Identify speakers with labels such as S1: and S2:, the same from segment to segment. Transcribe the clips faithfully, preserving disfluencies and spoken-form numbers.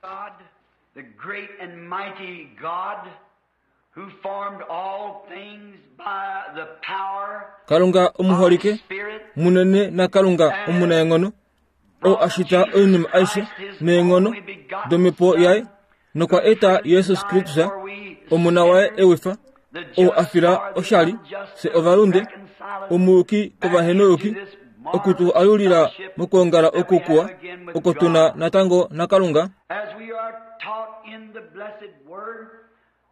S1: God, the great and mighty God, who formed all things by the power
S2: Kalunga
S1: of
S2: omuholike
S1: His Spirit,
S2: munene naKalunga omunaenghono oo a shita oinima aishe neenghono domhepo yaye nokwa eta Jesus Kristus omona waye ewifa oo a fila oshali fye ovalunde omuyuki kovahenoyuki oku tu alulila mokwoongala oku kuwa oko tuna natango naKalunga
S1: as we are taught in the blessed word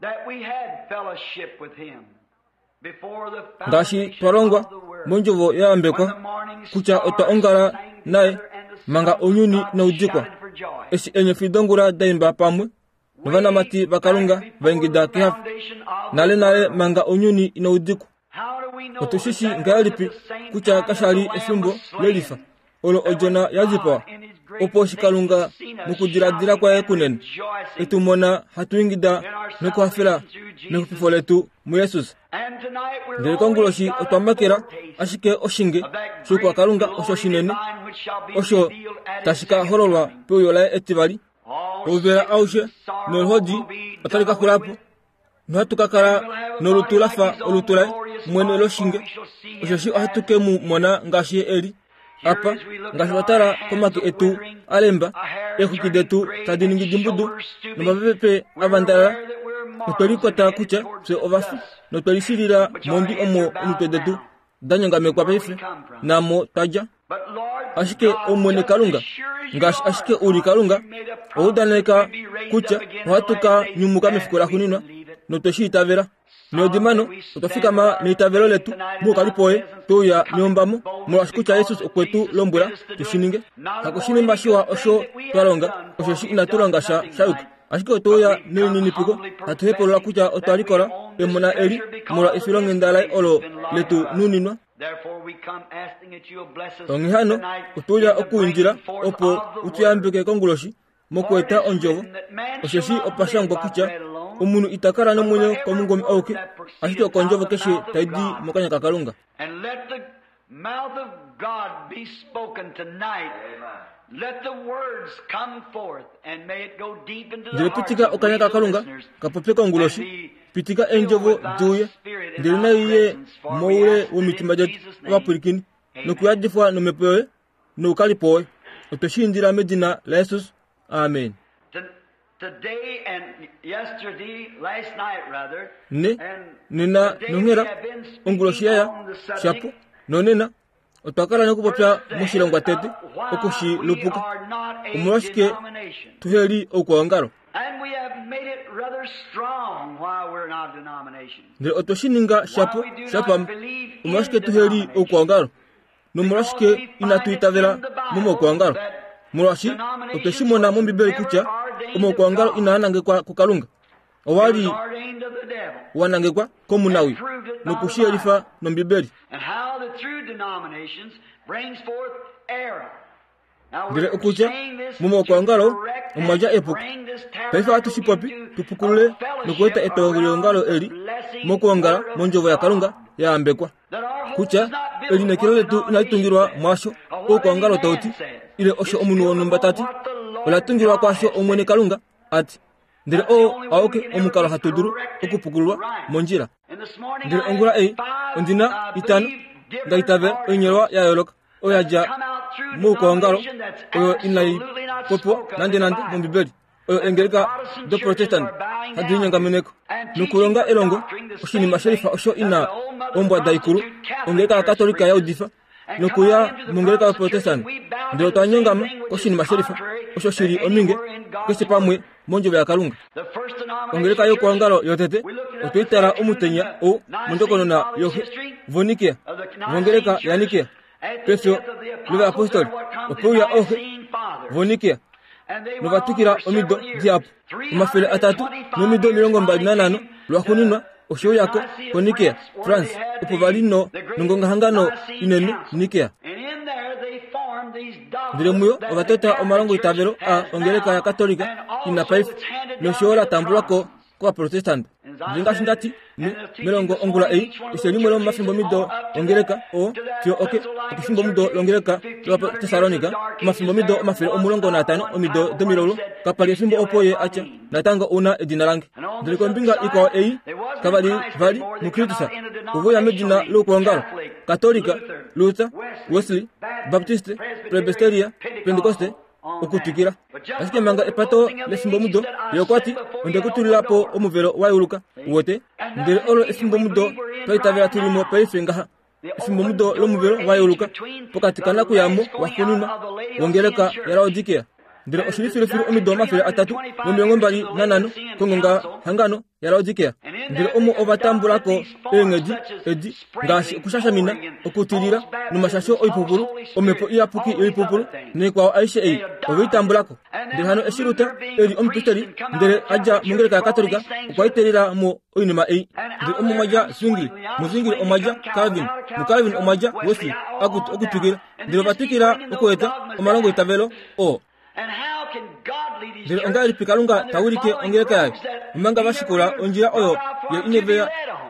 S1: that we had fellowship with him before the
S2: ngaashi
S1: foundation
S2: twa longwa
S1: of the world.
S2: mondjovo ya
S1: When
S2: yambekwa
S1: the morning
S2: kutya otwa
S1: stars
S2: ongala
S1: sang
S2: naye
S1: together and the
S2: manga
S1: sons of
S2: ounyuni
S1: God
S2: noudikwa
S1: shouted for joy.
S2: eshi eenyofi dongula da imba pamwe novanamati vaKalunga va ingida kehafo nale nale manga ounyuni inaudikwa otu shi shi ngahelipi kutya kasha li efimbo lelifa olo odjona ya dipawa opo eshi Kalunga mokudiladila kwaye kunene etu mona hatu ingida nokuhafela mexupifo letu muJesus. Ndele konguloshi otwa makela ashike oshinge shOukwakalunga osho shinene osho tashi ka hololwa peuyo laye etivali. Ouvela aushe noluhodi otali ka xula po nohatu ka kala nolutu la fa olutu laye mwene loshinge osheshi ohatu ke mu mona ngaashi ye eli. Apa ngaashi twa tala komake etu a lemba, eexwiki detu tadi ningi dimbudu nomapepe a vandalala, otwe likwata kutya fye ovafi notwe lishilila mondwi omo omitwe detu da nyongamekwa paife naamo twa dja. Ashike Omwene Kalunga, ngaashi ashike u li Kalunga, owa udaneka kutya ohatu ka nyumuka mefiku laxuuninwa notwe shi itavela. Neudimano otwa fikama neitavelo letu moukalipo woye twe uya neombamo molwaashi kutya Jesus okwe tu lombwela tu shi ninge. Hakushinima shiwa osho twa longa, osheshi inatu longa sha sha yuka. Ashike otwe uya nelininipiko hatu hepulula kutya otwa likola emona eli molwa efilonghenda laye olo letu nuninwa. Onghee hano otwe uya okuindila opo u tu yambeke konguloshi mokweeta ondjovo, osheshi opa shangwa kutya omunhu ita kala nomwenyo komungome auke, ashike okondjovo keshe tai di mokanya kaKalunga.
S1: And let the mouth of God be spoken tonight. Let the words come forth and may it go deep into the
S2: Ndele
S1: hearts
S2: pitika
S1: of
S2: okanya
S1: we the
S2: kaKalunga
S1: listeners
S2: ka popye konguloshi, pitika eendjovo di uye, ndele nai ye moule womitima detu ovapwilikini, nokuyadifwa nomhepo yoye noukalipo woye. Otwe shi indila medina laJesus. Amen.
S1: To- Today and yesterday, last night rather,
S2: Ne
S1: and
S2: nena
S1: today we
S2: nonghela
S1: have been speaking
S2: onguloshi yaya
S1: on the subject
S2: shapo nonena otwa kala nokupopya moshilongwa tete
S1: why
S2: oku shi
S1: we
S2: lupuka
S1: are not a
S2: omolwashike
S1: denomination.
S2: tuheli oukwaongalo.
S1: And we have made it rather strong why we're not a denomination.
S2: Ndele otwe shi ninga shapo shapama omolwashike tuheli oukwaongalo nomolwashike inatu itavela momaukwaongalo, molwaashi otwe shi mona mOmbibeli kutya omaukwaongalo inaa nangekwa kuKalunga, owa
S1: It
S2: li
S1: was ordained of the devil.
S2: wa nangekwa komunawi noku shi yelifa nOmbibeli.
S1: And how the true denominations brings forth error. Now
S2: Ndele
S1: we're
S2: okutya
S1: saying this to
S2: momaukwaongalo
S1: correct
S2: omwa dja
S1: and
S2: epuko.
S1: bring this
S2: Paife ohatu shi popi
S1: tabernacle
S2: tu pukulule
S1: into a
S2: nokueta
S1: fellowship
S2: etongeliongalo
S1: around the
S2: eli
S1: blessing
S2: mokwoongala
S1: word of
S2: mondjovo yaKalunga
S1: God.
S2: ya yambekwa
S1: That our hope
S2: kutya
S1: is not built
S2: elineekelo
S1: on
S2: letu inali tungilwa
S1: denomination
S2: mwaasho
S1: says, or what
S2: oukwaongalo
S1: any
S2: tau
S1: man
S2: ti
S1: says.
S2: ile osho
S1: It's
S2: omunhu
S1: built
S2: wonhumba
S1: on
S2: ta ti,
S1: what the Lord
S2: ola tungilwa
S1: God
S2: kwaasho
S1: has
S2: Omwene
S1: said.
S2: Kalunga a ti. Ndele
S1: That's the
S2: oo
S1: only way we
S2: auke
S1: can ever
S2: omukalo
S1: be
S2: hatu dulu
S1: corrected
S2: okupukululwa
S1: right.
S2: mondjila.
S1: And this morning
S2: Ndele
S1: I
S2: ongula
S1: had
S2: ei
S1: five,
S2: ondina
S1: I
S2: itano
S1: believe,
S2: nda
S1: different
S2: itavela oinyolwa
S1: articles
S2: ya yooloka oyo ya
S1: that
S2: dja
S1: come out through
S2: moukwaongalo
S1: denomination that's
S2: oyo inai
S1: absolutely not
S2: popiwa
S1: spoke of
S2: nande
S1: in the
S2: nande
S1: Bible.
S2: mOmbibeli oyo
S1: That the
S2: eengeleka
S1: Protestant
S2: do
S1: churches
S2: Protestant
S1: are bowing
S2: hadi
S1: down to
S2: linyongameneko
S1: and teaching
S2: nokulonga
S1: for
S2: elongo
S1: doctrine the same
S2: oshinima shelifa
S1: thing
S2: osho
S1: that
S2: ina
S1: the old mother
S2: ombwada ikulu
S1: prostitute Catholic
S2: ongeleka
S1: Church
S2: yakatolika ya
S1: preaches.
S2: udifa
S1: And come
S2: nokuya
S1: out into the
S2: mongeleka
S1: Protestant church
S2: yaProtestant
S1: and we bow
S2: ndele
S1: to
S2: otwa
S1: the same
S2: nyongama
S1: thing which is
S2: koshinima shelifa
S1: contrary
S2: osho
S1: to
S2: shili ominge
S1: anywhere in God's
S2: keshe pamwe
S1: Word.
S2: mondjovo yaKalunga.
S1: The first denomination
S2: Ongeleka
S1: church,
S2: youkwaongalo yotete
S1: we looked it up
S2: otwe i
S1: this
S2: tala
S1: afternoon in
S2: omutenya
S1: the
S2: ou
S1: Nicene
S2: mondjokonona
S1: Fathers'
S2: yoxe
S1: history
S2: voNikea
S1: of the Nicene
S2: vongeleka
S1: Church.
S2: yaNikea
S1: At the
S2: pefyo
S1: death of the apostles,
S2: lovayapostoli
S1: there what comes
S2: ope
S1: the
S2: uya ooxe
S1: Nicene Fathers.
S2: voNikea
S1: And they went on
S2: novatwikila
S1: for
S2: omido
S1: several years.
S2: dihapu omafele atatu nomido omilongo mbali nanhano lwaxuuninwa oshe uyako
S1: to
S2: koNikea
S1: Nicaea, France, where
S2: France
S1: they had
S2: opo vali no
S1: the, the great
S2: nongongahangano
S1: Nicene
S2: inene
S1: Council.
S2: Nikea.
S1: And in there they formed these
S2: Ndele
S1: dogmas
S2: muyo
S1: that the
S2: ova tota
S1: Catholic
S2: omalongo
S1: Church
S2: itavelo a
S1: has
S2: ongeleka
S1: now
S2: yakatolika
S1: and
S2: ina
S1: also
S2: paife
S1: it's handed down
S2: nosho yo
S1: to
S2: la
S1: the
S2: tambulwa ko
S1: Protestants.
S2: kovaprotestanta.
S1: And
S2: Ndele ngaashi ndati melongo ongula ei, keshe limwe lomomafimbomido ongeleka oo fiyo oke okefimbomido longeleka lOvatessalonika, omafimbomido omafele omulongo naatano omido domilaulu, kapa li efimbo opo ye atya natango ouna edina lange. Ndele kombinga ikwao ei kava li vali muKristus, ove medina loukwaongalo Katolika, Luther, Wesley, Baptiste, Presbyteria, Pentecoste, okutwikila. Ashike manga epato lefimbomudo, ye okwa ti, onde ku tulila po omuvelo wa yeuluka, uwete. Ndele olo efimbomudo twa itavela tuli mo paife ngaha, efimbomudo lomuvelo wa yeuluka pokati kanakuyamo waxuuninwa wongeleka yaLaodikea. Ndele oshili filufilu omido omafele atatu nomilongo mbali nanhano kongonga hangano yaLaodikea. Ndele omo ova tambulako eenghedi edi ngaashi okushashamina, okutilila nomashasho oipupulu, omhepo iyapuki yoipupulu naikwao aishe ei ove i tambulako. Ndele hano eshi Luther eli omupristeli ndele a dja mongeleka yaKatolika, okwa itelila mo oinima ei. Ndele omo mwa dja Zwingli, muZwingli omwa dja Calvin, muCalvin omwa dja Wesley, akutu okutwikila. Ndele ova twikila okueta omalongoitavelo oo. Ndele ongahelipi Kalunga ta wilike ongeleka yaye omanga va shikula ondjila oyo ye ineve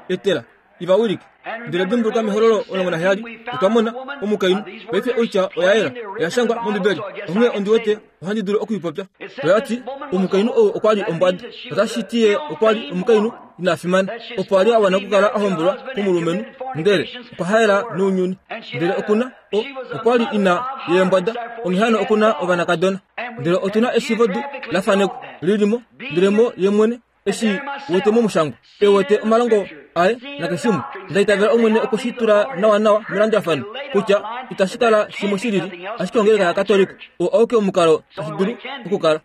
S2: etela iva wilike? Ndele dimbuluka mehololo omulongo naheyali otwa mona omukainhu. Paife oitya oya yela, oya shangwa mOmbibeli, onghee ondi wete ohandi dulu okuipopya. Oya ti omukainhu ou okwa li ombwada, otashi ti ye okwa li omukainhu ina fimana, opo a li a wana okukala a hombolwa komulumenhu, ndele okwa haela nounyuni. Ndele okuna o okwa li ina yeembwada, onghee hano okuna ovanakadona. Ndele otuna eshiivodu la fanekwa lilimo, ndele mo ye mwene eshi wete momushangwa e wete omalongo aye nakeshimwe. Nda itavela Omwene okwe shi tula nawanawa melandulafano kutya itashi kala shimwe shi lili, ashike ongeleka yaKatolika oo auke omukalo tashi dulu okukala.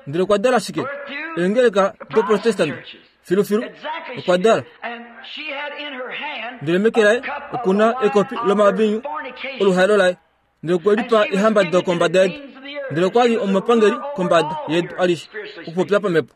S2: Ndele okwa dala shike? Eengeleka doProtestant filufilu okwa dala. Ndele meke laye okuna ekopi lomavinyu oluhaelo laye, ndele okwe lipa eehamba dokombada yedu. Ndele okwa li omupangeli kombada yedu alishe, okupopya pamhepo.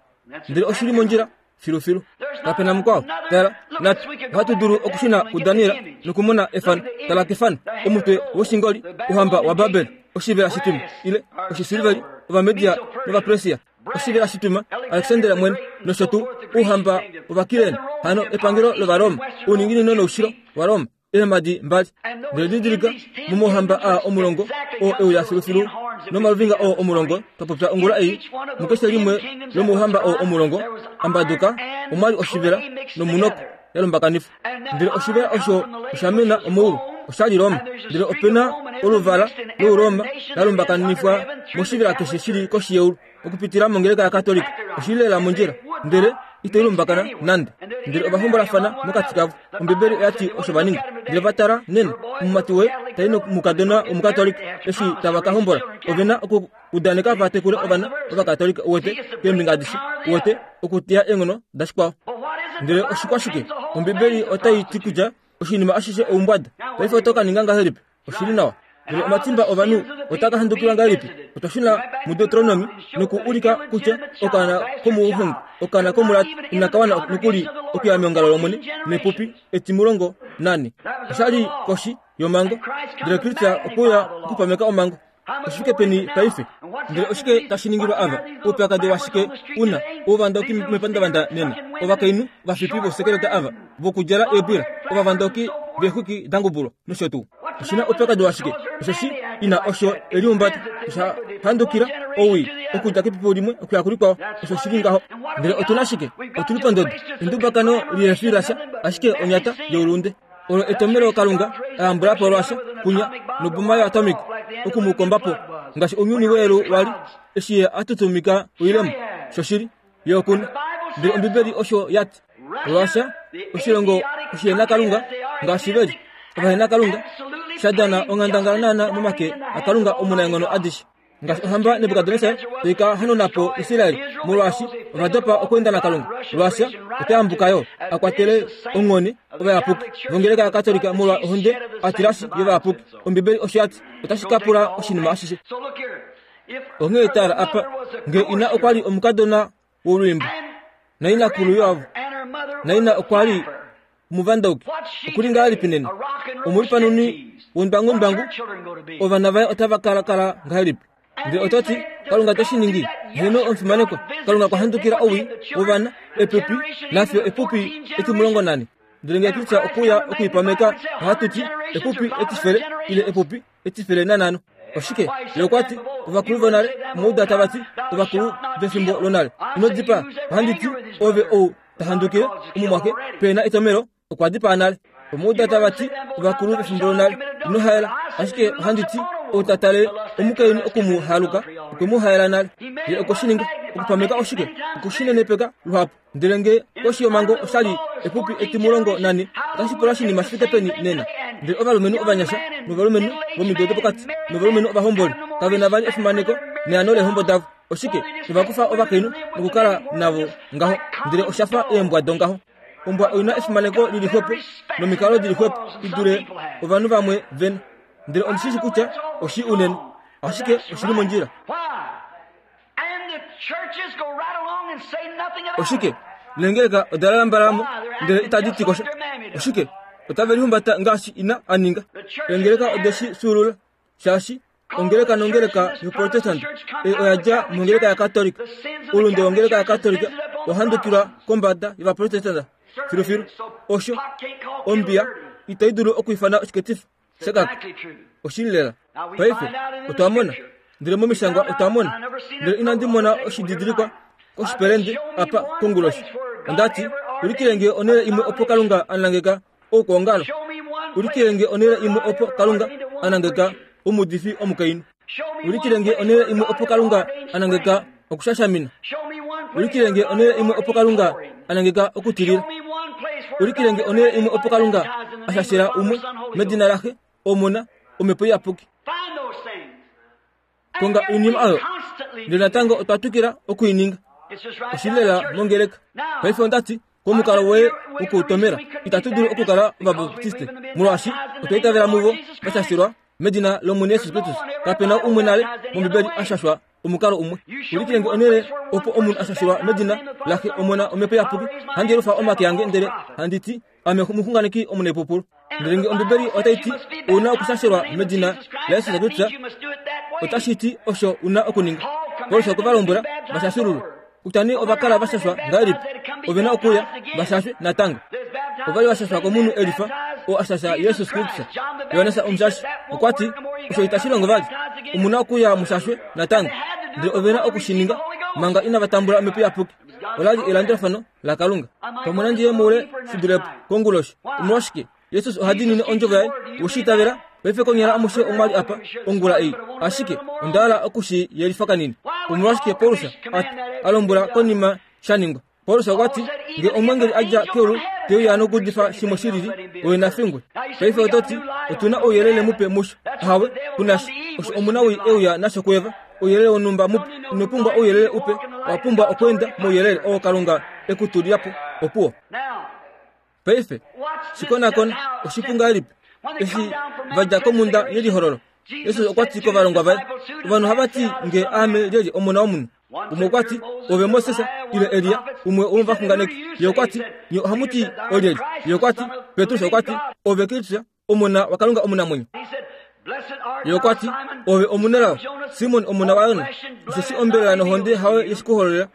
S2: Ndele oshili mondjila filufilu. Kapena mukwao. Tala, natu ohatu dulu okushuna kuDaniel nokumona efano. Tala kefano, omutwe woshingoli, ouhamba waBabel, oshivela shitwima ile oshisilveri, Ovamedia nOvapresia, oshivela shitwima, Alexander mwene, nosho tuu ouhamba wOvakirene, hano epangelo lOvaroma, ouninginino noushilo waRoma, eemhadi mbali. Ndele didilika momauhamba aa omulongo oo euya filufilu nomaluvinga oo omulongo twa popya ongula ei, mukeshe limwe lomouhamba oo omulongo ambaduka omwali oshivela nomunoko ya lumbakanifwa. Ndele oshivela osho osha mena omoulu, osha li Roma. Ndele opena oluvala louroma la lumbakanifwa moshivela keshe shili koshi yeulu okupitila mongeleka yaKatolika. Oshili lela mondjila, ndele ito lumbakana nande. Ndele ovahombolafana mokati kavo. Ombibeli oya ti osho va ninga. Ndele va tala nena omumati woye tai nomukadona womukatolika eshi tava ka hombola, ove na okuudaneka va tekule ovana ovakatolika, uwete keembinga adishe, uwete okuteya eenghono dashikwao. Ndele oshikwashike? Ombibeli otai ti kutya oshinima ashishe oumbwada. Paife oto ka ninga ngahelipi? Oshili nawa. Ndele omatimba ovanhu otaa ka handukilwa ngahelipi? Otwa shuna muDeuteronomi noku ulika kutya okaana komuhongi, okaana komulati inaka wana nokuli okuya meongalo lOmwene nepupi etimulongo nane. Osha li koshi yomhango, ndele Kristus okwe uya okupameka omhango. Oshike peni paife? Ndele oshike tashi ningilwa ava? Oupyakadi washike una ouvandoki mepandavanda nena? Ovakainhu vafipi vosekeleta ava vokudjala eebwila, ovavandoki veexwiki dangubulwa nosho tuu. Oshina oupyakadi washike? Osheshi ina osho eliumbata osha handukila owii okudja kepipi limwe okuya kulikwao. Osho shili ngaho. Ndele otuna shike? Otuli pondodo endubakano lihefi lasha, ashike onyata youlunde. Olo etomelo Kalunga a yambula po lwasha kunya noboma yoatomic okumukomba po ngaashi ounyuni weelu wali eshi ye a tutumika oilemo. Shoshili ye okuna. Ndele Ombibeli osho ya ti, Lwasha oshilongo oshihenakalunga ngaashi veli ovahenakalunga sha dana onghandangala naana momake aKalunga omunaenghono adishe. Ngaashi ohamba Nebukadnesar tai ka hanuna po Israel molwaashi ova dopa okweenda naKalunga. Lwasha ota yambuka yo a kwatele onghone ovayapuki vongeleka yaKatolika molwa ohonde a tilashi yovayapuki. Ombibeli osho ya ti otashi ka pula oshinima ashishe. Onghee tala apa, ngee ina okwa li omukadona wolwiimbo nainakulu yoavo, naina okwa li omuvandauki, okuli ngahelipi nena? Omulipanuni wondwangundwangu, ovana vaye otava kala kala ngahelipi? Ndele oto ti, Kalunga te shi ningi? Heeno, omufimanekwa, Kalunga okwa handukila owii wovana Epupi nafyo epupi etimulongo nane. Ndele ngee Kristo okuya okuipameka ohatu ti epupi etifele ile epupi etifele nanhano. Oshike? Ye okwa ti ovakulu vonale omauda tava ti ovakulu vefimbo lonale. Ino dipaa. Ohandi ti ove ou ta handukile omumwaxe pena etomelo okwa dipaa nale. Omauda tava ti ovakulu vefimbo lonale ino haela. Ashike ohandi ti ou ta tale omukainhu oku mu haluka okwe mu haela nale. Ye okwe shi ninga. Okupameka oshike? Okushinenepeka luhapu. Ndele ngee koshi yomhango oshali epupi etimulongo nane, otashi pula oshinima shi fike peni nena. Ndele ovalumenhu ovanyasha novalumenhu vomido dopokati novalumenhu ovahomboli kave na vali efimaneko neano leehombo davo. Oshike? Ovakufa ovakainhu nokukala navo ngaho, ndele osha fa eembwa dongaho. Ombwa oina efimaneko lili xwepo nomikalo dili xwepo i dule ovanhu vamwe vena. Ndele ondi shi kutya oshi unene, ashike oshili mondjila. Oshike? Lengeleka oda lambalamo ndele itadi ti kosha. Oshike? Otave lihumbata ngaashi ina a ninga. Lengeleka odeshi fyuulula shaashi ongeleka nongeleka yoProtestant ei oya dja mongeleka yaKatolika. Oulunde wongeleka yaKatolika owa handukilwa kombada yovaprotestant filufilu. Osho ombiya itai dulu okwiifana oshiketifa shakaka. Oshili lela. Paife otwa mona, ndele momishangwa otwa mona, ndele inandi mona oshididilikwa koshipelende apa konguloshi. Ondati ulikilenge onhele imwe opo Kalunga a nangeka oukwaongalo. Ulikilenge onhele imwe opo Kalunga a nangeka omuudifi omukainhu. Ulikilenge onhele imwe opo Kalunga a nangeka okushashamina. Ulikilenge onhele imwe opo Kalunga a nangeka okutilila. Ulikilenge onhele imwe opo Kalunga a shashela umwe medina laxe, Omona, Omhepo Iyapuki. Konga oinima oyo, ndele natango otwa twikila okuininga. Oshili lela mongeleka. Paife ondati komukalo woye wokutomela itatu dulu okukala ovabaptiste molwaashi otwa itavela muvo vashashilwa medina lOmwene Jesus Kristus. Kapena umwe nale mOmbibeli a shashwa omukalo umwe. Ulikilenge onhele opo omunhu a shashilwa medina laxe, Omona, Omhepo Iyapuki. Handi yelufa omake ange ndele handi ti ame omuxunganeki omunaipupulu. Ndele ngee Ombibeli otai ti ouna okushashelwa medina laJesus Kristus, otashi ti osho una okuninga. Paulus okwe va lombwela vashashululwe. Kutya nee ova kala vashashwa ngahelipi, ove na okuya vashashwe natango. Ova li vashashwa komunhu elifa oo a shasha Jesus Kristus. Johannes Omushashi okwa ti osho itashi longo vali, omu na okuya mushashwe natango. Ndele ove na oku shi ninga manga inava tambula Omhepo Iyapuki. Ola li elandulafano laKalunga. Pamwe nandi ye moule shi dulepo konguloshi. Omolwashike? Jesus oha diinine ondjovo yaye. Weshi itavela? Paife konyala amushe omwa li apa ongula ei, ashike onda hala oku shi yelifa kanini. Omolwashike Paulus a, a lombwela konima sha ningwa? Paulus okwa ti ngee omwengeli a dja keulu te uya nokuudifa shimwe shi lili, oye na fingwe. Paife oto ti otu na ouyelele mupe musho. Ahawe, kunasha. Osho omunawii e uya nasho kuEva. Ouyelele wonhumba mupe. Ino pumbwa ouyelele upe, owa pumbwa okweenda mouyelele oo Kalunga e ku tulila po. Opuwo. Paife shikonakona oshipu ngahelipi eshi va dja komhunda yelihololo. Jesus okwa ti kovalongwa vaye, ovanhu ohava ti ngee aame lyelye Omona wOmunhu. Umwe okwa ti ove Moses ile Elia, umwe womovaxunganeki. Ye okwa ti nye ohamu ti olyelye? Ye okwa ti Petrus okwa ti ove Kristus, Omona waKalunga omunamwenyo. Ye okwa ti ove omunelao, Simon omona waYona, osheshi ombelela nohonde hayo yeshi ku hololela.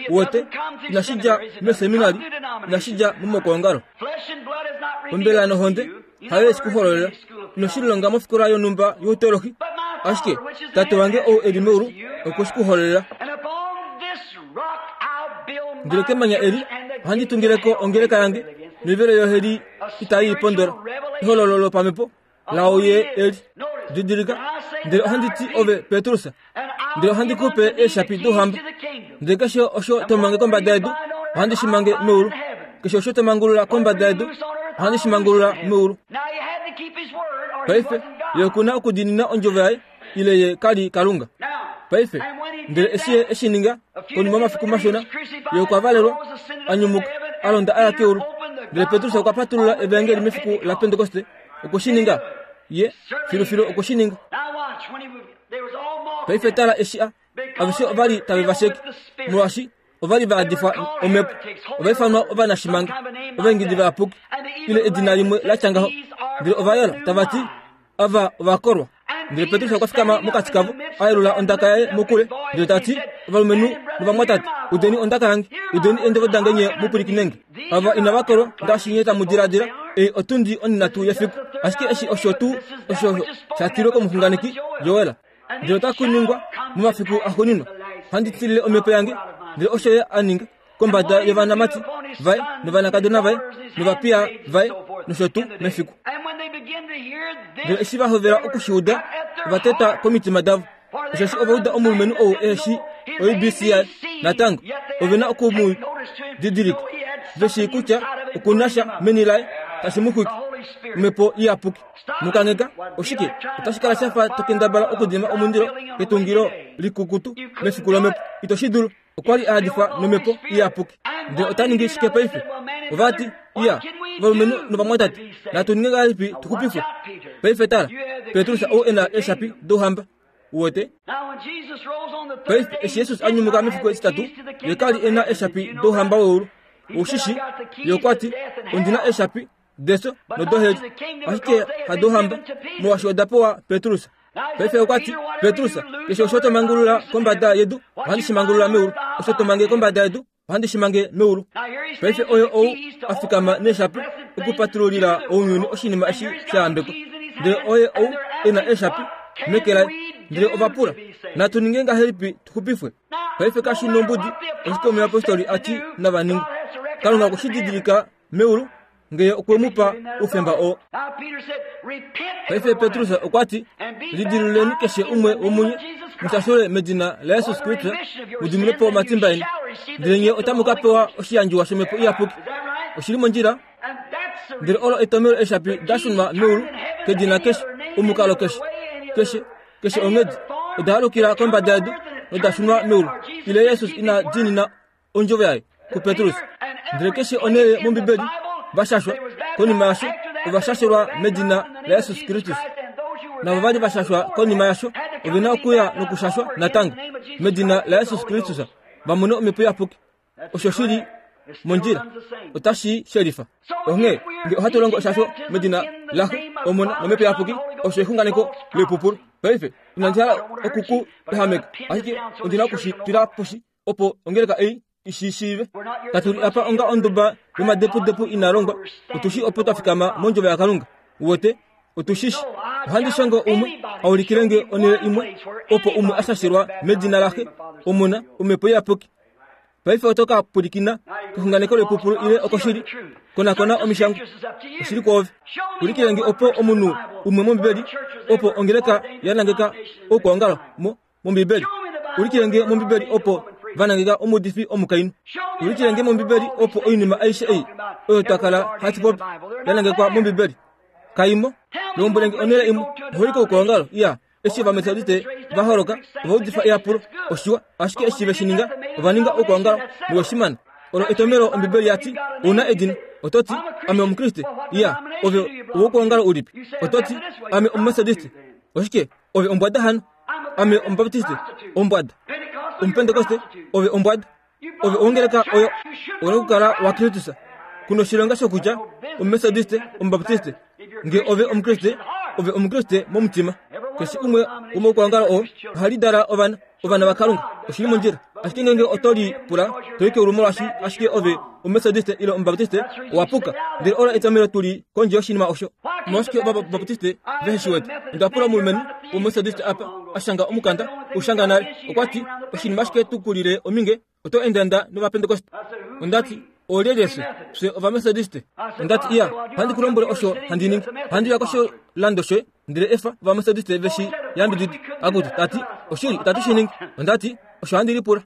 S2: Uwete, inashi dja meseminari, inashi dja momokwoongalo. Ombelela nohonde hayo yeshi ku hololela. Ino shi lilonga mofikola yonhumba youteolohi, ashike Tate wange ou e li meulu okwe shi ku hololela. Ndele kemanya eli ohandi tungileko ongeleka yange, noivelo yoheli itai i pondola. Ehololo lopamhepo lao ye eli. Didilika, ndele ohandi ti ove Petrus, ndele ohandi ku pe eeshapi douhamba. Ndele keshe osho to mange kombada yedu, ohandi shi mange meulu. Keshe osho to mangulula kombada yedu, ohandi shi mangulula meulu. Paife ye oku na okudiinina ondjovo yaye, ile ye ka li Kalunga. Paife, ndele eshi ye eshi ninga, konima yomafiku mashona, ye okwa valelwa, a nyumuka, a londa a ya keulu. Ndele Petrus okwa patulula evangeli mefiku laPentekoste. Okwe shi ninga. Ye filufilu okwe shi ninga. Paife tala eshi a aveshe ova li tave va sheke, molwaashi ova li va adifwa omhepo. Ova ifanwa ovanashimanga, ovaingidi vayapuki, ile edina limwe la tya ngaho. Ndele ova yola tava ti ava ovakolwa. Ndele Petrus okwa fikama mokati kavo, a yelula ondaka yaye mokule, ndele ta ti, ovalumenhu novamwatate, udeni ondaka yange, udeni eendjovo dange nye mu pwilikinenge. Ava inava kolwa ngaashi nye tamu diladila, ei otundi onhinhatu yefiku. Ashike eshi osho tuu osho sha tilwe komuxunganeki Joel. Ndele otaku ningwa momafiku axuuninwa, ohandi tilile omhepo yange, ndele osho ye a ninga kombada yovanamati vaye novanakadona vaye novapiya vaye nosho tuu mefiku. Ndele eshi va hovela okushiuda, ova teta komitima davo, osheshi ova uda omulumenhu ou ehe O B C yaye natango ove na oku mu didilika, ve shii kutya oku na sha meni laye tashi mu xwike omhepo iyapuki. Mukangeka oshike otashi kala shafa to kendabala okudima omundilo ketungilo likukutu mefiku lomhepo. Ito shi dulu. Okwa li a hadifa nomhepo iyapuki. Ndele ota ningi shike paife? Ova ti, iya, ovalumenhu novamwatate, natu ninge ngahelipi tu xupifwe? Paife tala, Petrus ou e na eeshapi douhamba. Uwete? Paife eshi Jesus a nyumuka mefiku etitatu, ye ka li e na eeshapi douhamba weulu. Ushishi, ye okwa ti, ondi na eeshapi deso nodoheli, ashike hadouhamba, molwaashi oda pewa Petrus. Paife okwa ti, Petrus, keshe osho to mangulula kombada yedu, ohandi shi mangulula meulu. Osho to mange kombada yedu, ohandi shi mange meulu. Paife oyo ou a fikama neeshapi okupatululila ounyuni oshinima eshi sha yambekwa. Ndele oye ou e na eeshapi meke laye. Ndele ova pula, natu ninge ngahelipi tu xupifwe? Paife kashi nombudi oshike omuyapostoli a ti nava ninge. Kalunga okwe shi didilika meulu ngee okwe mu pa oufemba oo. Paife Petrus okwa ti, lidiluleni keshe umwe womunye, mushashule medina laJesus Kristus, mu po omatimba eni, ndele nye otamu ka pewa oshiyandjiwa shomhepo iyapuki. Oshili mondjila. Ndele olo etomelo eeshapi da shunwa meulu kedina keshe, omukalo keshe, keshe keshe onghedi, oda halukila kombada yedu noda shunwa meulu. Ile Jesus ina diinina ondjovo yaye kuPetrus. Ndele keshe onhele mOmbibeli vashashwa konima yasho ova shashelwa medina laJesus Kristus. Navo vali vashashwa konima yasho ove na okuya nokushashwa natango medina laJesus Kristus, va mone omhepo iyapuki. Osho shili mondjila, otashi shelifa. Onghee nge ohatu longo eshasho medina laxe, Omona nomhepo iyapuki, osho exunganeko leipupulu. Paife inandi hala okuku ehameka, ashike ondi na okushi tula poshi opo ongeleka ei ishi shiive. Katu li apa onga onduba yomadepudepu ina longwa. Otushi opo twa fikama mondjovo yaKalunga. Uwete, otushishi. Ohandi shongo umwe a ulikilenge onhele imwe opo umwe a shashelwa medina laxe, Omona, omhepo iyapuki. Paife oto ka pwilikina kexunganeko leipupulu ile okoshili. Konakona omishangwa. Oshili kwoove. Ulikilenge opo omunhu umwe mOmbibeli opo ongeleka ya nangeka oukwaongalo mo mOmbibeli. Ulikilenge mOmbibeli opo va nangeka omuudifi omukainhu. Ulikilenge mOmbibeli opo oinima aishe ei oyo twa kala hatu popi ya nangekwa mOmbibeli. Kaimo, lombwelenge onhele imwe oholiko oukwaongalo. Iya, eshi Ovametodiste va holoka, ova udifa eyapulo, oshiwa, ashike eshi ve shi ninga, ova ninga oukwaongalo noshimana. Olo etomelo Ombibeli ya ti, ouna edina. Oto ti, ame Omukriste. Iya, ove owoukwaongalo ulipi? Oto ti, ame Omumetodiste. Oshike, ove ombwada hano? Ame Omubaptiste, ombwada. Omupentekoste, ove ombwada. Ove owongeleka oyo ouna okukala waKristus. Kuna oshilonga shokutya Omumetodiste, Omubaptiste. Nge ove Omukriste, ove Omukriste momutima. Keshe umwe womoukwaongalo oo ohali dala ovana, ovana vaKalunga. Oshili mondjila. Ashike ngenge oto li pula, to i keulu molwaashi ashike ove Omumetodiste ile Omubaptiste, owa puka. Ndele olo etomelo tu li kondje yoshinima osho. Omolwashike Ovabaptiste vehe shi wete? Onda pula omulumenhu wOmumetodiste apa a shanga omukanda, ushanga nale. Okwa ti, oshinima ashike tu kulile ominge, oto endaenda nOvapentekoste. Onda ti, oolyelye fye? Fye Ovametodiste. Onda ti, iya, ohandi ku lombwele osho handi ningi. Ohandi uya koshilando shoye, ndele efa Ovametodiste ve shi yambidide. Akutu, ta ti, oshili itatu shi ningi. Onda ti, osho handi lipula.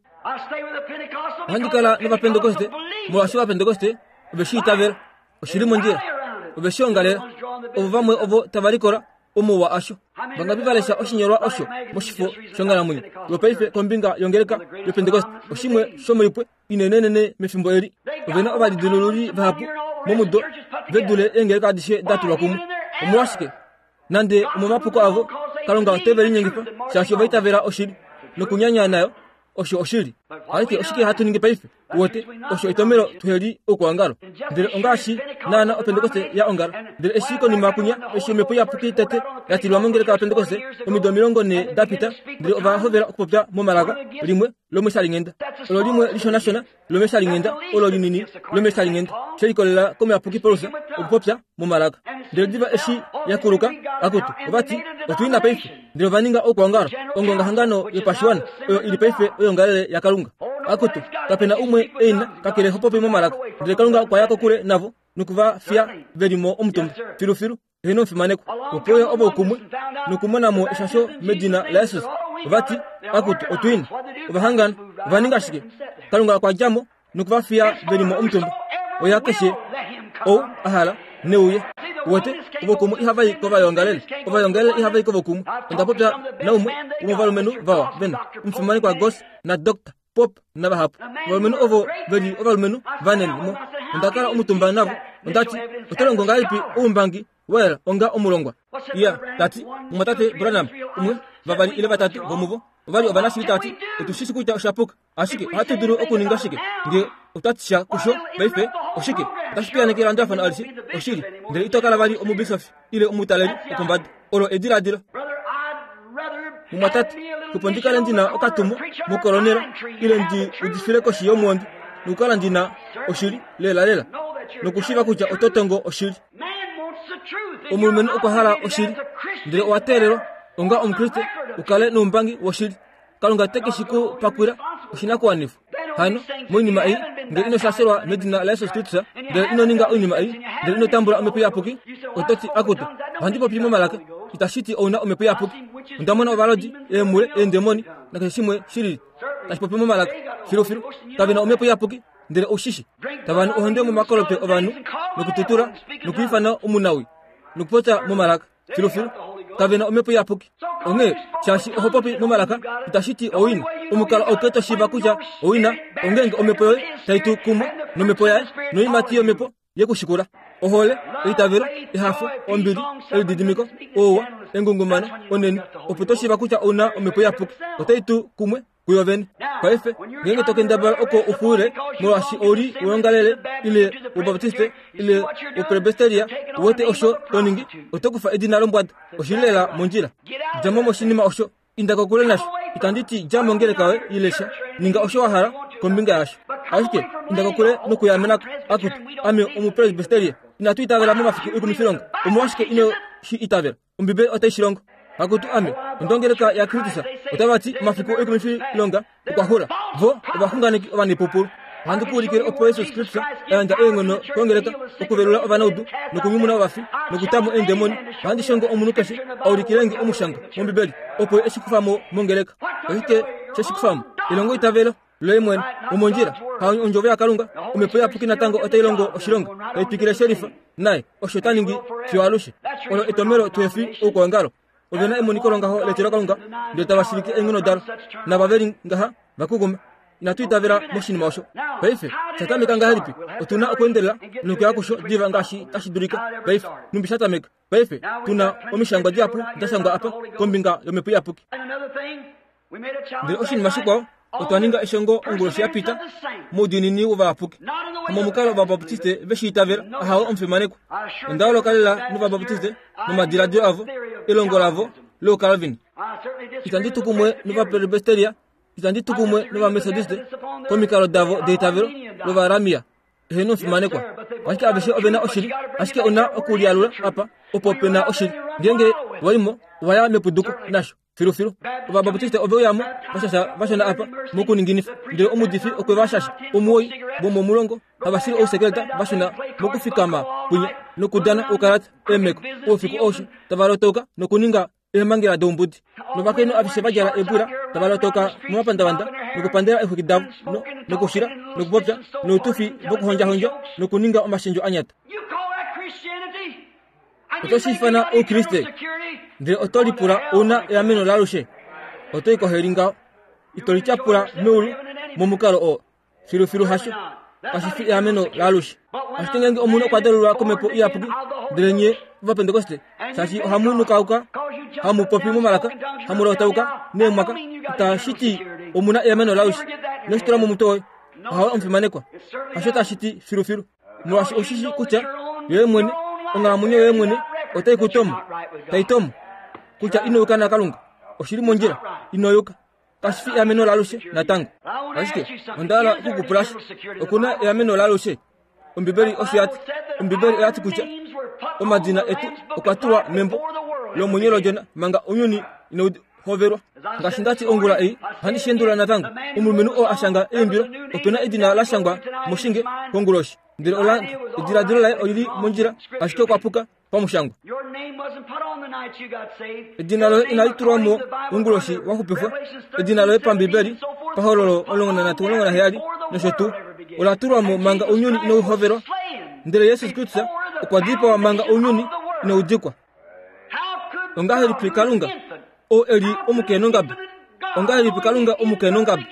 S2: Ohandi kala nOvapentekoste, molwaashi Ovapentekoste ove shi itavela. Oshili mondjila. Ove shi ongalela. Ovo vamwe ovo tava likola omouwa asho. Vangapi va lesha oshinyolwa osho moshifo shonghalamwenyo yopaife kombinga yongeleka yoPentekoste, oshimwe shomoipwe inenenene mefimbo eli. Ove na ovalidilululi vahapu momudo ve dule eengeleka adishe da tulwa kumwe. Omolwashike? Nande omomapuko avo, Kalunga ote ve linyengifa, shaashi ova itavela oshili nokunyanya nayo osho oshili. Ashike oshike hatu ningi paife? Wote osho etomelo tuheli okuongalo. Ndele ongaashi naana opentekoste ya ongala. Ndele eshi konima kunya eshi omhepo iyapuki tete ya tilwa mongeleka yapentekoste omido omilongo nhee da pita, ndele ova hovela okupopya momalaka limwe lomeshalinghenda. Olo limwe lishonashona lomeshalinghenda, olo linini lomeshalinghenda, she likolelela komuyapuki Paulus okupopya momalaka. Ndele diva eshi ya kuluka, akutu ovati otuina paife. Ndele ova ninga okuongalo ongongahangano yopashiwana oyo ili paife oyongalele yaKalunga. Akutu kapena umwe eina kakele hopopi momalaka. Ndele Kalunga okwa ya kokule navo nokuva fiya veli mo omutumba filufilu eheno omufimanekwa. Opo ya ovo kumwe nokumonamo eshasho medina laJesus. Ovati akutu otuina ovahangana ova ninga shike? Kalunga okwa djamo nokuva fiya veli mo omutumba. Oya keshe ou ahala neuye. Wote ovokumwe ihava i kovayongalele, ovayongalele ihava i kovokumwe. Onda popya naumwe womovalumenhu vawa vena omufimanekwa Gos na Doctor Pop navahapu. Ovalumenhu ovo veli ovalumenhu vanene mo. Onda kala omutumba navo. Ondati oto longo ngahelipi oumbangi wayela onga omulongwa? Iya, tati mumwatate Branham umwe vavali ile vatatu vomuvo ovali ovanashili. Tati otushishi kutya oshapuka, ashike ohatu dulu okuninga shike nge otwatisha kusho paife? Oshike otashi piyaneke elandulafano alishe oshili, ndele ito kala vali omubisofi ile omutaleli wopombada. Olo ediladilo. Mumwatate, opo ndi kale ndina okatumo mokolonela ile ndi udifile koshi yomuondi nokukala ndina oshili lelalela nokushiva kutya oto tongo oshili. Omulumenhu okwa hala oshili, ndele owa teelelwa onga omukriste ukale noumbangi woshili. Kalunga te ke shi ku pakwila oshinakuwanifwa. Hano moinima ei, ngele ino shashelwa medina laJesus Kristus, ndele ino ninga oinima ei, ndele ino tambula omhepo iyapuki, oto ti akutu ohandi popi momalaka, itashi ti ouna omhepo iyapuki. Onda mona ovalodi, eemule, eendemoni nakeshe shimwe shilili tashi popi momalaka. Filufilu kave na omhepo iyapuki, ndele oushishi tava nu ohonde momakolope ovanhu nokututula nokwiifana omunawi nokupopya momalaka. Filufilu kave na omhepo iyapuki. Onghee shaashi oho popi momalaka itashi ti owina. Omukalo auke to shiiva kutya owina ongeenge omhepo yoye tai tu kumwe nomhepo yaye noimati yomhepo yekushikula. Ohole, eitavelo, ehafo, ombili, elididimiko, ouwa, engungumano, oneni. Opo to shiiva kutya ouna omhepo iyapuki, otai tu kumwe kuyo vene. Paife ngeenge to kendabala oko ufuule molwaashi ouli weyongalele ile wobaptiste ile wopresbiteria, uwete osho to ningi, oto kufa edina lombwada. Oshili lela mondjila. Djamo moshinima osho, inda kokule nasho. Itandi ti dja mongeleka yoye ile sha, ninga osho wa hala kombinga yasho, ashike inda kokule nokuyamenako. Akutu ame omupresbiteria, inatu itavela momafiku oikumifilonga. Omolwashike ino shi itavela? Ombibeli otai shi longo. Akutu ame ondongeleka yaKristus, otava ti omafiku oikumifilonga okwa xula. Vo ovaxunganeki ovanepupulu. Ohandi ku ulikile opo Jesus Kristus a yandja eenghono kongeleka okuvelula ovanaudu nokunyumuna ovafi nokutamo eendemoni. Ohandi shongo omunhu keshe a ulikilenge omushangwa mOmbibeli opo eshi kufamo mongeleka. Oshike sheshi kufamo? Elongo itavelo loye mwene omondjila ha ondjovo yaKalunga. Omhepo iyapuki natango otai longo oshilonga, tai twikile shelifa naye osho ta ningi fiyo alushe. Olo etomelo tuhefi oukuongalo. Ovena emoniko longaho letilo Kalunga, ndele tava shilike eenghono dalo nava veli ngaha vakukuma. Inatu itavela moshinima osho. Paife shatameka ngahelipi? Otuna okuendelela nokuya kusho diva ngaashi tashi dulika. Paife numbi shatameka. Paife tuna omishangwa dihapu da shangwa apa kombinga yomhepo iyapuki. Ndele oshinima shikwao, otwa ninga eshongo onguloshi ya pita moudiinini wovayapuki. Hamomukalo ovabaptiste veshi itavela, ahawe omufimanekwa. Onda holoka lela novabaptiste momadiladilo avo, elongo lavo lOukalvin. Itandi tu kumwe novapresbiteria, itandi tu kumwe novamethodiste komikalo davo deitavelo lovaramia. Eheno omufimanekwa. Ashike aveshe ovena oshili, ashike ona okulialula apa opo pena oshili. Ngeenge waimo waya mepuduko nasho filufilu. Ovabaptiste ove uyamo vashasha vashona apa mokuninginifa, ndele omudifi okwe va shasha omuwoi vomomulongo havashili ousekeleta vashona mokufikama kwinya nokudana oukalata eemeko oufiku aushe tava lotouka nokuninga eemhangela doumbudi. Novakainhu aveshe va djala eebwila tava lotoka momapandavanda nokupandela eexwiki davo nokushila nokupopya noutufi vokuhondjahondja nokuninga omashendjo anyata. Oto shi ifana oukriste, ndele oto lipula ouna eameno laalushe. Oto i koheli ngaho. Ito lityapula meulu momukalo oo. Filufilu hasho. Kashi fi eameno laalushe. Ashike ngeenge omunhu okwa dalulwa komhepo iyapuki, ndele nye ovapentekoste, shaashi ohamu nukauka, hamu popi momalaka, hamu lotauka neemwaka, itashi ti omuna eameno laalushe. Ino shi tula momutwe woye. Ahawe omufimanekwa. Hasho tashi ti filufilu. Molwaashi oushi kutya yoye mwene, onghalamwenyo yoye mwene otai ku tomo. Tai tomo kutya ino yuka naKalunga. Oshili mondjila, ino yuka. Kashi fi eameno laalushe natango. Ashike onda hala okukupula sha. Okuna eameno laalushe. Ombibeli osho yati. Ombibeli oyati kutya omadina etu okwa tulwa membo lomwenyo lodjona manga ounyuni inau hovelwa. Ngaashi ndati ongula ei, ohandi shendula natango. Omulumenhu oo a shanga eimbilo, opena edina la shangwa moshinge konguloshi. Ndele ola ediladilo laye olili mondjila, ashike okwa puka pamushangwa. Edina loye inali tulwa mo onguloshi waxupifwa. Edina loye pambibeli pahololo omulongo nanhatu omulongo naheyali nosho tuu ola tulwa mo manga ounyuni inau hovelwa. Ndele Jesus Kristus okwa dipawa manga ounyuni inau dikwa. Ongahelipi Kalunga oo eli omukenongabe? Ongahelipi Kalunga omukenongabe?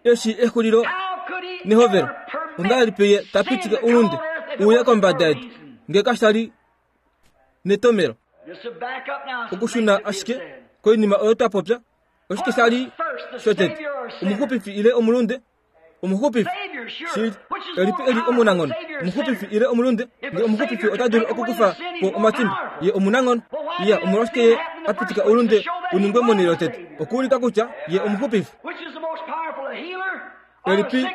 S2: Eshi exulilo nehovelo. Ongahelipi ye tapitika oulunde uye kombada yedu nge kashali netomelo? Okushuna ashike koinima oyo twa popya. Oshike shali shotete? Omuxupifi ile omulunde? Omuxupifi shili. Elipi eli omunanghono? Omuxupifi ile omulunde? Nge omuxupifi ota dulu okukufa po omatimba, ye omunanghono. Iya, omolwashike ye a pitika oulunde uningwe monhele yotete? Okuulika kutya ye omuxupifi. Elipi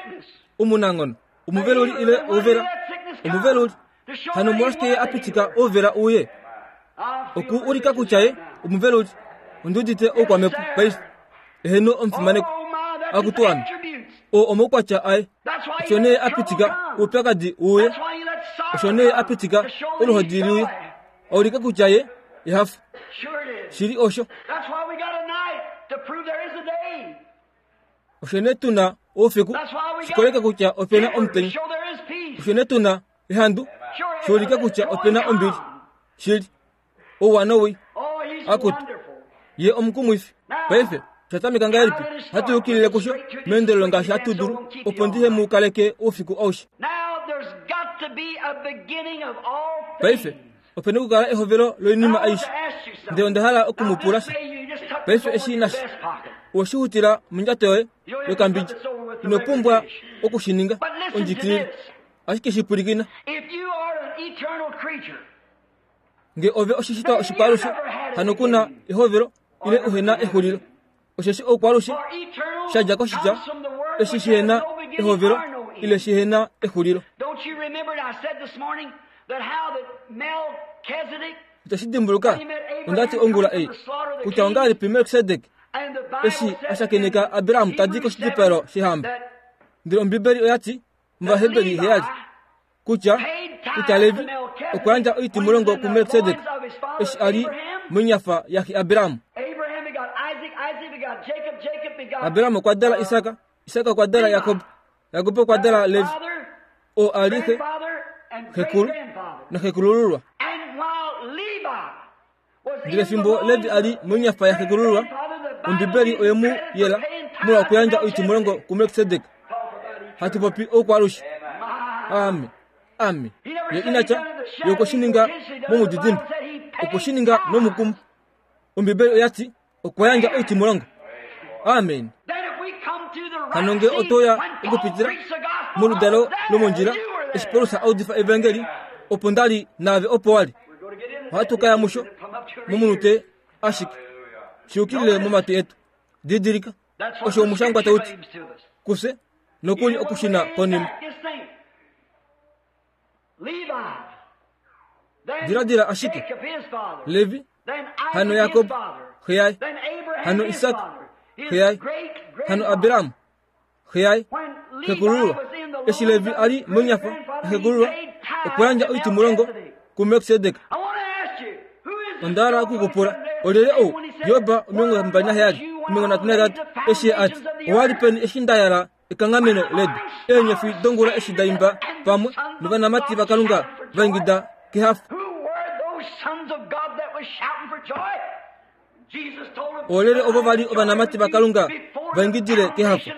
S2: omunanghono? Omuveluli ile ouvela? Omuveluli. Hano omolwashike ye a pitika ouvela uye? Okuulika kutya ye omuveluli. Ondiudite oukwamhepo paife. Eheno omufimanekwa. Akutu ame. O omaukwatya aye. Osho nee a pitika oupyakadi uye. Osho nee a pitika oluhodi luye. Aulike kutya ye ehafo. Shili osho. Osho nee tuna oufiku shikoleke kutya opena omutenya. Osho nee tuna ehandu shiulike kutya opena ombili. Shili ouwa nowii. Akutu ye omukumwifi. Paife shatameka ngahelipi? Hatu yukilile kusho meendelelo ngaashi hatu dulu, opo ndihe mu kaleke oufiku aushe. Paife opena okukala ehovelo loinima aishe. Ndele onda hala okumupula sha. Paife eshi nasha oshihutila mondjato yoye yokambidja. Ino pumbwa okushininga ondjikilile, ashike shipwilikina. Nge ove oshishitwa oshikwalushe, hano kuna ehovelo ile uhena exulilo. Osheshi oukwalushe shadja koshitya eshi shihena ehovelo ile shihena exulilo. Itashi dimbuluka ondati ongula ei kutya ongahelipi Melkisedek eshi a shakeneka Abraham tadi koshidipalo shehamba. Ndele Ombibeli oyati mOvaheberi heyali kutya kutya Levi okwa yandja oitimulongo kuMelkisedek eshi a li monyafa yaxe Abraham. Abraham okwa dala Isaka, Isaka okwa dala Jakob, Jakob okwa dala Levi, oo a li xe, xekulu naxekulululwa. Ndele fimbo Levi a li monyafa yaxekulululwa, Ombibeli oye mu yela molwa okuyandja oitimulongo kuMelkisedek. Hatu popi oukwalushe. Ame, ame. Ye inatya ye okweshininga momudidimbe, okweshininga nomukumo. Ombibeli oyati okwa yandja oitimulongo. Amen. Hano nge otoya okupitila moludalo lomondjila eshi Paulus a udifa evangeli, opo ndali naave opo wali. Ohatu kaya musho momunute ashike. Shiyukilile momatwi etu. Didilika osho omushangwa tauti kufye nokuli okushina konima. Diladila ashike Levi, hano Jakob xe yaye, hano Isak xe yaye, hano Abraham xe yaye, xekulululwa. Eshi Levi a li monyafa yaxekulululwa, okwa yandja oitimulongo kuMelkisedek. Onda hala okukupula olyelye ou? Job omilongo mbali naheyali omilongo nhatu nahetatu eshi ye ati owali peni eshi nda yala ekanghameno ledu, eenyofi dongula eshi da imba pamwe novanamati vaKalunga va ingida kehafo. Olyelye ovo vali ovanamati vaKalunga va ingidile kehafo?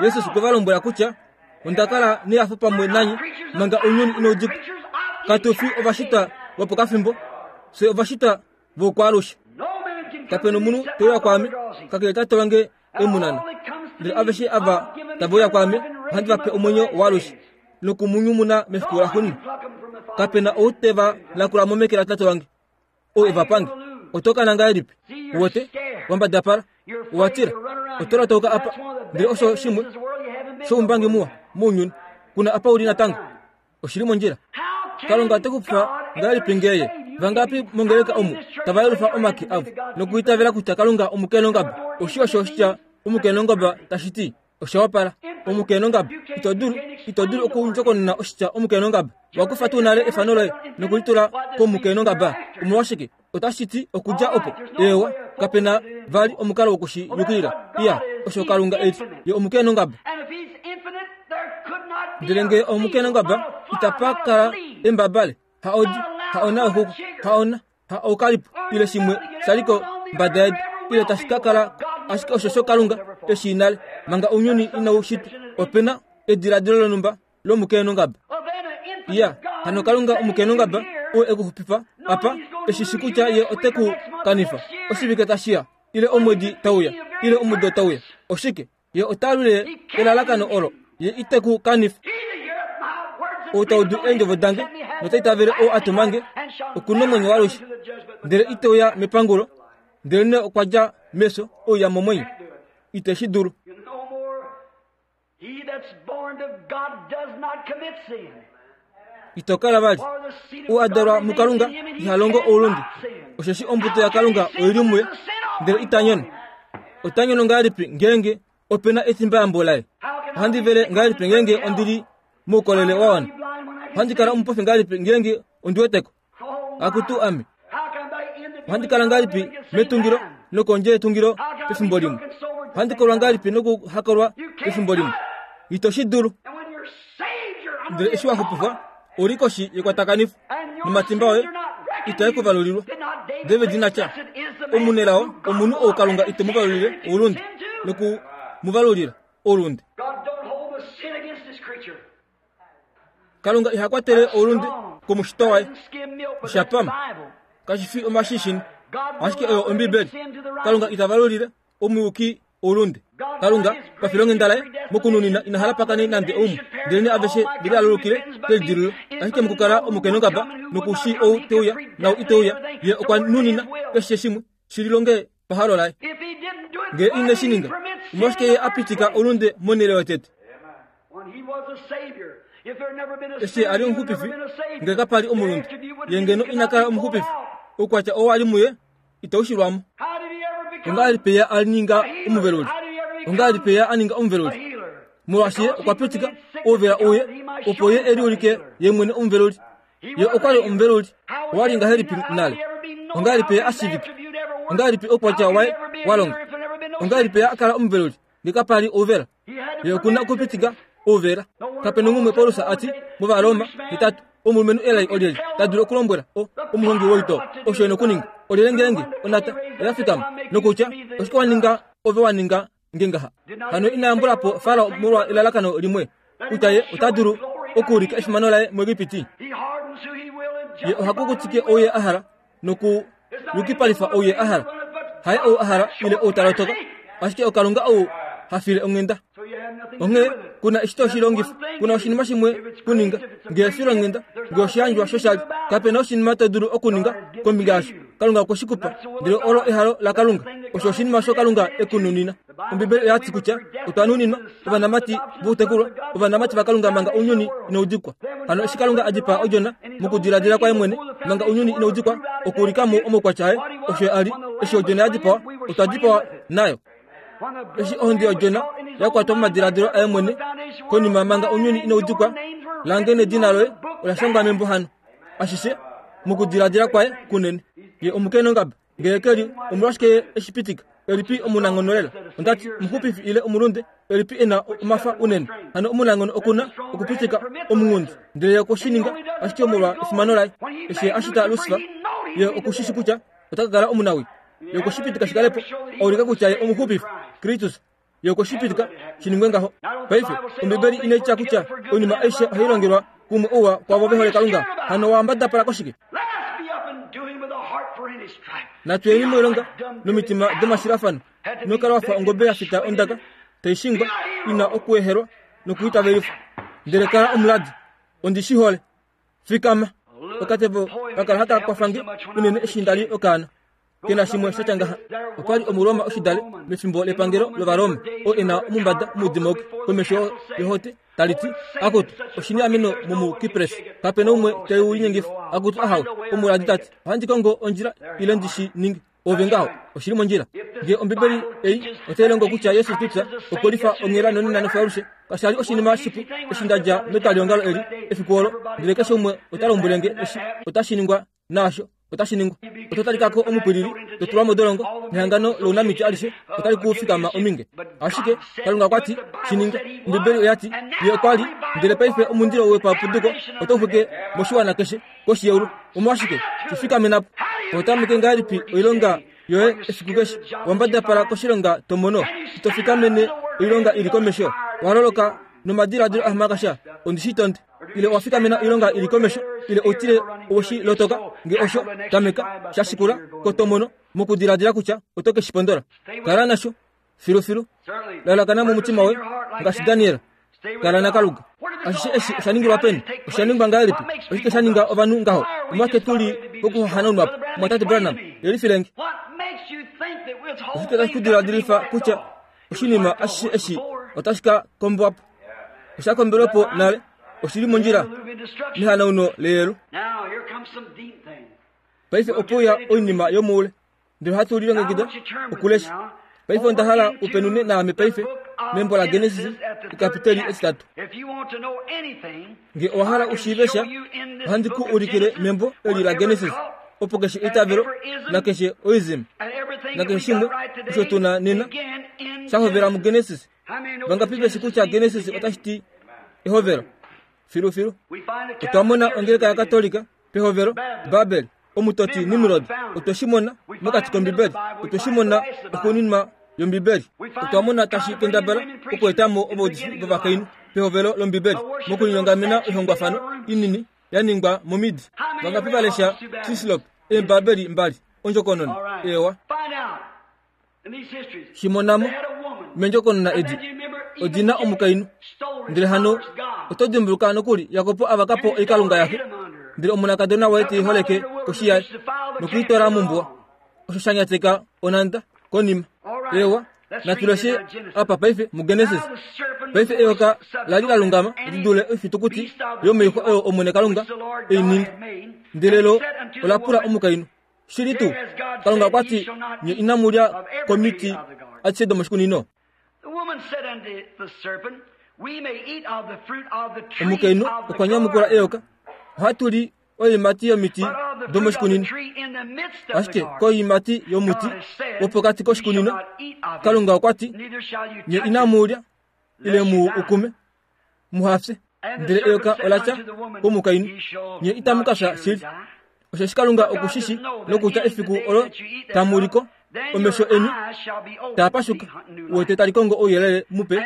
S2: Jesus okwe va lombwela kutya onda kala nehafo pamwe nanye manga ounyuni inau dikwa. Katu fi ovashitwa vopokafimbo, fye ovashitwa voukwaalushe. Kapena omunhu te uya kwaame kakele Tate wange e mu nana. Ndele aveshe ava tave uya kwaame, ohandi va pe omwenyo waalushe nokumunyumuna mefiku laxuuninwa. Kape na ou te va nakula mo meke laTate wange, ou e va pange. Oto kana ngahelipi? Uwete, wambadapala, owa tila, oto latauka apa. Ndele osho shimwe shoumbangi muwa mounyuni, kuna apa uli natango. Oshili mondjila. Kalunga ote ku pa ngahelipi ngeye? Vangapi mongeleka omu tava yelufa omake avo nokuitavela kutya Kalunga omukenongaba? Oshi osho oshitya omukenongaba tashi ti. Osha wapala. Omukenongaba. Ito dulu, ito dulu okundjokonona oshitya omukenongaba. Wakufa tuu nale efano loye nokulitula komukenongaba? Omolwashike? Otashi ti okudja opo. Eewa, kape na vali omukalo wokushi yukilila. Iya, osho Kalunga e li. Ye omukenongaba. Ndele ngee omukenongaba, itapa kala embabale, ha odi, ha ona oxuku, ha ona, ha oukalipo, ile shimwe shaliko mbada yedu, ile tashi ka kala ashike osho sho Kalunga eshi nale, manga ounyuni inau shitwa. Ope na ediladilo lonhumba lomukenongaba. Iya, hano Kalunga omukenongaba oo e ku xupifa apa, eshi shi kutya ye ote ku kanifa oshivike tashiya, ile omwedi tauya, ile omudo tauya. Oshike? Ye ota lwile elalakano olo, ye ite ku kanifa. Ou ta udu eendjovo dange nota itavele ou a tuma nge, oku na omwenyo waalushe, ndele ite uya mepangulo, ndelenee okwa dja mefyo ouya momwenyo. Ite shi dulu. Ito kala vali. Ou a dalwa muKalunga iha longo oulunde, osheshi ombuto yaKalunga oili muye, ndele ita nyono. Ota nyono ngahelipi ngeenge ope na etimbayambo laye? Ohandi vele ngahelipi ngeenge ondili moukolele wa wana? Ohandi kala omupofi ngahelipi ngeenge ondi weteko? Akutu ame. Ohandi kala ngahelipi metungilo nokondje yetungilo pefimbo limwe? Ohandi kolwa ngahelipi nokuhakolwa pefimbo limwe? Ito shi dulu. Ndele eshi wa xupifwa, uli koshi yekwatakanifo, nomatimba oye itae ku valulilwa. David ina tya, omunelao omunhu ou Kalunga ite mu valulile oulunde, noku mu valulila oulunde. Kalunga iha kwatele oulunde komushitwa waye. Osha pama. Kashi fi omashishini, ashike oyo Ombibeli. Kalunga ita valulile omuyuki oulunde. Kalunga pafilonghenda laye mokununina ina hala pakane nande oumwe, ndelenee aveshe velialulukile kelidilululo. Ashike mokukala omukenongaba nokushi ou teuya nau iteuya, ye okwa nunina keshe shimwe shi lilonge pahalo laye. Ngee ine shi ninga, omolwashike ye a pitika oulunde monhele yotete? Eshi a li omuxupifi, ngee kapa li omulunde, ye ngeno ina kala omuxupifi. Oukwatya oo a li muye itau shilwamo. Ongahelipi ye a ninga omuveluli? Ongahelipi ye a ninga omuveluli? Molwaashi ye okwa pitika ouvela uye, opo ye e liulike ye mwene omuveluli. Ye okwa li omuveluli. Owa li ngahelipi nale? Ongahelipi ye a shiivika? Ongahelipi oukwatya waye wa longa? Ongahelipi ye a kala omuveluli ngee kapa li ouvela? Ye oku na okupitika ouvela. Kape nomumwe Paulus a ti mOvaroma hetatu, omulumenhu elai olyelye ta dulu okulombwela o omuhongi woitoo osho e na okuninga? Olyelye ngeenge onata oya fikama nokutya oshike wa ninga ove wa ninga nge ngaha? Hano ina yambula po Farao molwa elalakano limwe, kutya ye ota dulu okuulika efimano laye muEgipiti. Ye oha kukutike ou ye a hala nokuyukipalifa ou ye a hala. Haye ou a hala ile ou ta lotoka, ashike oKalunga ou ha file onghenda. Onghee kuna eshi to shi longifa, kuna oshinima shimwe kuninga. Ngee efilonghenda, ngee oshiyandjwa shoshali, kape na oshinima to dulu okuninga kombinga yasho. Kalunga okwe shi kupa, ndele olo ehalo laKalunga. Osho oshinima osho Kalunga e ku nunina. Ombibeli oya ti kutya otwa nuninwa ovanamati voutekulwa, ovanamati vaKalunga manga ounyuni inau dikwa. Hano eshi Kalunga a dipaa odjona mokudiladila kwaye mwene manga ounyuni inau dikwa, okuulika mo omaukwatya aye, osho a li. Eshi odjona ya dipawa, otwa dipawa nayo. Eshi ohonde yodjona ya kwatwa momadiladilo aye mwene konima manga ounyuni inau dikwa, lange nedina loye ola shangwa membo hano. Ashishe mokudiladila kwaye kunene. Ye omukenongaba, ngee ke li, omolwashike ye eshi pitika? Elipi omunanghono lela? Ondati omuxupifi ile omulunde, elipi e na omafa unene? Hano omunanghono oku na okupitika omunghundi, ndele ye okwe shi ninga ashike molwa efimano laye. Eshi ye a shita Lusifa, ye oku shi shi kutya ota ka kala omunawi. Ye okwe shi pitika shi kale po, a ulika kutya ye omuxupifi, Kristus. Ye okwe shi pitika shi ningwe ngaho. Paife, Ombibeli inai tya kutya oinima aishe ohai longelwa kumwe ouwa kwaavo ve hole Kalunga. Hano wa mbadapala koshike? Natu yeni moilonga nomitima domashilafano. Ino kala wa fa ongobe ya fita ondaka, taishingwa ina okuehelwa nokuitavelifwa. Ndele kala omuladi, ondi shi hole. Fikama. Okatevo kakala haka kwafange unene eshi ndali okaana. Kena shimwe shatya ngaha. Okwali Omuroma oshidale mefimbo lepangelo lOvaroma, oo e na omumbada mudimoki komesho yohote taliti akutu oshini ameno momuKipres kapena umwe teu linyengifa. Akutu ahawe, omuladi tati ohandi kongo ondjila ile ndishi ninge. Ove ngaho oshili mondjila. Nge Ombibeli ei otai longo kutya Yesu Kristus okwe lifa onghela nonena nofaalushe. Kasha li oshinima shipu eshi ndadja metwaliongalo eli efiku olo, ndele keshe umwe ota lombwele nge eshi otashi ningwa naasho otashi ningwa. Oto talikako omupwilili, to tulwa modolongo, nehangano lounamiti alishe otali ku fikama ominge. Ashike Kalunga okwa ti shi ninga. Ombibeli oya ti ye okwa li, ndele paife omundilo wepapuduko otau xwike moshiwana keshe koshi yeulu. Omolwashike shi fikamena po? Otameke ngahelipi oilonga yoye efiku keshe? Wambadapala koshilonga tomono, ito fikamene oilonga ili komesho. Waloloka nomadiladilo ahamakasha, ondi shi tonde. Ile owa fikamena oilonga ili komesho, ile outile oweshi lotoka, nge osho tameka shashikula kotomono mokudiladila kutya oto ke shi pondola. Kala nasho filufilu, lalakana momutima woye ngaashi Daniel. Kala naKalunga. Ashishe eshi osha ningilwa peni? Osha ningwa ngahelipi? Oshike sha ninga ovanhu ngaho? Omwake tuli pokuhanaunwa po. Mwatate Branham, yelifilenge. Oshike tashi ku diladilifa kutya oshinima ashishe eshi otashi ka kombwa po? Osha kombelwe po nale, oshili mondjila nehanauno leyelu. Paife opo ya oinima yomoule, ndele ohatu lilongekida okulesha. Paife onda hala upenune naame paife membo la Genesis ekapiteli etitatu. Nge owa hala ushiive sha, ohandi ku ulikile membo eli la Genesis, opo keshe eitavelo nakeshe oism nakeshe shimwe osho tuna nena sha hovela muGenesis. Vangapi veshi kutya Genesis otashi ti ehovelo? Filufilu. Otwa mona ongeleka yaKatolika pehovelo, Babel, omutoti Nimrod. Otwe shi mona mokati kOmbibeli. Otwe shi mona oxuuninwa yOmbibeli. Otwa mona tashi kendabala okuetamo ovaudifi vovakainhu pehovelo lOmbibeli mokulinyongamena oihongwafano inini ya ningwa momidi. Vangapi va lesha Sislop eembabeli mbali ondjokonona? Ewa. Shimonamo mendjokonona edi odina omukainhu. Ndele hano oto dimbuluka nokuli Jakob avaka po oikalunga yaxe, ndele omonakadona waye teiholeke koshi yaye nokuitwala mombuwa. Osho sha nyateka onanda konima. Ewa, natuleshe apa paife muGenesis. Paife eyoka lali la lungama li dule oifitukuti yomoixwa oyo Omwene Kalunga ei ninga. Ndele lo ola pula omukainhu, shili tuu Kalunga okwa ti nye inamu lya komiti adishe domoshikunino? Omukainhu okwa nyamukula eyoka, ohatu li oiimati yomiti domoshikunino, ashike koiimati yomuti wopokati koshikunino Kalunga okwa ti nye inamu lya ile mu ukume muhafye. Ndele eyoka ola tya komukainhu, nye itamu ka fya shili. Osheshi Kalunga okushishi nokutya efiku olo tamu liko omesho eni taa pashuka, wete tali kongo ouyelele mupe,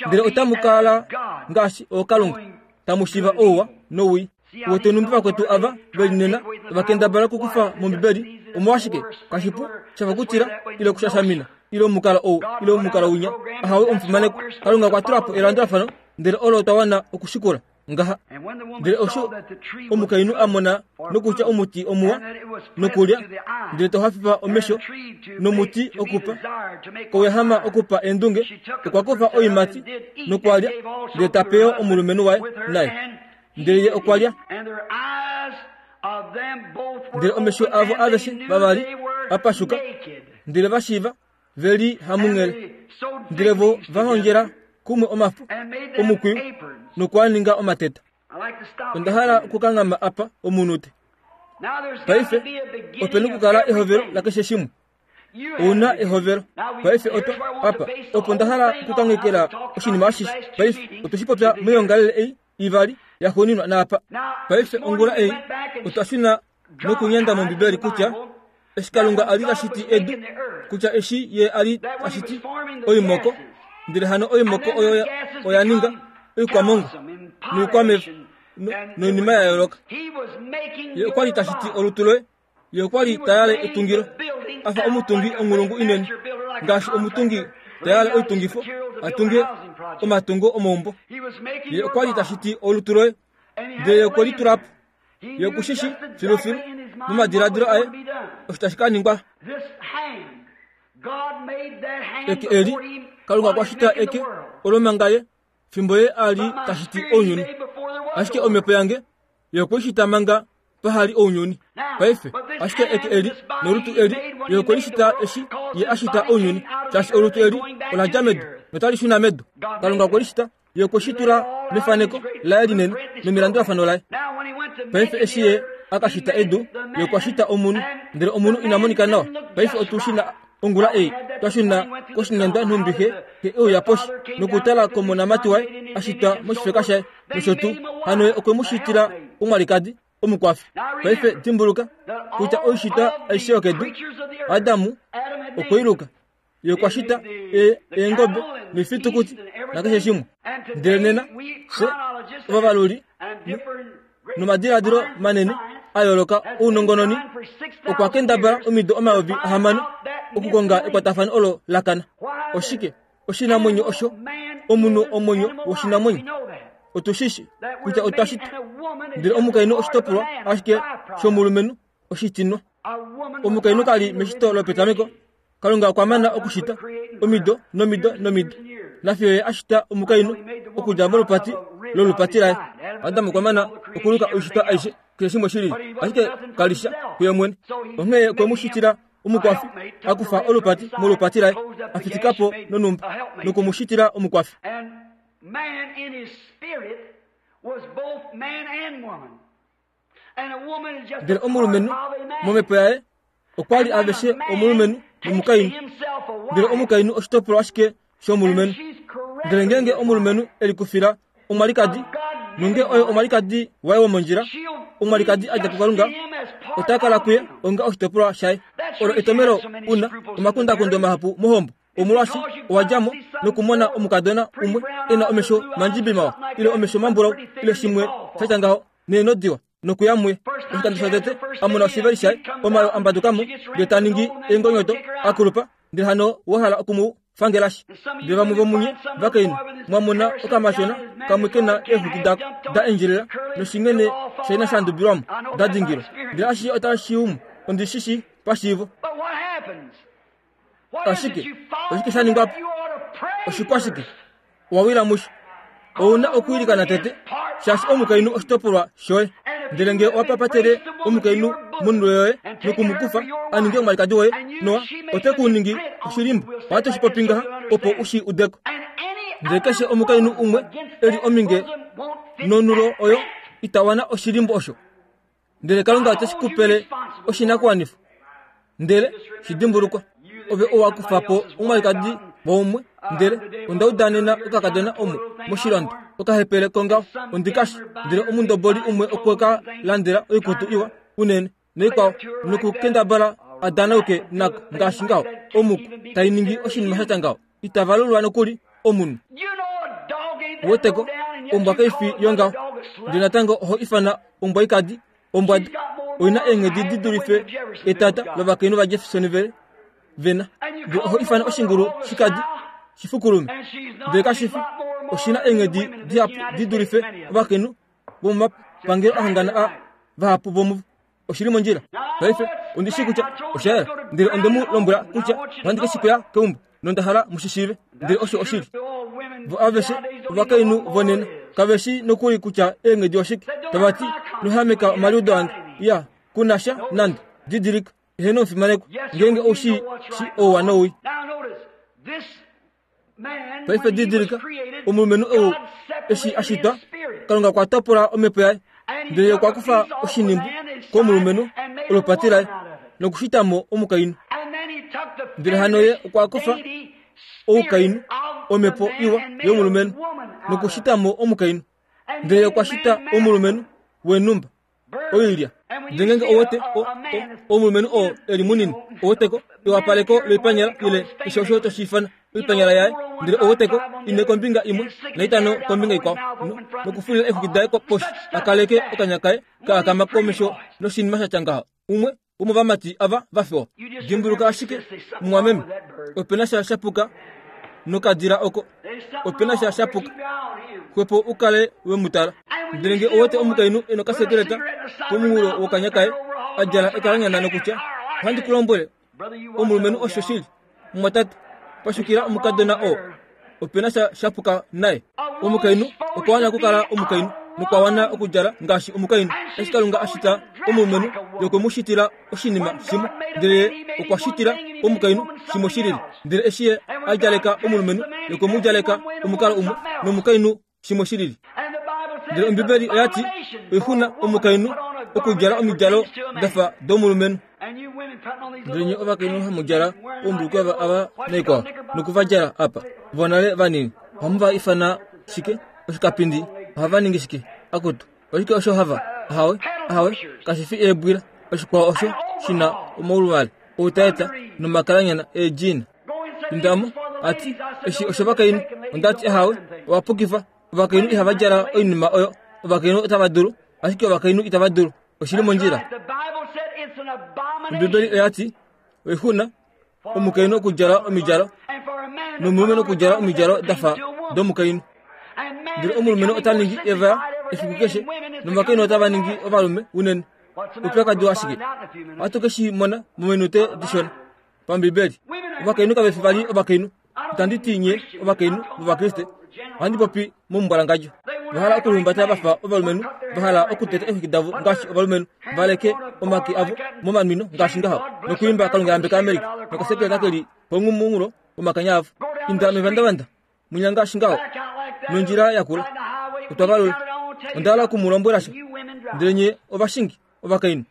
S2: ndele otamu kala ngaashi ookalunga, tamu shiiva ouwa nowii. Wete numbi vakwetu ava veli nena vakendabala okukufa mOmbibeli. Omolwashike kashipu shafa kutila ile okushashamina ile omukalo ou ile omukalo winya. Ahawe omufimanekwa, Kalunga okwa tula po elandulafano, ndele olo twa wana okushikula ngaha. Ndele osho omukainhu a mona nokutya omuti omuwa nokulya, ndele to hafifa omesho, nomuti okupa kouyahama okupa eendunge, okwa kufa oiimati nokwalya, ndele ta pe yo omulumenhu waye naye, ndele ye okwa lya. Ndele omesho avo aveshe vavali a pashuka, ndele va shiiva ve li hamunghele, ndele vo va hondjela kumwe omafo omukwiyu nokuaninga omateta. Onda hala okukanghama apa omunute. Paife ope nokukala ehovelo lakeshe shimwe. Ouna ehovelo. Paife otwa apa opo nda hala okukanghekela oshinima ashishe. Paife otwe shi popya moyoongalele ei ivali yaxuuninwa naapa. Paife ongula ei otwa shuna nokunyanda mOmbibeli kutya eshi Kalunga a li ta shiti edu, kutya eshi ye a li ta shiti oimoko, ndele hano oimoko oyo oya ninga oikwamongo noikwameva noinima ya yooloka. Ye okwa li ta shiti olutu loye. Ye okwa li ta yale etungilo afa omutungi onghulungu inene, ngaashi omutungi Ta yala oitungifo a tunge omatungo omaumbo. Ye okwa li ta shiti olutu loye, ndele ye okwe li tula po. Ye oku shi shii filufilu momadiladilo aye osho tashi ka ningwa. Eke eli, Kalunga okwa shita eke olo manga ye fimbo ye a li ta shiti ounyuni. Ashike omhepo yange ye okwe i shita manga pahali ounyuni. Paife, ashike eke eli nolutu eli ye okwe li shita eshi ye a shita ounyuni, shaashi olutu eli ola dja medu notali shuna medu. Kalunga okwe li shita, ye okwe shi tula mefaneko laye linene nomilandulafano laye. Paife eshi ye a ka shita edu, ye okwa shita omunhu, ndele omunhu ina monika nawa. Paife otu shi na ongula ei twa shuna koshinyandwa nhumbi xe e uya poshi nokutala komonamati waye a shitwa moshifeka shaye nosho tuu. Hano ye okwe mu shitila omwalikadi omukwafi. Paife dimbuluka kutya oishitwa aishe yokedu, Adamu okwe i luka. Ye okwa shita eengobe noifitukuti nakeshe shimwe. Ndele nena fye ovavaluli nomadiladilo manene a yooloka ounongononi okwa kendabala omido omayovi ahamano okukonga ekwatafano olo la kana. Oshike oshinamwenyo osho omunhu omwenyo woshinamwenyo? Otu shi shii kutya otwa shitwa, ndele omukainhu oshitopolwa ashike shomulumenhu oshitinwa. Omukainhu kali meshito lopetameko. Kalunga okwa mana okushita omido nomido nomido, nafiyo ye a shita omukainhu okudja molupati lolupati laye. Adam okwa mana okuluka oishitwa aishe keshe shimwe shili, ashike kalisha kuye mwene. Onghee okwe mu shitila omukwafi, a kufa olupati molupati laye, a fitika po nonhumba noku mu shitila omukwafi. Ndele omulumenhu momhepo yaye okwa li aveshe omulumenhu nomukainhu, ndele omukainhu oshitopolwa ashike shomulumenhu. Ndele ngeenge omulumenhu e likufila omwalikadi, nonge oyo omwalikadi waye womondjila, omwalikadi a dja kuKalunga, ota kala kuye onga oshitopolwa shaye. Olo etomelo una omakundakundo mahapu mohombo. Omolwaashi owa dja mo nokumona omukadona umwe e na omesho mandjibi mawa, ile omesho mambulau, ile shimwe sha tya ngaho, neeno diwa, nokuya muye. Oshikando shotete a mona oshiveli shaye, omayo a mbaduka mo, ndele ta ningi eengonyoto, a kulupa, ndele hano wa hala oku mu fangelashi. Ndele vamwe vomunye vakainhu mwa mona okamashona kamwe ke na eexwiki dako da endjelela noshinghene shaina sha ndubilwamo da dingilwa, ndele ashishe otashi umu. Ondi shi shii pashiivo. Ashike oshike sha ningwa po? Oshikwashike? Owa wila musho. Ou na okwiilikana tete, shaashi omukainhu oshitopolwa shoye. Ndele ngee owa papatele omukainhu monulo yoye noku mu kufa a ninge omwalikadi woye, noa ote ku ningi oshilimbo. Ohatu shi popi ngaha opo u shi udeko. Ndele keshe omukainhu umwe e li ominge nonulo oyo ita wana oshilimbo osho. Ndele Kalunga ote shi kupele oshinakuwanifwa. Ndele shi dimbulukwa, ove owa kufa po omwalikadi waumwe, ndele onda udanena okakadona omo moshilando okahepele kongaho ondikashi, ndele omundoboli umwe okwe ka landela oikutu iwa unene noikwao, nokukendabala a danauke nako ngaashi ngaho. Omuku tai ningi oshinima sha tya ngaho, ita valulwa nokuli omunhu. Weteko ombwa kai fi yongaho, ndele natango oho ifana ombwa ikadi ombwada. Oina eenghedi di dulife etata lovakainhu vaJeffersonville vena. Ndele oho ifana oshingulu shikadi shifukulume, ndele kashi fi. Oshina eenghedi dihapu di dulife ovakainhu vomomapangelo ahangana a vahapu vomuvo. Oshili mondjila. Paife ondi shii kutya osha yela, ndele onde mu lombwela kutya ohandi ke shi kuya keumbo, nonda hala mu shi shiive. Ndele osho oshili. Vo aveshe ovakainhu vonena kave shi nokuli kutya eenghedi oshike. Tava ti, nohameka omaliudo ange. Ya, kuna sha nande. Didilika, eheno omufimanekwa, ngeenge ou shi shi ouwa nowii. Paife didilika, omulumenhu ou eshi a shitwa, Kalunga okwa topola omhepo yaye, ndele ye okwa kufa oshinimbu komulumenhu olupati laye nokushita mo omukainhu. Ndele hano ye okwa kufa oukainhu, omhepo iwa yomulumenhu, nokushita mo omukainhu. Ndele ye okwa shita omulumenhu wenhumba oilya. Ndele ngeenge owete omulumenhu oo e li munini, oweteko ewapaleko loipanyala ile keshe osho toshi ifana oipanyala yaye, ndele oweteko ine kombinga imwe naitano kombinga ikwao, nokufulila eexwiki daye poshi a kaleke okanya kaye ka akama komesho noshinima sha tya ngaho. Umwe womovamati ava va fewa. Dimbuluka ashike, mumwameme, ope na sha shapuka Nokadila oko opena sha shapuka xwepo ukale wemutala. Ndele nge owete omukainhu ena okasekeleta pomunghulo wokanya kaye a djala ekalanyana nokutya ohandi ku lombwele omulumenhu osho shili mumwatate pashukila omukadona oo opena sha shapuka naye. Omukainhu okwa wana okukala omukainhu nokwa wana okudjala ngaashi omukainhu. Eshi Kalunga a shita omulumenhu yokwe mu shitila oshinima shimwe, ndele okwa shitila omukainhu shimwe shilili. Ndele eshi ye a djaleka omulumenhu yokwe mu djaleka omukalo umwe nomukainhu shimwe shilili. Ndele Ombibeli oya ti oixuna omukainhu okudjala omidjalo dafa domulumenhu. Ndele nye ovakainhu hamu djala oumbulukweya ava naikwao nokuvadjala apa vonale vanini ohamu va ifana shike? Oshikapindi. Ohava ningi shike? Akutu oshike osho hava? Ahawe, ahawe, kashi fi eebwila. Oshikwao osho shina omauluvale outaeta nomakalanyana eedjina. Indamo ati eshi oshovakainhu. Ondati ahawe, owapukifa. Ovakainhu ihava djala oinima oyo. Ovakainhu otava dulu, ashike ovakainhu itava dulu. Oshili mondjila. Ombibeli oya ti oixuna omukainhu okudjala omidjalo nomulumenhu okudjala omidjalo dafa domukainhu. Ndele omulumenhu ota ningi evaya efiku keshe novakainhu otava ningi ovalume unene. Oupyakadi washike? Ohatu ke shi mona mominute dishona pambibeli. Ovakainhu kave fi vali ovakainhu. Itandi ti nye ovakainhu vovakriste, ohandi popi momumbwalangadjo. Vahala okulihumbata vafa ovalumenhu, vahala okuteta eexwiki davo ngaashi ovalumenhu, valeke omake avo momanwino ngaashi ngaho, nokwiimba Kalunga yambeka Amerika nokasekeleta keli pomunghulo womakanya avo. Inda mevandavanda mwinya ngaashi ngaho nondjila yakula otwa valula. Onda hala okumulombwela sha. Ndele nye ovashingi ovakainhu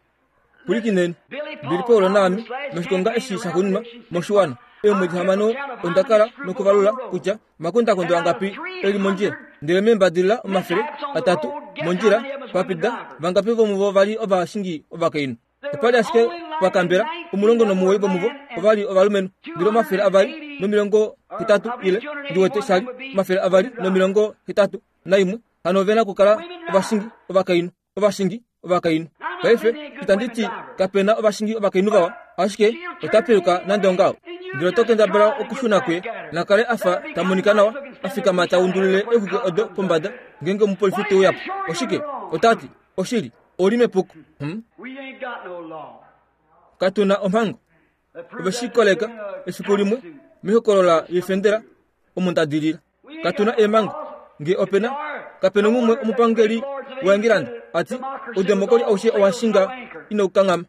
S2: pwilikineni. Billy Paul naame noshikonga eshi shaxuuninwa moshiwana eemwedi hamano onda kala nokuvalula kutya omakondakondo angapi eli mondjila. Ndele meembadilila omafele atatu mondjila papida vangapi vomuvo vali ovashingi ovakainhu. Opali ashike pakambela omulongo nomuwoi vomuvo ovali ovalumenhu. Ndele omafele avali nomilongo hetatu ile ndiwete shali omafele avali nomilongo hetatu naimwe. Hano ovena okukala ovashingi ovakainhu, ovashingi ovakainhu. Paife itandi ti kapena ovashingi ovakainhu vawa, ashike ota piluka nande ongaho. Ndele oto kendabala okushuna kuye nakale afa ta monika nawa, a fikama ta undulile eexwiki odo pombada ngeenge omupolifi te uya po. Oshike? Ota ti oshili oli mepuko. Hmm? Katuna omhango. Ove shi koleka efiku limwe mehokolola yefendela omo nda dilila. Katuna eemhango nge opena kapena umwe omupangeli waEngilanda ati oudemokoli aushe owashinga inaukanghama.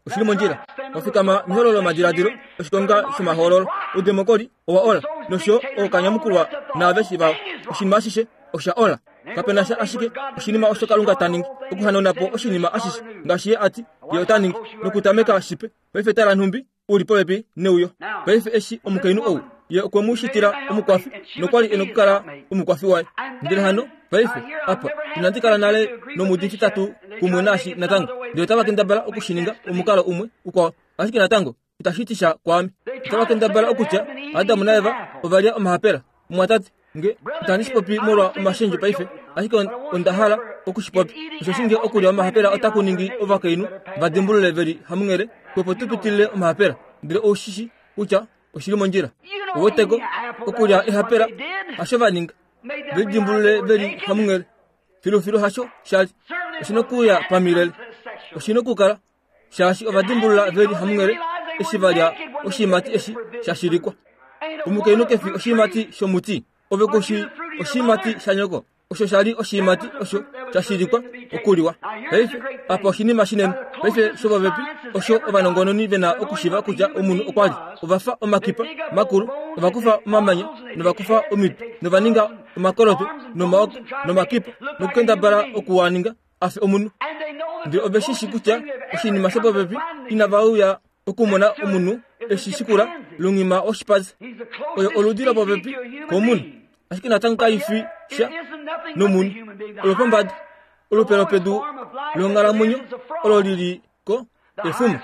S2: Oshili mondjila. Wafikama mehololo lomadiladilo oshikonga shomahoololo. Oudemokoli owa ola nosho ookanyamukulwa naaveshi vao. Oshinima ashishe osha ola. Kapena sha ashike oshinima osho Kalunga ta ningi okuhanauna po oshinima ashishe ngaashi ye ati ye ota ningi nokutameka shipe. Paife tala nhumbi uli popepi neuyo. Paife eshi omukainhu ou ye okwe mu shitila omukwafi nokwali ena okukala omukwafi waye. Ndele hano paife apa inandi kala nale nomudifi tatu kumwe naashi natango. Ndele otava kendabala okushininga omukalo umwe ukwao, ashike natango itashi ti sha kwaame. Otava kendabala okutya Adamu naEva ovalya omahapela. Mumwatate, nge itandi shi popi molwa omashendjo paife, ashike onda hala okushipopi. Osho nge okulya omahapela otaku ningi ovakainhu va dimbulule veli hamunghele, opo tu pitilile omahapela. Ndele oushishi kutya oshili mondjila. Oweteko okulya ehapela hasho va ninga, velidimbulule veli hamunghele. Filufilu hasho shali oshina okuya pamilele, oshina okukala shaashi ovadimbulula veli hamunghele eshi valya oshiimati eshi shashilikwa. Omukainhu kefi oshiimati shomuti, ove kushi oshiimati shanyoko. Osho shali oshiimati osho shashilikwa okuliwa. Paife apa oshinima shinene. Paife shopopepi osho ovanongononi vena okushiva kutya omunhu okwa li ovafa omakipa makulu, ovakufa omamanya novakufa omiti novaninga omakoloto nomaoko nomakipa nokukendabala okuwaninga afe omunhu. Ndele ove shi shi kutya oshinima shopopepi inava uya okumona omunhu eshi shikula lunghima oshipazi. Oyo oludi lopopepi komunhu, ashike natango kaifi sha nomunhu. Olopombada olupe lopedu longhalamwenyo olo lili ko efuma.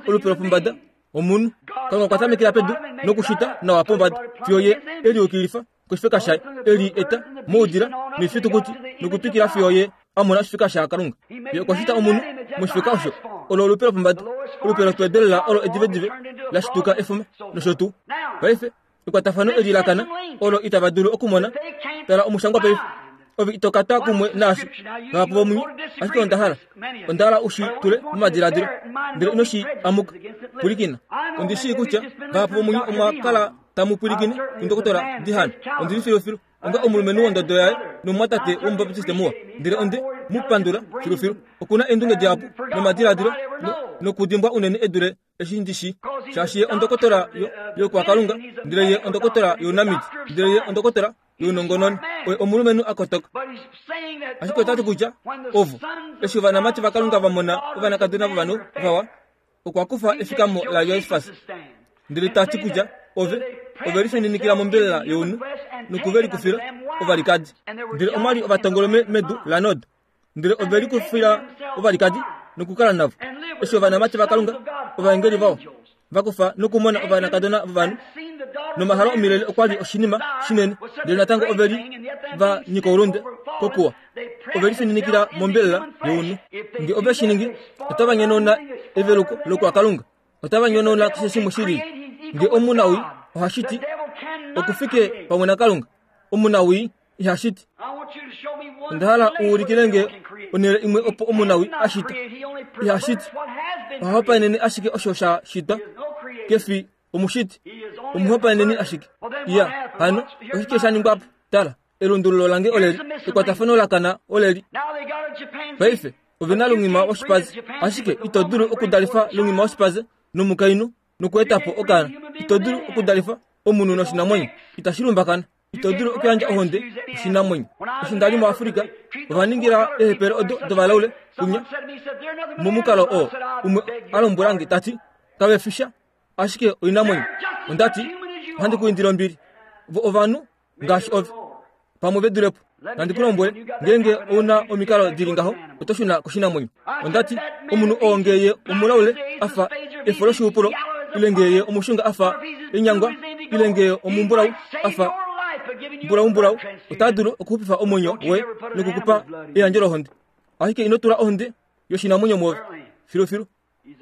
S2: Olupe lopombada omunhu. Kalunga okwa tamekela pedu nokushita nawa pombada fiyo ye eliukilifa koshifeka shaye, eli eta moudila noifitukuti nokutwikila fiyo ye a mona oshifeka shaKalunga. Ye okwa shita omunhu moshifeka osho. Olo olupe lopombada, olupe lopedelela olo edivedive la shituka efuma nosho tuu. Paife Ekwatafano eli lakana olo itava dulu okumona. Tala omushangwa paife. Ove ito kata kumwe naashi vahapu vomunye, ashike onda hala onda hala u shi tule momadiladilo, ndele ino shi amuka. Pwilikina, ondi shii kutya vahapu vomunye omwa kala tamu pwilikine kundokotola Dihan. Ondi li filufilu onga omulumenhu wondodo yaye nomumwatate womubaptiste muwa, ndele onde mu pandula filufilu. Okuna eendunge dihapu nomadiladilo nokudimbwa unene edule eshi ndi shi, shaashi ye ondokotola yokwakalunga, ndele ye ondokotola younamiti, ndele ye ondokotola younongononi. Oye omulumenhu a kotoka. Ashike otati kutya ovo eshi ovanamati vaKalunga va mona ovanakadona vovanhu vawa, okwa kufa efikamo laJosefas, ndele tati kutya ove ove lifininikila mombelela younhu nokuve likufila ovalikadi. Ndele omwali ovatongolume medu laNod, ndele ove likufila ovalikadi nokukala navo. Eshi ovanamati vaKalunga ovaengeli vao vakufa nokumona ovanakadona vovanhu nomahalo omilele okwa li oshinima shinene, ndele natango ove li va nyika oulunde kokuwa. Ove lifininikila mombelela younhu. Nge ove shi ningi, otava nyonauna eveluko lokwakalunga, otava nyonauna keshe shimwe shilili. Nge omunawii ohashiti okufike pamwe naKalunga, omunawii ihashiti. Onda hala u ulikile nge onhele imwe opo omunawii ashita. Ihashiti, ohahopaenene ashike osho sha shitwa. Kefi omushiti, omuhopaeneni ashike. Iya, hano oshike sha ningwa po? Tala, elundululo lange oleli, ekwatafano lakana oleli. Paife ove na lungima woshipaze, ashike ito dulu okudalifa lungima woshipaze nomukainhu nokuetapo okaana. Ito dulu okudalifa omunhu noshinamwenyo, itashi lumbakana. Ito dulu okuyandja ohonde oshinamwenyo. Eshi nda li muAfrika, ova ningila eehepele odo dovalaule kunya momukalo oo. Umwe a lombwela nge tati kave fisha ashike oinamwenyo. Onda ti ohandi ku indile ombili, vo ovanhu ngaashi ove, pamwe ve dulepo. Nandi ku lombwele, ngeenge ouna omikalo dili ngaho, oto shuna koshinamwenyo. Onda ti omunhu oo ngeye omulaule afa efo loshihupulo, ile ngeye omushunga afa enyangwa, ile ngeye omumbulau afa mbulaumbulau, ota dulu okuxupifa omwenyo woye nokukupa eyandjo lohonde. Ashike ino tula ohonde yoshinamwenyo mwoove filufilu.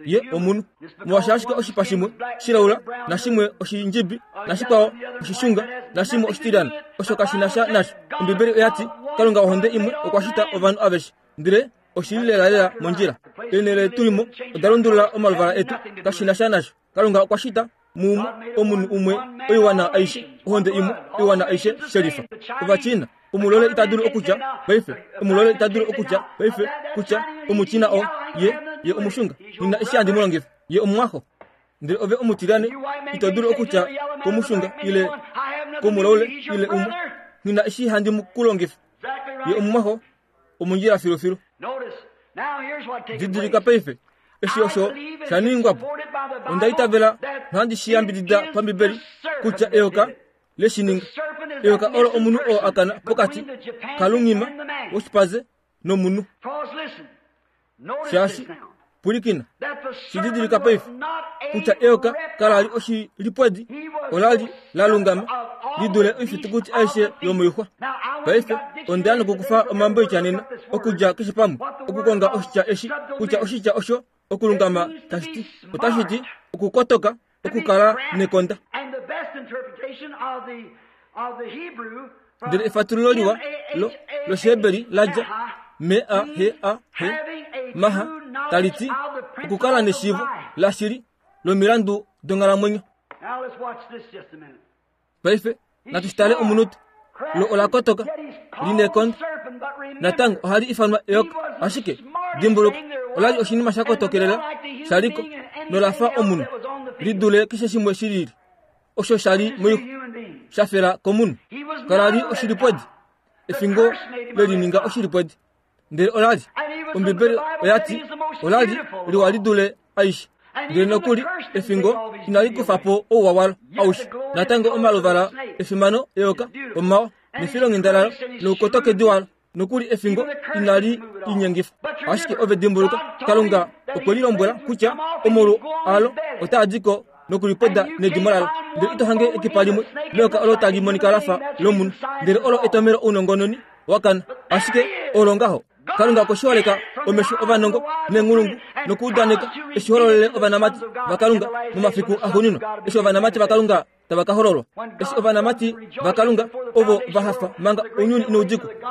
S2: Ye omunhu, molwaashi ashike oshipa shimwe shilaula, nashimwe oshindjibi, nashikwao oshishunga, nashimwe oshitilyana, osho kashi na sha nasho. Ombibeli oya ti Kalunga ohonde imwe okwa shita ovanhu aveshe, ndele oshili lelalela mondjila. Eenhele tulimo oda lundulula omaluvala etu, kashi na sha nasho. Kalunga okwa shita muumwe omunhu umwe oiwana aishe, ohonde imwe oiwana aishe shelifa. Ovachina, omulole ita dulu okutya paife, omulole ita dulu okutya paife kutya omuchina o ye ye omushunga, nina eshi handi mu longifa, ye omumwaxo. Ndele ove omutilyane ito dulu okutya komushunga ile komulaule ile umwe, nina eshi handi mu kulongifa, ye omumwaxo omondjila filufilu. Didilika paife eshi osho sha ningwa po. Onda itavela nohandi shi yambidida pambibeli kutya eyoka leshininga. Eyoka olo omunhu oo akana pokati kalungima woshipaze nomunhu. Shaashi pwilikina, shididilika paife kutya eyoka kala li oshilipwedi, ola li la lungama li dule oifitukuti aishe yomoixwa. Paife onda ya nokukufa omambo oitya okudja keshe pamwe okukonga oshitya eshi kutya oshitya osho okulungama tashi ti. Otashi ti okukotoka, okukala nekonda. Ndele efatululo liwa lo loshiheberi la dja M A H A H maha tali ti okukala neshiivo lashili lomilandu donghalamwenyo. Paife natu shitale omunute. Lo ola kotoka linekonda, natango ohali ifanwa eyoka, ashike dimbuluka ola li oshinima sha kotokelela shaliko nolafa omunhu lidule keshe shimwe shilili osho shali moixwa shafela komunhu. Kala li oshilipwedi, efingo lelininga oshilipwedi, ndele ola li Ombibeli oya ti ola li liwa lidule aishe. Ndele nokuli efingo inali kufa po ouwa walo aushe. Natango omaluvala efimano eyoka omawa nefilonghenda lalo noukotokedi walo, nokuli efingo inali linyengifa. Ashike ove dimbuluka, Kalunga okwe lilombwela kutya omolu alo otaa di ko nokulipoda nedimo lalo. Ndele ito hange ekipa limwe leyoka olo tali monika lafa lomunhu, ndele olo etomelo ounongononi wakana. Ashike olo ngaho Kalunga okoshiholeka omesho ovanongo nenghulungu nokuudaneka eshi hololele ovanamati vaKalunga momafiku axuuninwa. Eshi ovanamati vaKalunga tava ka hololwa. Eshi ovanamati vaKalunga ovo va hafa manga ounyuni inau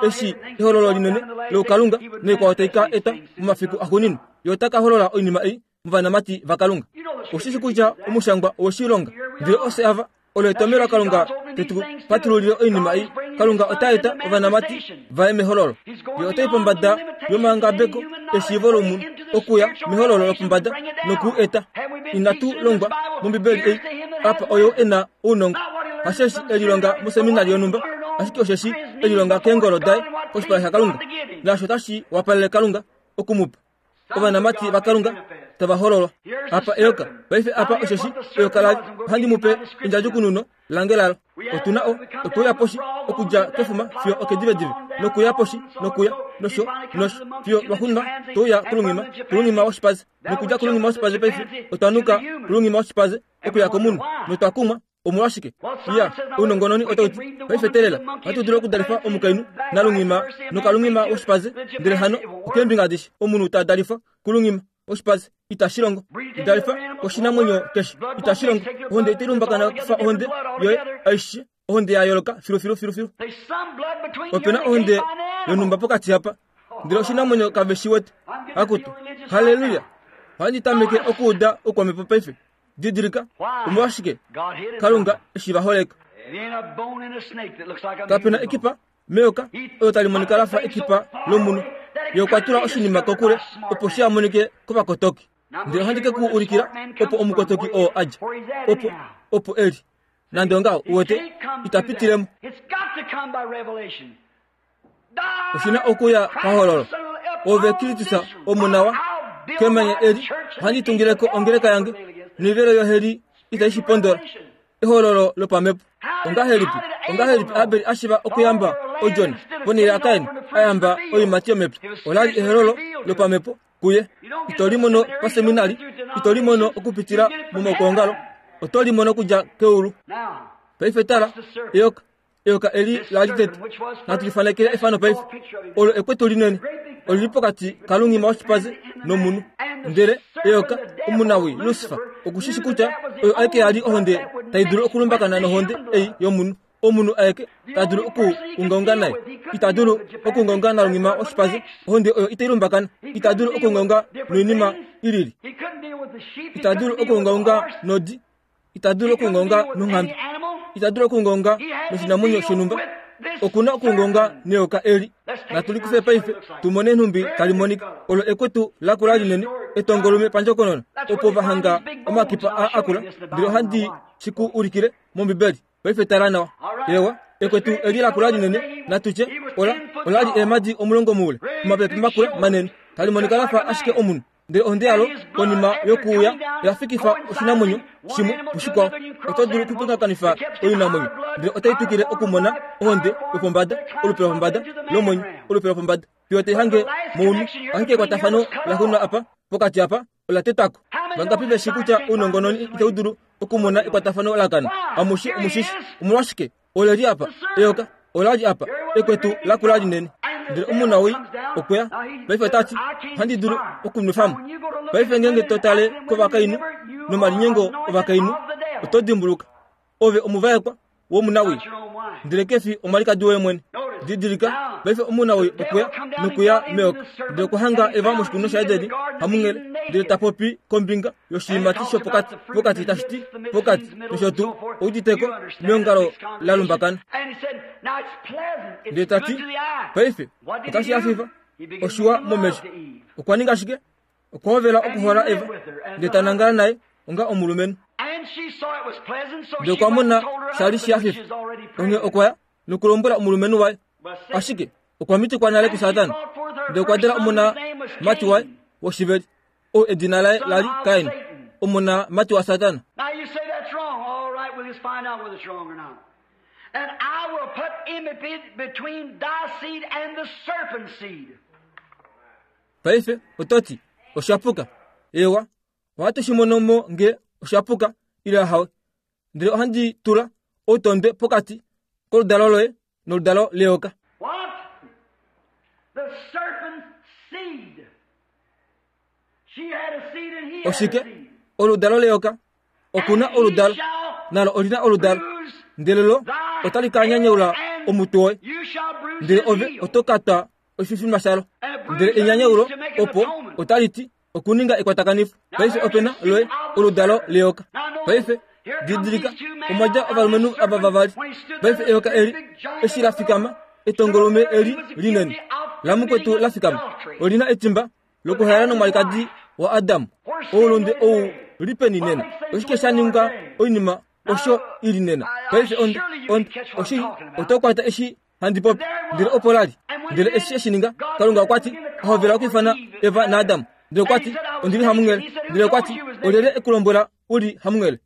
S2: eshi ehololo linene loukalunga noikwao tai ka eta momafiku axuuninwa, ye ota ka holola oinima ei movanamati vaKalunga. Oshishi kutya omushangwa owoshilonga, ndele ofye ava olo etomelo laKalunga tetu patululile oinima ei. Kalunga ota eta ovanamati vaye mehololo. Ye otai pombada yomangabeko eshiivo lomunhu okuya mehololo lopombada noku eta. Inatu longwa mOmbibeli ei apa oyo e na ounongo, hasheshi elilonga moseminari yonhumba, ashike osheshi elilonga keengolo daye koshipala shaKalunga, naasho tashi wapalele Kalunga okumupa. Ovanamati vaKalunga tava hololwa. Apa eyoka, paife apa osheshi eyoka lali, ohandi mu pe endjadjukununo lange lalo. Otuna o otouya poshi okudja kefuma fiyo okedivedive, nokuya poshi nokuya nosho nosho fiyo lwaxuuninwa touya kulungima kulungima woshipaze, nokudja kulungima woshipaze paife otwanuka kulungima woshipaze okuya komunhu, notwa kumwa. Omolwashike? Iya, ounongononi otauti paife telela ohatu dulu okudalifa omukainhu nalungima nokalungima woshipaze, ndele hano okeembinga adishe omunhu ta dalifwa kulungima woshipaze itashi longo. Dalifa koshinamwenyo keshe itashi longo. Ohonde itai lumbakana kufa ohonde yoye aishe, ohonde ya yooloka filu filu filu filu. Opena ohonde yonhumba pokati apa, ndele oshinamwenyo kave shi wete. Akutu, haleluya! Ohandi tameke okuuda oukwamhepo paife. Didilika, omolwashike Kalunga eshi va holeka. Kapena ekipa meyoka oyo tali monika lafa ekipa lomunhu. Ye okwa tula oshinima kokule opo shi amonike kovakotoki. Ndele ohandi ke ku ulikila opo omukotoki oo adja, opo opo eli. Nande ongaho, uwete, ita pitilemo. Oshina okuya pahololo. Ove Kristus omunawa kemanya eli ohandi tungileko ongeleka yange, noivelo yoheli itai shi pondola. Ehololo lopamhepo. Ongahelipi ongahelipi Abel ashiva okuyamba odjona ponhele yaKain ayamba oiimati yomepya? Olali ehololo lopamhepo kuye. Ito limono paseminari, ito limono okupitila momaukongalo, oto limono okudja keulu. Paife tala, eyoka eyoka eli lali tete. Natu lifanekele efano paife. Olo ekwetu linene olili pokati kalungima woshipaze nomunhu. Ndele eyoka omunawi Lucifer okushishi kutya oyo aeke yali ohonde tai dulu okulumbakana nohonde ei yomunhu. Omunhu aeke ta dulu okuungaunga naye. Ita dulu okuungaunga nalungima woshipaze, ohonde oyo itai lumbakana. Ita dulu okuungaunga noinima ilili. Ita dulu okuungaunga nodi. Ita dulu okuungaunga nonghambe. Ita dulu okuungaunga noshinamwenyo shonhumba. Okuna okuungaunga neyoka eli. Natu likufe paife tumone nhumbi tali monika. Olo ekwetu lakula linene etongolume pandjokonona, opo va hanga omakipa a akula. Ndele ohandi shi ku ulikile mOmbibeli. Paife tala nawa. Ewa, ekwetu eli lakula linene, natutye ola olali eemadi omulongo moule, omapepe makula manene, tali monika lafa ashike omunhu. Ndele ohonde yalo konima yokuuya oya fikifa oshinamwenyo shimwe pushikwao. Oto dulu okupingakanifa oinamwenyo, ndele otai twikile okumona ohonde yopombada, olupe lopombada lomwenyo, olupe lopombada fiyo tai hange mounhu. Ashike ekwatafano laxuuninwa apa pokati apa ola tetwako. Vangapi veshi kutya ounongononi itau dulu okumona ekwatafano lakana? Amushe omushishi. Omolwashike? Oleli apa eyoka olali apa ekwetu lakula linene. Ndele omunawii okweya paife otati ohandi dulu okunwefamo. Paife ngeenge to tale kovakainhu nomalinyengo ovakainhu, oto dimbuluka ove omuvaekwa womunawii, ndele kefi omwalikadi woye mwene. Didilika, paife omunawii okweya nokuya meyoka, ndele okwa hanga Eva moshikunino shaEdeni hamunghele, ndele ta popi kombinga yoshiimati shopokati pokati tashi ti pokati nosho tuu, ouditeko meongalo la lumbakana. Ndele ta ti paife otashi hafifa, oshiwa momesho. Okwa ninga shike? Okwa hovela okuhola Eva, ndele ta nangala naye onga omulumenhu. Ndele okwa mona shali shi hafifa, onghee okwa ya nokulombwela omulumenhu waye. Ashike okwa mitikwa nale kuSatana, ndele okwa dala omona mati waye woshiveli, oo edina laye lali Kain, omona mati waSatana.
S1: And I will put enmity between thy seed and the serpent's seed.
S2: Paife ototi oshapuka. Ewa, ohatu shi mono mo nge oshapuka ile hawe. Ndele ohandi tula outondwe pokati koludalo loye noludalo leyoka.
S1: What? The serpent's seed. She had a seed and he had a
S2: Oshike?
S1: seed.
S2: Oludalo leyoka. Okuna oludalo. Nalo olina oludalo ndele lo otali ka nyanyaula omutwe woye, ndele ove oto ka twa oshifima shalo. Ndele enyanyaulo opo otali ti okuninga ekwatakanifo. Paife opena loye oludalo leyoka. Paife didilika omwadja ovalumenhu ava vavali. Paife eyoka eli eshi la fikama, etongolume eli linene lamukwetu la fikama, olina etimba lokuhaela nomwalikadi wa Adamu. Oulunde ou lipeni nena. Oshike sha ninga oinima osho ili nena? Paife ond ond oshi oto kwata eshi handi popi. Ndele opo lali. Ndele eshi eshi ninga, Kalunga okwa ti ohovela okwiifana Eva naAdamu. Ndele okwa ti ondili hamunghele. Ndele okwa ti olyelye ekulombwela uli hamunghele?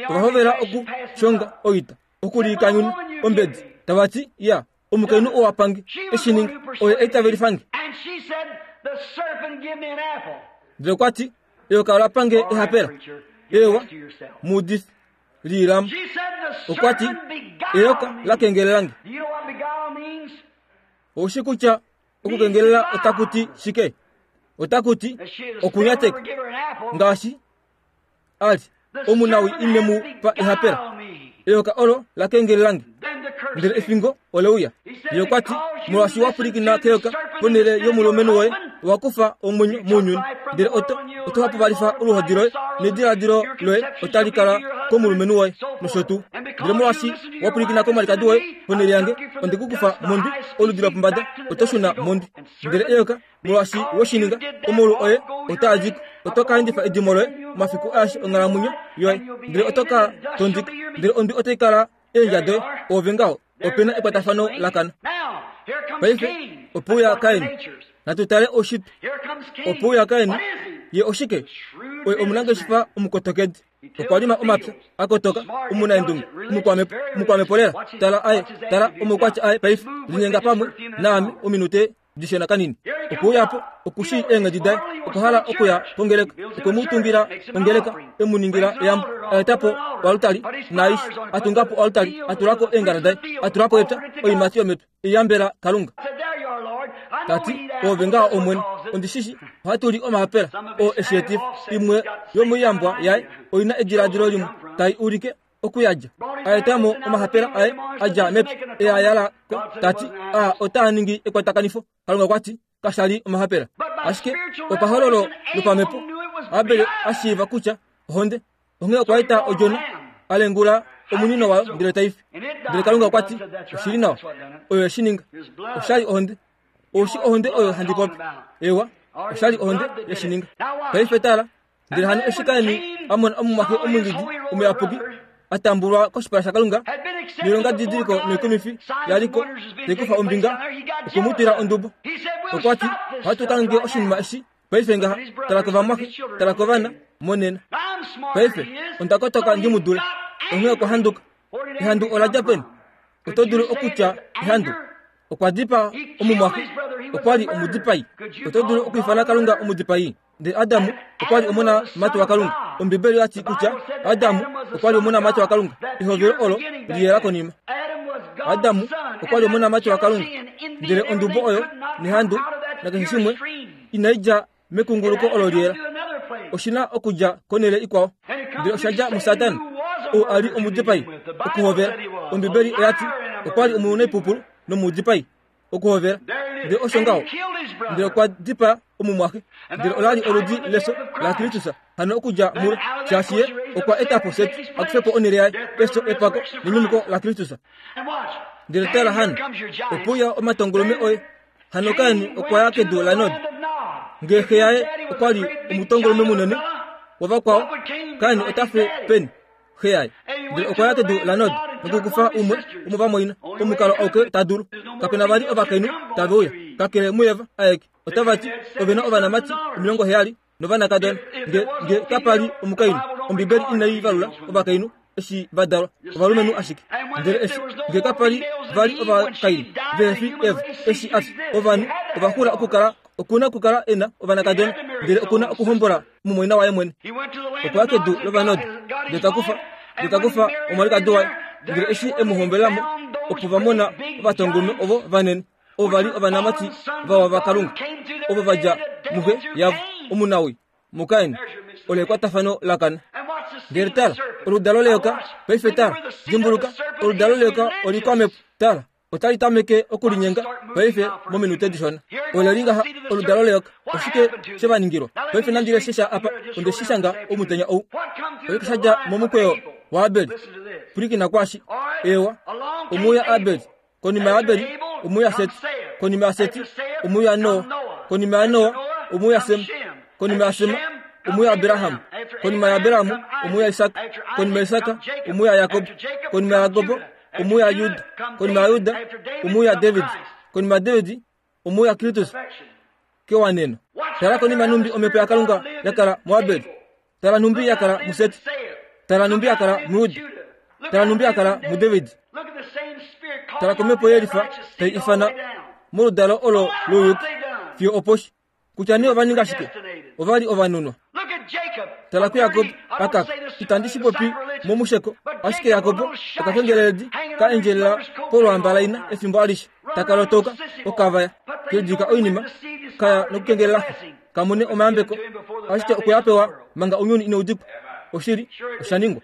S2: Ovahovela okushonga oita, okulikanyuna ombedi, tava ti ya omukainhu oo apange eshi ninga oye eitavelifange. Ndele okwa ti eyoka ola pange ehapela. Ewa mudifi liilamu. Okwa ti eyoka la kengelelange. Oushi kutya okukengelela otaku ti shike? Otaku ti okunyateka. Ngaashi ali omunawi ine mu pa ehapela. Eyoka olo la kengelelange. Ndele efingo ole uya. Ye okwa ti molwaashi wa pwilikina keyoka ponhele yomulumenhu woye, owa kufa omwenyo mounyuni. Ndele oto oto hapupalifa oluhodi loye nediladilo loye otali kala komulumenhu woye nosho tuu. Ndele molwaashi wa pwilikina komwalikadi woye ponhele yange, onde ku kufa mondwi, oludi lopombada oto shuna mondwi. Ndele eyoka molwaashi woshininga, omaulu oye otaa diko, oto ka endifa edimo loye omafiku aeshe onghalamwenyo yoye. Ndele oto ka tondika, ndele ondwi otai kala eendja doye. Ove ngaho opena ekwatafano lakana. Paife opo uya Kain. Natu tale oshitwe. Opo uya Kain, ye oshike? Oye omunangeshefa omukotokedi. Okwa lima omapya akotoka, omunaendunge, omukwamepo, omukwamepo lela. Tala aye, tala omaukwatya aye paife. Linyenga pamwe naame ominute dishona kanini. Opo uyapo okushi eenghedi daye, okwa hala okuya kongeleka. Okwe mu tungila ongeleka, emu ningila eyambo, a etapo oaltari naaishe, a tungapo oaltari, a tulako eengala daye, a tulapo epya, oiimati yomepya, eyambela Kalunga. Tati ove ngaho Omwene, ondishishi ohatu li omahapela oo eshietifa. Imwe yomoiyambwa yaye oina ediladilo limwe tai ulike okuyadja. A etamo omahapela aye a dja mepya e a yala ko. Tati a otaa ningi ekwatakanifo. Kalunga okwa ti kasha li omahapela. Ashike opahololo lopamhepo Abel a shiiva kutya ohonde. Onghee okwa eta odjona, a lengula omunino wayo ndele tai fi. Ndele Kalunga okwa ti oshili nawa, oyo eshi ninga. Oshali ohonde. Oushi ohonde oyo handi popi. Ewa, oshali ohonde yeshi ninga. Paife tala, ndele hano eshi Kaini a mona omumwaxe omwingidi omuyapuki a tambulwa koshipala shaKalunga, noilonga didiliko noikumifi yaliko tai kufa ombinga, okwe mu twila ondubo. Okwa ti ohatu kange oshinima eshi paife ngaha. Tala kovamwaxe, tala kovana monena. Paife onda kotoka ndi mu dule. Onghee okwa handuka. Ehandu ola dja peni? Oto dulu okutya ehandu. Okwa dipaa omumwaxe, okwa li omudipai. Oto dulu okwiifana Kalunga omudipai. Ndele Adamu okwa li omonamati waKalunga. Ombibeli oya ti kutya Adamu okwa li omonamati waKalunga. Ehovelo olo liyela konima. Adamu okwa li omonamati waKalunga. Ndele ondubo oyo nehandu nakeshe shimwe inai dja mekunguluko olo liyela. Oshina okudja konhele ikwao. Ndele osha dja muSatana, ou a li omudipai okuhovela. Ombibeli oya ti okwa li omunaipupulu nomudipai okuhovela. Ndele osho ngaho. Ndele okwa dipaa omumwaxe. Ndele ola li oludi leso laKristus hano okudja mulo, shaashi ye okwa etapo Set a kufe po onhele yaye, efyo, epako nenyumuko laKristus. Ndele tala hano, opo uya omatongolume oye. Hano Kain okwa ya kedu laNod. Ngee xe yaye okwa li omutongolume munene wovakwao, Kain ota fe peni xe yaye? Ndele okwa ya kedu laNod nokukufa umwe womovamwaina, omukalo auke ta dulu. Kapena vali ovakainhu tave uya, kakele muEva aeke. Otava ti ove na ovanamati omilongo heyali novanakadona. Nge nge kapa li omukainhu, Ombibeli inai valula ovakainhu eshi va dalwa, ovalumenhu ashike. Ndele eshi nge kapa li vali ovakainhu vehe fi Eva eshi a fya, ovanhu ova xula okukala okuna okukala e na ovanakadona, ndele okuna okuhombola mumwaina waye mwene. Okwa ya kedu lOvanod, ndele ta kufa ndele ta kufa omwalikadi waye. Ndele eshi e mu hombelamo, opo va mona ovatongolume ovo vanene, ovo va li ovanamati vawa vaKalunga, ovo va dja muxe yavo omunawi muKain. Olo ekwatafano lakana. Ndele tala, oludalo leyoka, paife tala, dimbuluka, oludalo leyoka olikwamhepo. Tala, otali tameke okulinyenga paife mominute dishona. Ole li ngaha oludalo leyoka. Oshike she va ningilwa? Paife nandi leshe sha apa, onde shi shanga omutenya ou. Oshike sha dja momukweyo waAbel? Pwilikina kwashi. Ewa, omuya Abel. Konima yaAbel, omuya Seti. Konima yaSeti, omuya Noa. Konima yaNoa, omuya Sem. Konima yaSem, omuya Abraham. Konima yaAbraham, omuya Isaka. Konima yaIsaka, omuya Jakob. Konima yaJakob, omuya Juda. Konima yaJuda, omuya David. Konima yaDavid, omuya Kristus. Kewaneno. Tala konima numbi omhepo yaKalunga yakala muAbel. Tala numbi yakala muSeti. Tala numbi yakala muJuda. Tala numbi yakala muDavid. Tala komhepo yelifa tai ifana moludalo olo louyuki fiyo oposhi. Kutya nee ova ninga shike? Ova li ovanunwa. Tala kuJakob akaka. Itandi shi popi momusheko, ashike Jakob okakengeleledi ka endjelela polwamba laina efimbo alishe. Taka lotoka okavaya kedika oinima kaya nokukengelela kamone omayambeko, ashike okwe a pewa manga ounyuni inaudikwa. Oshili osha ningwa.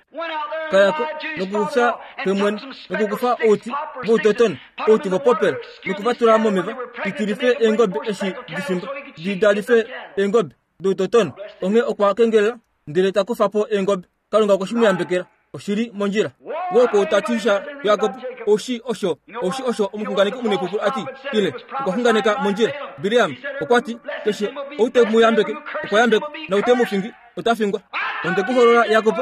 S2: Kayako nokufya kemwene nokukufa outi voutotona outi vopopela nokuvatula momeva ditilife eengobe eshi difimba didalife eengobe doutotona. Onghee okwa kengelela ndele ta kufa po eengobe. Kalunga okwe shi mu yambekela. Oshili mondjila. Woko tatisha Jakob oshi osho oshi osho omuxunganeki omunepupulu ati ile okwa xunganeka mondjila. Biliam okwa ti keshe ou te mu yambeke okwa yambekwa, na ou te mu fingi ota fingwa. Onde ku holola Jakob,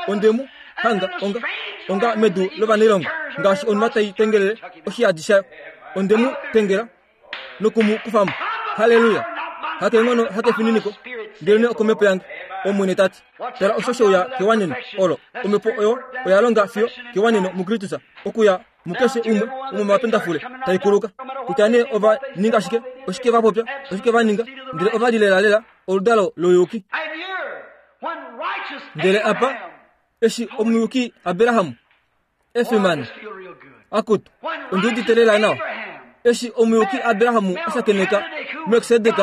S2: onde mu hanga onga onga medu lovanailongo ngaashi onuma tai tengelele oshiyadi shayo. Onde mu tengela noku mu kufa mo. Haleluya! Hakeenghono hakefininiko, ndelenee okomhepo yange, Omwene ta ti. Tala osho sheuya kewaneno olo. Omhepo oyo oya longa fiyo kewaneno muKristus, okuya mukeshe umwe womomapendafule tai kuluka. Kutya nee ova ninga shike, oshike va popya, oshike va ninga, ndele ova li lelalela oludalo louyuki. Ndele apa, eshi omuyuki Abraham efimano akutu, ondi udite lela nawa. Eshi omuyuki Abraham a shakeneka Melkisedek,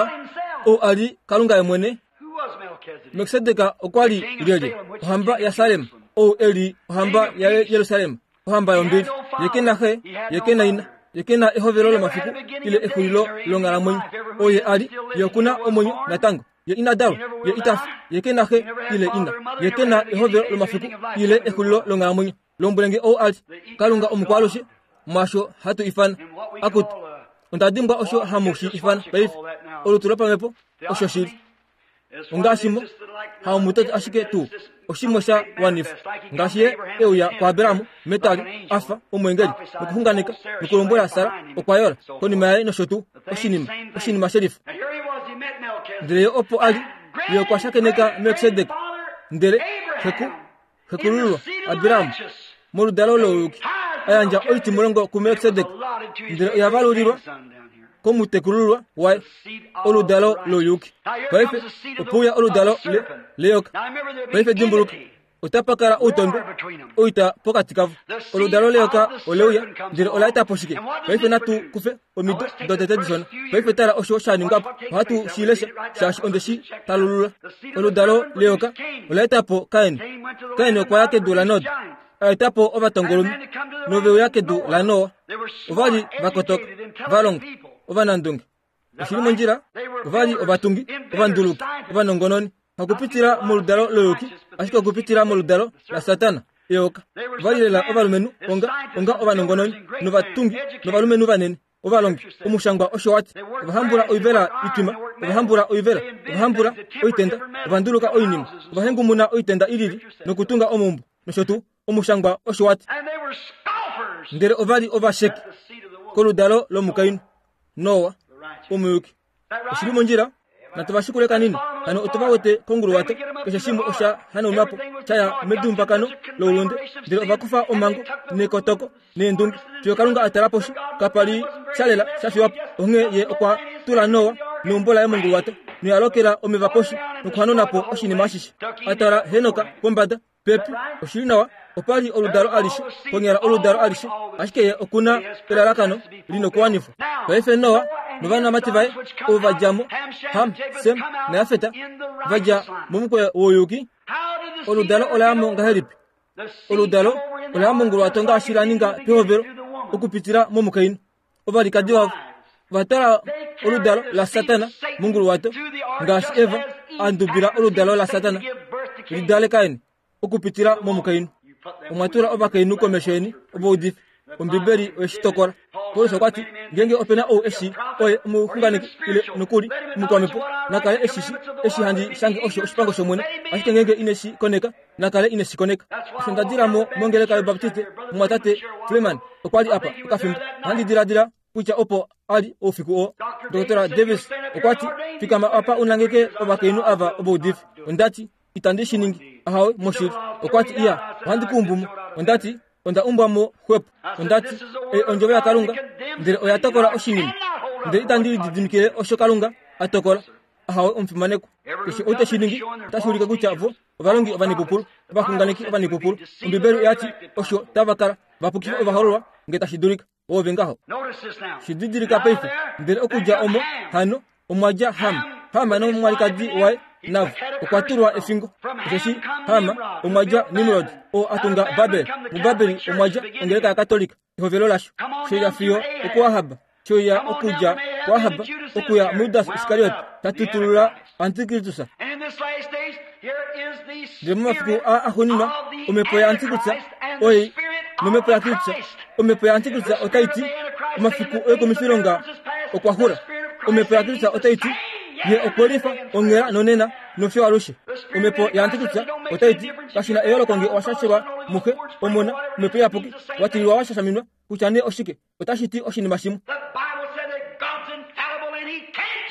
S2: ou a li Kalunga ye mwene. Melkisedek okwa li lyelye? Ohamba yaSalem, ou e li ohamba yaJerusalem, ohamba yombili. Ye ke na xe, ye ke na ina, ye ke na ehovelo lomafiku ile exulilo longhalamwenyo. Oye a li, ye oku na omwenyo natango. Ye ina dalwa, ye ita fi, ye ke na xe ile ina, ye ke na ehovelo lomafiku ile exulilo longhalamwenyo. Lombwelenge ou a li Kalunga omukwalushe, mwaasho hatu ifana akutu. Onda dimbwa osho hamu shi ifana paife, olutu lopamhepo, osho shili. Ongaashi mo haumutoti ashike tuu oshimwe sha wanifwa ngaashi ye euya kuAbraham metali afa omwengeli nokuxunganeka nokulombwela Sara okwa yola konima yaye nosho tuu oshinima oshinima shelifa. Ndele ye opo a li, ye okwa shakeneka Melkisedek, ndele xeku xekulululwa Abraham moludalo louyuki a yandja oitimulongo kuMelkisedek, ndele oya valulilwa komutekulululwa waye oludalo louyuki. Paife opouya oludalo le leyoka. Paife dimbuluka, otapa kala outondwe oita pokati kavo. Oludalo leyoka oleuya, ndele ola eta po shike? Paife natu kufe omido dotete dishona. Paife tala osho sha ningwa po. Ohatu shi lesha shaashi onde shi talulula. Oludalo leyoka ola eta po Kain. Kain okwa ya kedu laNod, a eta po ovatongolume, noveuya kedu laNoa. Ova li va kotoka, va longa, ovanandunge. Oshili mondjila, ova li ovatungi, ovanduluki, ovanongononi. Hakupitila moludalo loyuki, ashike okupitila moludalo laSatana, eyoka. Ova li lela ovalumenhu onga onga ovanongononi, novatungi, novalumenhu vanene, ovalongi. Omushangwa osho wati, ovahambula oivela itwima, ovahambula oivela, ovahambula oitenda, ovanduluka oinima, ovahengumuna oitenda ilili, nokutunga omaumbo, nosho tuu. Omushangwa osho wati. Ndele ova li ovasheki koludalo lomukainhu Noa, omuyuki. Oshili mondjila, natu va shikule kanini. Hano otova wete konguluwato, keshe shimwe osha hanaunwa po, sha ya medumbakano loulunde. Ndele ova kufa omhango nekotoko neendunge fiyo Kalunga a tala poshi, kapa li sha lela sha fiwa po. Onghee ye okwa tula Noa neumbo laye monguluwato, noya lokela omeva poshi nokuhanuna po oshinima ashishe. A tala Henoka pombada pepi, oshili nawa, opa li oludalo alishe, konyala oludalo alishe, ashike ye okuna elalakano linokuwanifwa. Paife Noa novanamati vaye ovo va dja mo, Ham, Sem naJafet, va dja momukweyo wouyuki. Oludalo ola ngahelipi? Oludalo ola monguluwato ngaashi la ninga pehovelo okupitila momukainhu. Ovalikadi vavo vatala oludalo la Satana monguluwato ngaashi Eva a ndubila oludalo la Satana lidale Kain okupitila momukainhu. Omwa tula ovakainhu komesho yeni ovaudifi. Ombibeli oyeshitokola. Paulus okwa ti ngenge opena ou eshi oye omuxunganeki ile nokuli omukwamhepo nakale eshishi eshi handi shange osho oshipango shOmwene, ashike ngenge ineshi koneka nakale ineshi koneka. Osho nda dila mo mongeleka yObaptiste, mumwatate Freeman okwa li apa okafimbo. Ohandi diladila kutya opo ali oufiku oo. Doctor Davis okwa ti fikama apa unangeke ovakainhu ava ovaudifi. Ondati itandi shi ningi, ahawe moshili. Okwa ti iya, ohandi kuumbu mo. Ondati onda umbwa mo xwepo. Ondati e ondjovo yaKalunga ndele oya tokola oshinima, ndele itandi lididimikile osho Kalunga a tokola. Ahawe omufimaneko. Keshe ou teshi ningi otashi ulike kutya vo ovalongi ovanipupulu, ovaxunganeki ovanipupulu. Ombibeli oya ti osho tava kala vapukifa ovahololwa nge tashi dulika. Ove ngaho shididilika paife. Ndele okudja omo hano omwa dja Ham. Ham nomwalikadi waye navo okwa tulwa efingo. Osheshi Ham omwa dja Nimrod oo a tunga Babel. MuBabeli omwa dja ongeleka yaKatolika ehovelo lasho. Shoya fiyo okuAhab, shoya okudja kuAhab okuya muJudas Iskariot tatutulula Antikristus. Ndele momafiku a axuuninwa omhepo yaAntikristus oi nomhepo yaKristus. Omhepo yaAntikristus otai ti omafiku oikumifilonga okwa xula. Omhepo yaKristus otai ti ye okwe lifa onghela nonena nofiyo alushe. Omhepo yaAntikristus otai ti kashina eyooloko nge owashashelwa muxe omona omhepo iyapuki watililwa washashaminwa kutya nee oshike otashi ti oshinima shimwe.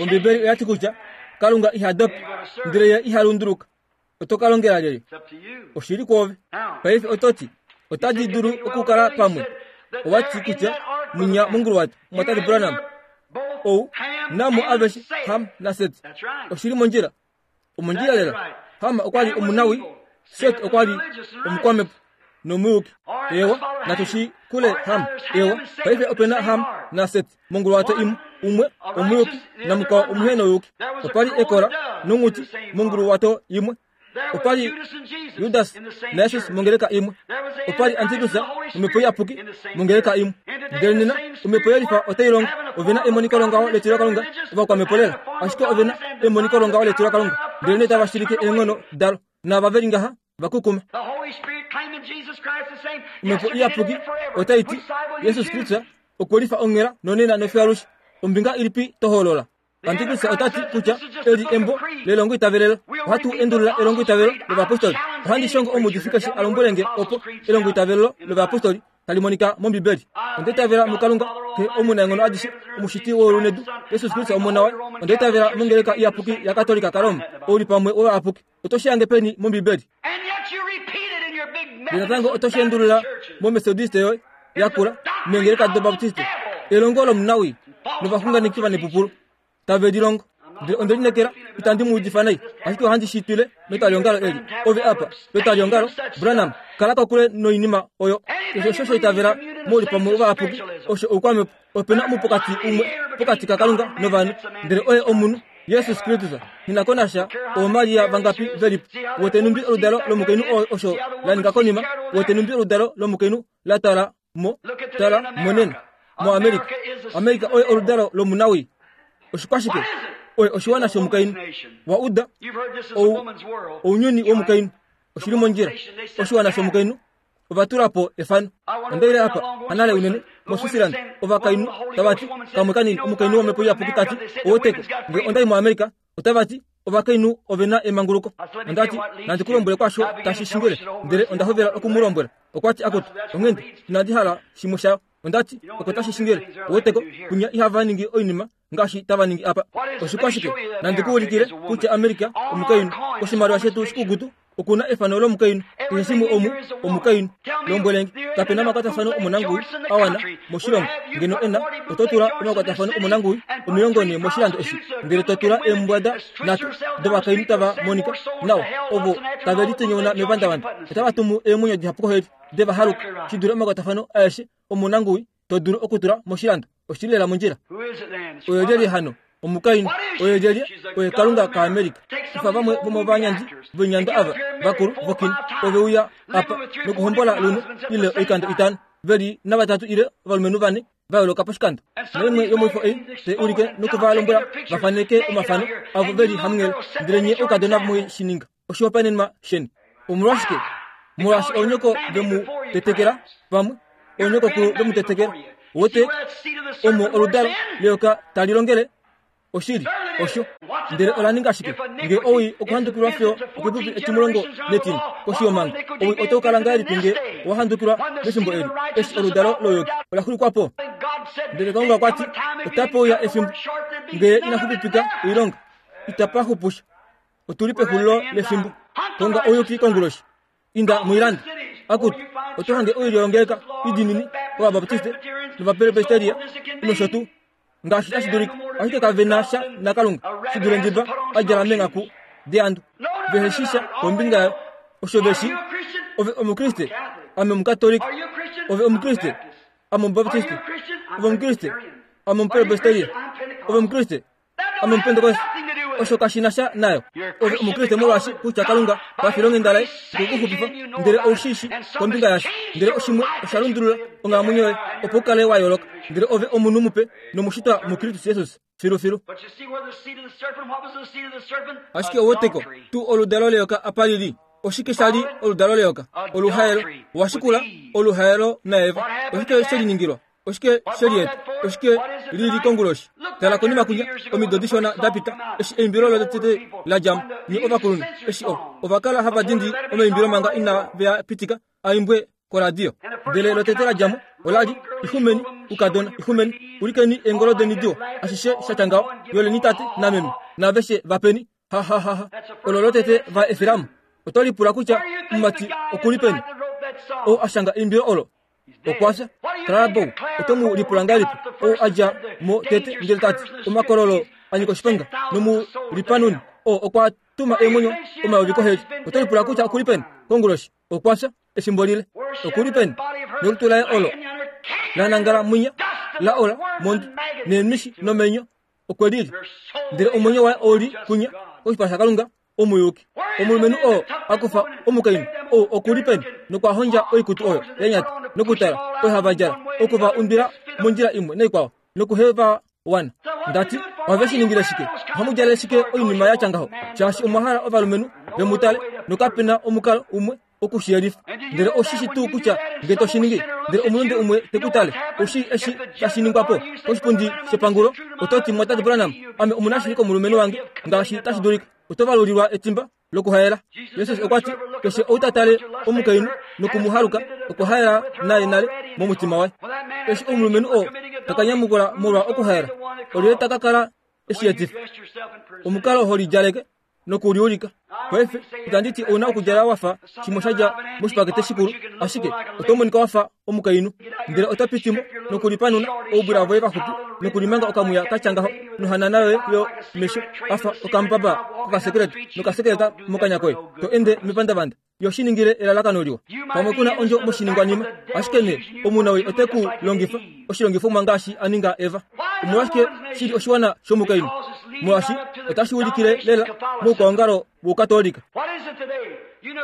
S2: Ombibeli oya ti kutya Kalunga iha dopi ndele ye iha lunduluka. Oto ka longela lyelye? Oshili kwoove. Paife oto ti otadi dulu okukala pamwe. Owa ti kutya munya monguluwato mumwatate Branham ou namo aveshe Ham naSet. Oshili mondjila. Omondjila lela. Ham okwa li omunawi, Set okwa li omukwamhepo nomuyuki. Ewa, natu shi kule Ham. Ewa, paife opena Ham naSet monguluwato imwe, umwe omuyuki namukwao omuhenoyuki. Opa li ekola nonghuti monguluwato imwe. Opa li Judas naJesus mongeleka imwe. Opa li Antikristus nomhepo iyapuki mongeleka imwe. Ndele nena omhepo yelifa otai longo. Ovena emoniko longaho letilo Kalunga ovakwamhepo lela, ashike ovena emoniko longaho letilo Kalunga ndele nee tava shilike eenghono dalo nava veli ngaha vakukuma. Omhepo iyapuki otai ti Jesus Kristus okwe lifa onghela nonena nofiyo alushe. Ombinga ilipi to hoolola? Antikristus ota ti kutya eli embo lelongo itavelelo. Ohatu endulula elongo itavelo lovapostoli. Ohandi shongo omuudifi keshe a lombwele nge opo elongo itavelelo lovapostoli tali monika mOmbibeli. Onda itavela muKalunga Xe omunaenghono adishe, omushiti weulu nedu, Jesus Kristus omona waye. Onda itavela mongeleka iyapuki yaKatolika kaRoma, oulipamwe wovayapuki. Oto shi hange peni mOmbibeli? Ndele natango oto shi endulula moMethodiste yoye yakula, meengeleka doBaptiste, elongo lomunawi novaxunganeki vanepupulu tave lilongo. Ndele onde linekela itandi mu udifa nai, ashike ohandi shi twile metwaliongalo eli. Ove apa petwaliongalo Branham, kala kokule noinima oyo. Keshe osho sha itavela moulipamwe wovayapuki osho oukwamhepo. Opena omupokati umwe pokati kaKalunga novanhu, ndele oye omunhu Jesus Kristus. Nghi ko nasha ooMaria vangapi velipo. Wete numbi oludalo lomukainhu oo osho la ninga konima. Wete numbi oludalo lomukainhu la tala mo tala monena moAmerika. Amerika oye oludalo lomunawi. Oshikwashike? Oye oshiwana shomukainhu. Wa uda ou ounyuni womukainhu. Oshili mondjila. Oshiwana shomukainhu ova tula po efano. Onda ile apa hanale unene moSwitzerland ovakainhu tava ti kamwe kanini omukainhu womhepo iyapuki tati oweteko nge onda i moAmerika otava ti ovakainhu ovena emanguluko. Onda ti nandi ku lombwele kwasho tashi shingile, ndele onda hovela oku mu lombwela. Okwa ti akutu onghende inandi hala shimwe shayo. Onda ti oko tashi shingile oweteko kunya ihava ningi oinima ngaashi tava ningi apa. Oshikwashike? Nandi ku ulikile kutya Amerika omukainhu. Oshimaliwa shetu shikukutu okuna efano lomukainhu. Keshe shimwe omu omukainhu. Lombwelenge kapena omakwatafano omonanguwi awana moshilongo. Ngeno ena oto tula omakwatafano omonanguwi omilongo ne moshilando eshi, ndele to tula eembwada nhatu dovakainhu tava monika nawa ovo tave litonyauna mevandavanda. Otava tumu eemwenyo dihapu koheli deva haluka shi dule omakwatafano aeshe omonanguwi to dulu okutula moshilando. Oshili lela mondjila. Oyo lyelye hano? Omukainhu oye lyelye oye Kalunga kaAmerika. Kufa vamwe vomovanyandi voinyandwa ava vakulu vokino ove uya apa nokuhombola lumwe ile oikando itano veli navatatu ile ovalumenhu vane va yooloka poshikando. Naimwe yomoifo ei tai ulike nokuvalombwela vafaneke omafano avo veli hamunghele, ndele nye oukadona mwe shi ninga oshihopaenenwa sheni. Omolwashike? Molwaashi oonyoko vemu tetekela pamwe oonyokokulu vemu tetekela. Wote omo oludalo leyoka tali longele oshili osho. Ndele ola ninga shike? Nge owii okuhandukilwa fiyo okepupi etimulongo netine koshi yomhango, owii otau kala ngahelipi nge owa handukilwa mefimbo eli, eshi oludalo loyoki ola xulikwa po? Ndele Kalunga okwa ti, otapa uya efimbo nge ina xupipika oilonga, itapa xupusha. Otuli pexulilo lefimbo. Konga ouyuki konguloshi. Inda moilando. Akutu, oto hange oilyo yongeleka idinini ovabaptiste novapresbiteria nosho tuu ngaashi tashi dulika, ashike kave na sha naKalunga shi dule ndiba a djala meengaku deandu. Vehe shi sha kombinga yayo. Osho ve shi. Ove Omukriste, ame Omukatolika. Ove Omukriste, ame Omubaptiste. Ove Omukriste, ame Omupresbiteria. Ove Omukriste, ame Omupentekoste. Osho kashi na sha nayo. Ove Omukriste molwaashi kutya Kalunga pafilonghenda laye okwe ku xupifa, ndele ou shi shi kombinga yasho, ndele oshimwe osha lundulula onghalamwenyo yoye opo u kale wa yooloka, ndele ove omunhu mupe nomushitwa muKristus Jesus filufilu. Ashike ouweteko tuu oludalo leyoka apa lili? Oshike sha li oludalo leyoka? Oluhaelo. Washikula oluhaelo naEva. Oshike she liningilwa? Oshike she lieta? Oshike lili konguloshi? Tala konima kunya omido dishona da pita, eshi eimbilo lotete la dja mo, nye ovakulunhu, eshi o ova kala hava dindi omaimbilo manga ina veya pitika a imbwe koradio. Ndele lotete la dja mo ola li, ixumeni ukadona, ixumeni, ulikeni eengolo deni diwa, ashishe sha tya ngaho, yoleni tate nameme, naaveshe vapeni, ha ha ha ha. Olo lotete va efela mo. Oto lipula kutya omumati okuli peni ou a shanga eimbilo olo? Okwa fya. Clara Bow, oto mu lipula ngahelipi ou a dja mo tete ndele tati omakololo a nyika oshiponga nomulipanuni oo okwa tuma eemwenyo omayovi koheli? Oto lipula kutya okuli peni konguloshi? Okwa fya efimbo lile. Okuli peni nolutu laye olo la nangala mwinya la ola mondwi neemishi nomenyo okwe lili, ndele omwenyo waye ouli kunya koshipala shaKalunga omuyuki. Omulumenhu oo a kufa omukainhu ou okuli peni nokwa hondja oikutu oyo ya nyata nokutala oyo hava djala, okuva undwila mondjila imwe naikwao nokuheva wana. Ndati ohave shi ningile shike? Ohamu djalele shike oinima ya tya ngaho? Shaashi omwa hala ovalumenhu ve mu tale, nokape na omukalo umwe okushiyelifa. Ndele oshishi tuu kutya nge to shi ningi, ndele omulunde umwe te ku tale, oushii eshi tashi ningwa po koshipundi shepangulo? Oto ti, Mwatate Branham, ame omunashili komulumenhu wange ngaashi tashi dulika. Oto valulilwa etimba lokuhaela. Jesus okwa ti, keshe ou ta tale omukainhu nokumuhaluka okwa haela naye nale momutima waye. Eshi omulumenhu oo ta ka nyamukula molwa okuhaela, olyelye ta ka kala eshiyetifa? Omukalo ho lidjaleke nokuliulika. Paife itandi ti ouna okudjala wafa shimwe sha dja moshipakete shikulu, ashike oto monika wafa omukainhu, ndele oto piti mo nokulipanuna oubwila voye vaxupi nokulimanga okamuya ka tya ngaho nohanana yoye yo mesho afa okambaba kokasekeleta nokasekeleta mokanya koye, to ende mepandavanda. Yo shi ningile elalakano liwa. Pamwe kuna ondjo moshiningwanima, ashike nee omunawii ote ku longifa oshilongifomwa ngaashi a ninga Eva. Omolwashike shili oshiwana shomukainhu? Molwaashi otashi ulikile lela moukwaongalo wOukatolika.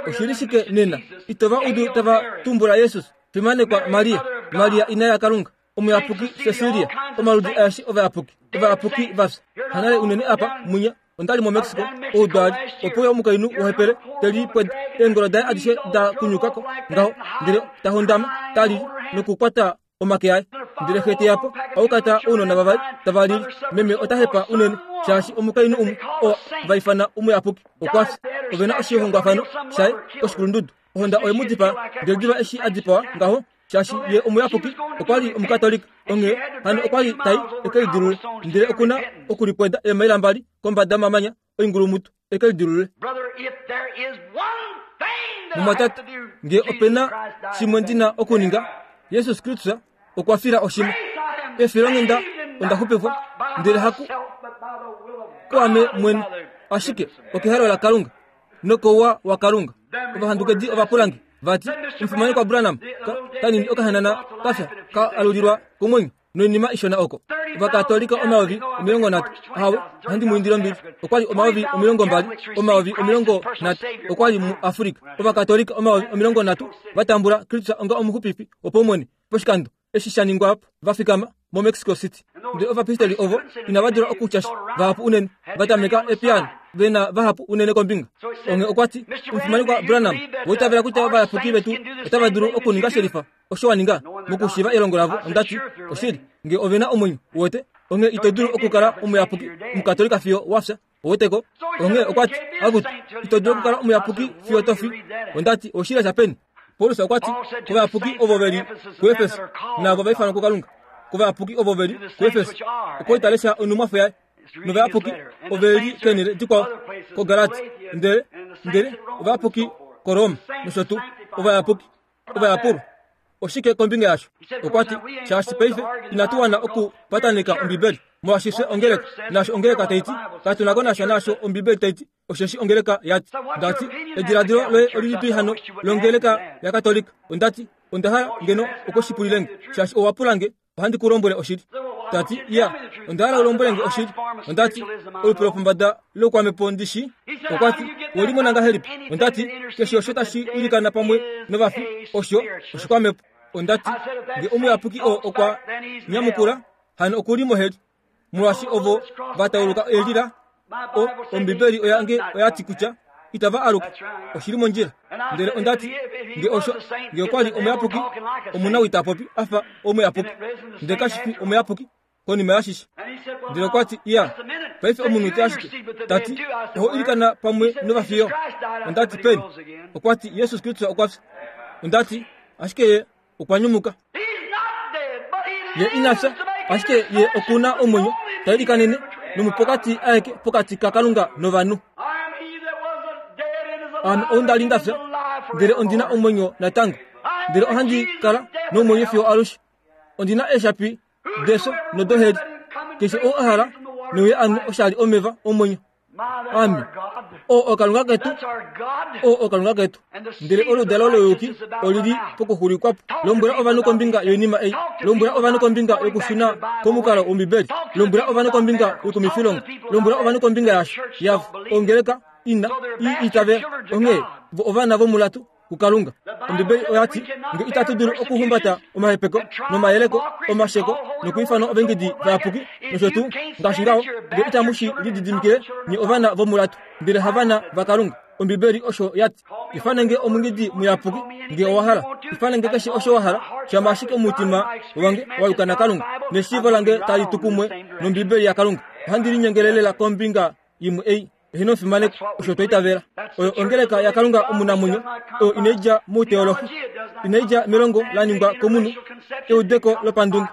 S2: Oshili shike nena? Itova udu tava tumbula Jesus, fimanekwa Maria, Maria ina yaKalunga, omuyapuki Cecilia, omaludi aeshe ovayapuki, ovayapuki vafya. Hanale unene apa munya ondali moMexico oudwali, opo uya omukainhu wohepele te lipweda, eengolo daye adishe da kunyukako ngaho, ndele ta hondama, ta lili nokukwata omake aye. Ndele xe te yapo aukata ounona vavali tava lili, meme ota hepa unene shaashi omukainhu umwe oo va ifana omuyapuki okwa fya. Ove na oshihongwafano shaye koshikulundudu. Ohonda oye mu dipaa, ndele diva eshi a dipawa ngaho, shaashi ye omuyapuki okwa li omukatolika, onghee hano okwa li tai eke lidilule, ndele okuna okulipweda eemaila mbali kombada yomamanya oingulumutu eke lidilule. Mumwatate, nge ope na shimwe ndi na okuninga, Jesus Kristus okwa fila oshimwe. Efilonghenda onda xupifwa, ndele haku kuame mwene, ashike okehalo laKalunga nokouwa waKalunga. Ovahandukedi ovapulange vati, omufimanekwa Branham, kanini okahanana kafya ka alulilwa komwenyo. Noinima ishona oko. Ovakatolika omayovi omilongo nhatu. Ahawe, ohandi mu indile ombili. Okwa li omayovi omilongo mbali, omayovi omilongo nhatu okwa li muAfrika. Ovakatolika omayovi omilongo nhatu va tambula Kristus onga omuxupifi wopaumwene poshikando eshi sha ningwa va fikama moMexico City. Ndele ovapistoli ovo inava dula okutya sha, vahapu unene va tameka epiyaano, ve na vahapu unene kombinga. Onghee okwa ti, Omufimanekwa Branham, owa itavela kutya ovayapuki vetu otava dulu okuninga shelifa osho wa ninga mokushiiva elongo lavo? Ondati, oshili, ngee ove na omwenyo, uwete, onghee ito dulu okukala omuyapuki omukatolika fiyo wa fya, uweteko. Onghee okwa ti, akutu, ito dulu okukala omuyapuki fiyo to fi. Ondati, oshili shapeni? Paulus okwa ti, kovayapuki ovo ve li kuEfeso, naavo va ifanwa kuKalunga, kovayapuki ovo ve li kuEfeso, okwa li ta lesha onhumwafo yaye, novayapuki ove li keenhele dikwao, koGalati, ndele ndele ovayapuki koRoma, nosho tuu, ovayapuki, ovayapulwa. Oshike kombinga yasho? Okwa ti, shaashi paife inatu wana okupataneka Ombibeli, molwaashi fye ongeleka, naasho ongeleka tai ti, katu na ko nasha naasho Ombibeli tai ti, osheshi ongeleka ya ti. Ndati, ediladilo loye olilipi hano longeleka yaKatolika? Ondati, onda hala ngeno okushipulile nge, shaashi owa pula nge, ohandi ku lombwele oshili. Tati, ya, onda hala u lombwele nge oshili. Ondati, olupe lopombada loukwamhepo ndi shi. Okwa ti, we limona ngahelipi? Ondati, keshe osho tashi ilikana pamwe novafi, osho oshikwamhepo. Ondati, nge omuyapuki oo okwa nyamukula, hano oku li moheli, molwaashi ovo va tauluka elila, o Ombibeli oyange oya ti kutya itava aluka. Oshili mondjila. Ndele ondati, nge osho, nge okwa li omuyapuki, omunawii ta popi a fa omuyapuki, ndele kashi fi omuyapuki konima yashishe. Ndele okwa ti, ya, paife omunute ashike. Tati, oho ilikana pamwe novafiyo? Ondati, peni? Okwa ti, Jesus Kristus okwa fya. Ondati, ashike ye okwa nyumuka. Ye ina fya, ashike ye oku na omwenyo, ta ilikanene nomupokati aeke pokati kaKalunga novanhu. Ame ou nda li nda fya, ndele ondi na omwenyo natango, ndele ohandi kala nomwenyo fiyo alushe. Ondi na eeshapi defyo nodoheli. Keshe ou a hala, neuye ame oshali omeva omwenyo. Ame, oo oKalunga ketu, oo oKalunga ketu. Ndele oludalo louyuki olili pokuxulikwapo. Lombwela ovanhu kombinga yoinima ei. Lombwela ovanhu kombinga yokushuna komukalo wOmbibeli. Lombwela ovanhu kombinga yokumifilonga. Lombwela ovanhu kombinga yasho, yavo, ongeleka ina i itavela. Onghee vo ovana vomulatu kuKalunga. Ombibeli oya ti, nge itatu dulu okuhumbata omahepeko nomayeleko, omasheko nokuifanwa ovaingidi vayapuki nosho tuu ngaashi ngaho, nge itamu shi lididimikile, nye ovana vomulatu, ndele havana vaKalunga. Ombibeli osho ya ti. Ifane nge omungidi muyapuki nge owa hala. Ifane nge keshe osho wa hala, shama ashike omutima wange wa yuka naKalunga, neshiivo lange tali tu kumwe nOmbibeli yaKalunga. Ohandi linyengelelela kombinga imwe ei. Eheno omufimaneko, osho twa itavela. Oyo ongeleka yaKalunga omunamwenyo, oyo inai dja mouteolohi, inai dja melongo la ningwa komunhu, eudeko lopandunge.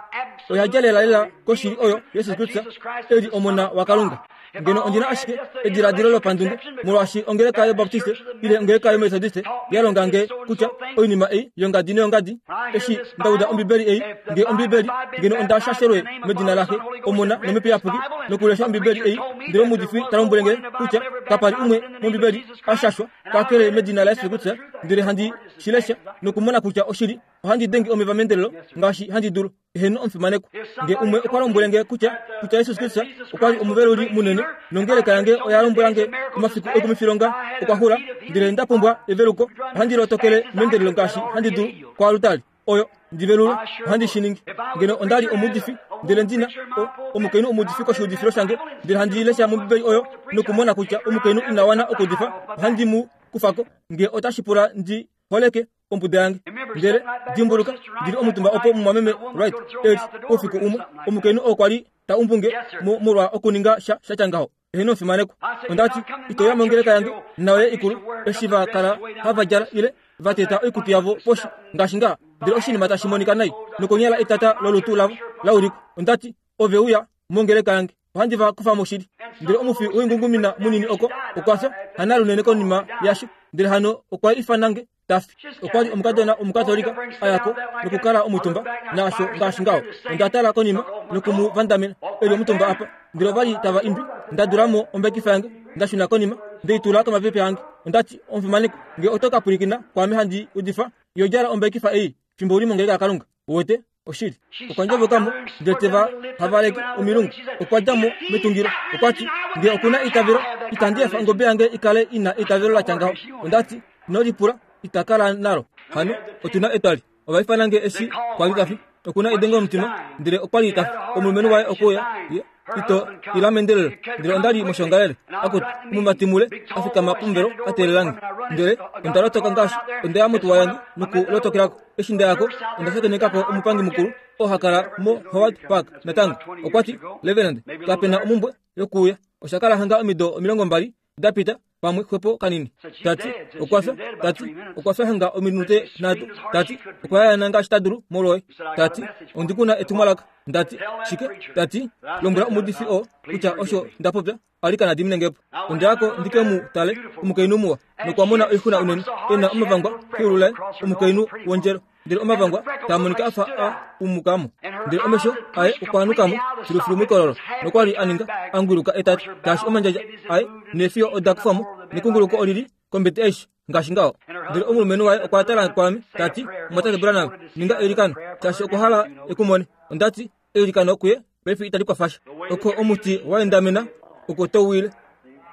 S2: Oya dja lelalela koshili oyo Jesus Kristus e li Omona waKalunga. Ngeno ondi na ashike ediladilo lopandunge, molwaashi ongeleka yObaptiste ile ongeleka yOmetodiste ya longa nge kutya oinima ei yongadi noyongadi, eshi nda uda Ombibeli ei, nge Ombibeli, ngeno onda shashelwe medina laXe, Omona nOmhepo Iyapuki, nokulesha Ombibeli ei, ndele omuudifi ta lombwele nge kutya kapa li umwe mOmbibeli a shashwa kakele medina laJesus Kristus, ndele handi shi lesha nokumona kutya oshili, ohandi denge omeva meendelelo ngaashi handi dulu. Eheno omufimaneko. Nge umwe okwa lombwele nge kutya kutya Jesus Kristus okwa li omuveluli munene, nongeleka yange oya lombwela nge omafiku oikumifilonga okwa xula, ndele nda pumbwa eveluko, ohandi lotokele meendelelo ngaashi handi dulu koalutali oyo ndi velulwe, ohandi shi ningi. Ngeno onda li omuudifi, ndele ndi na o, omukainhu omuudifi koshiudifilo shange, ndele handi lesha mOmbibeli oyo nokumona kutya omukainhu ina wana okuudifa, ohandi mu kufa ko, nge otashi pula ndi holeke ombuda yange. Ndele dimbuluka, ndi li omutumba opo mumwameme Wright e li oufiku umwe, omukainhu oo kwa li ta umbu nge mo molwa okuninga sha shatya ngaho. Eheno omufimanekwa. Onda ti, ito uya mongeleka yange nayoye ikulu, eshi va kala hava djala ile va teta oikutu yavo poshi ngaashi ngaa, ndele oshinima tashi monika nai, nokonyala etata lolutu lavo la ulikwa. Onda ti, ove uya mongeleka yange, ohandi va kufa mo shili. Ndele omufi woingungumina munini oko okwa fya hanalunene konima yasho, ndele hano okwa ifana nge ta fi. Okwa li omukadona omukatolika a ya ko nokukala omutumba naasho ngaashi ngaho. Onda tala konima noku mu vandamena e li omutumba apa, ndele ova li tava imbi. Nda dula mo ombekifa yange, nda shuna konima, nde i tula komapepe ange. Onda ti, omufimanekwa, nge oto ka pwilikina kwaame handi udifa, yo djala ombekifa ei fimbo u li mongeleka yaKalunga. Uwete? Oshili. Okwa ndjovokamo ndele teva havaleke omilungu. Okwa dja mo metungilo. Okwa ti, nge okuna eitavelo, itandi efa ongobe yange ikale ina eitavelo la tya ngaho. Onda ti, ino lipula, ita kala nalo. Hano, otuna etwali. Ova ifana nge eshi kwa li tafi. Okuna edengo lomutima, ndele okwa li tafi. Omulumenhu waye okwe uya, ye, ito ila mendelelo. Ndele onda li moshongalele. Akutu, omumati mule, a fikama pomuvelo a teelela nge. Ndele onda lotoka ngaashi onda ya motuwa yange nokulotokelako. Eshi nda yako, onda shakenekako omupangi mukulu oo ha kala mo Howard Park natango. Okwa ti, Reverend, kapena omumbwe yokuuya. Osha kala hanga omido omilongo mbali da pita, pamwe xwepo kanini. Tati, okwa fya. Tati, okwa fya hanga ominute nhatu. Tati, okwa yayana ngaashi ta dulu molwoye. Tati, ondi kuna etumwalaka. Ndati, shike? Tati, lombwela omuudifi oo kutya osho nda popya, alikana diminengepo. Onda yako ndike mu tale omukainhu muwa, nokwa mona oixuna unene, e na omavangwa keulu laye, omukainhu wondjelo. Ndele omavangwa taa monika afa a umukamo. Ndele omesho aye okwa anukamo filufilu moikololo, nokwa li a ninga angwiluka etatu, ngaashi omandjadja aye neefiyo oda kufwamo, nekunguluko olili kombete aishe ngaashi ngaho. Ndele omulumenhu waye okwa tala kwaame, ta ti, Mumwatate Branham, ninga eilikano, shaashi okwa hala ekumone. Onda ti, eilikano kuye paife itali kwafasha. Oko omuti wa endamena, oko to wile.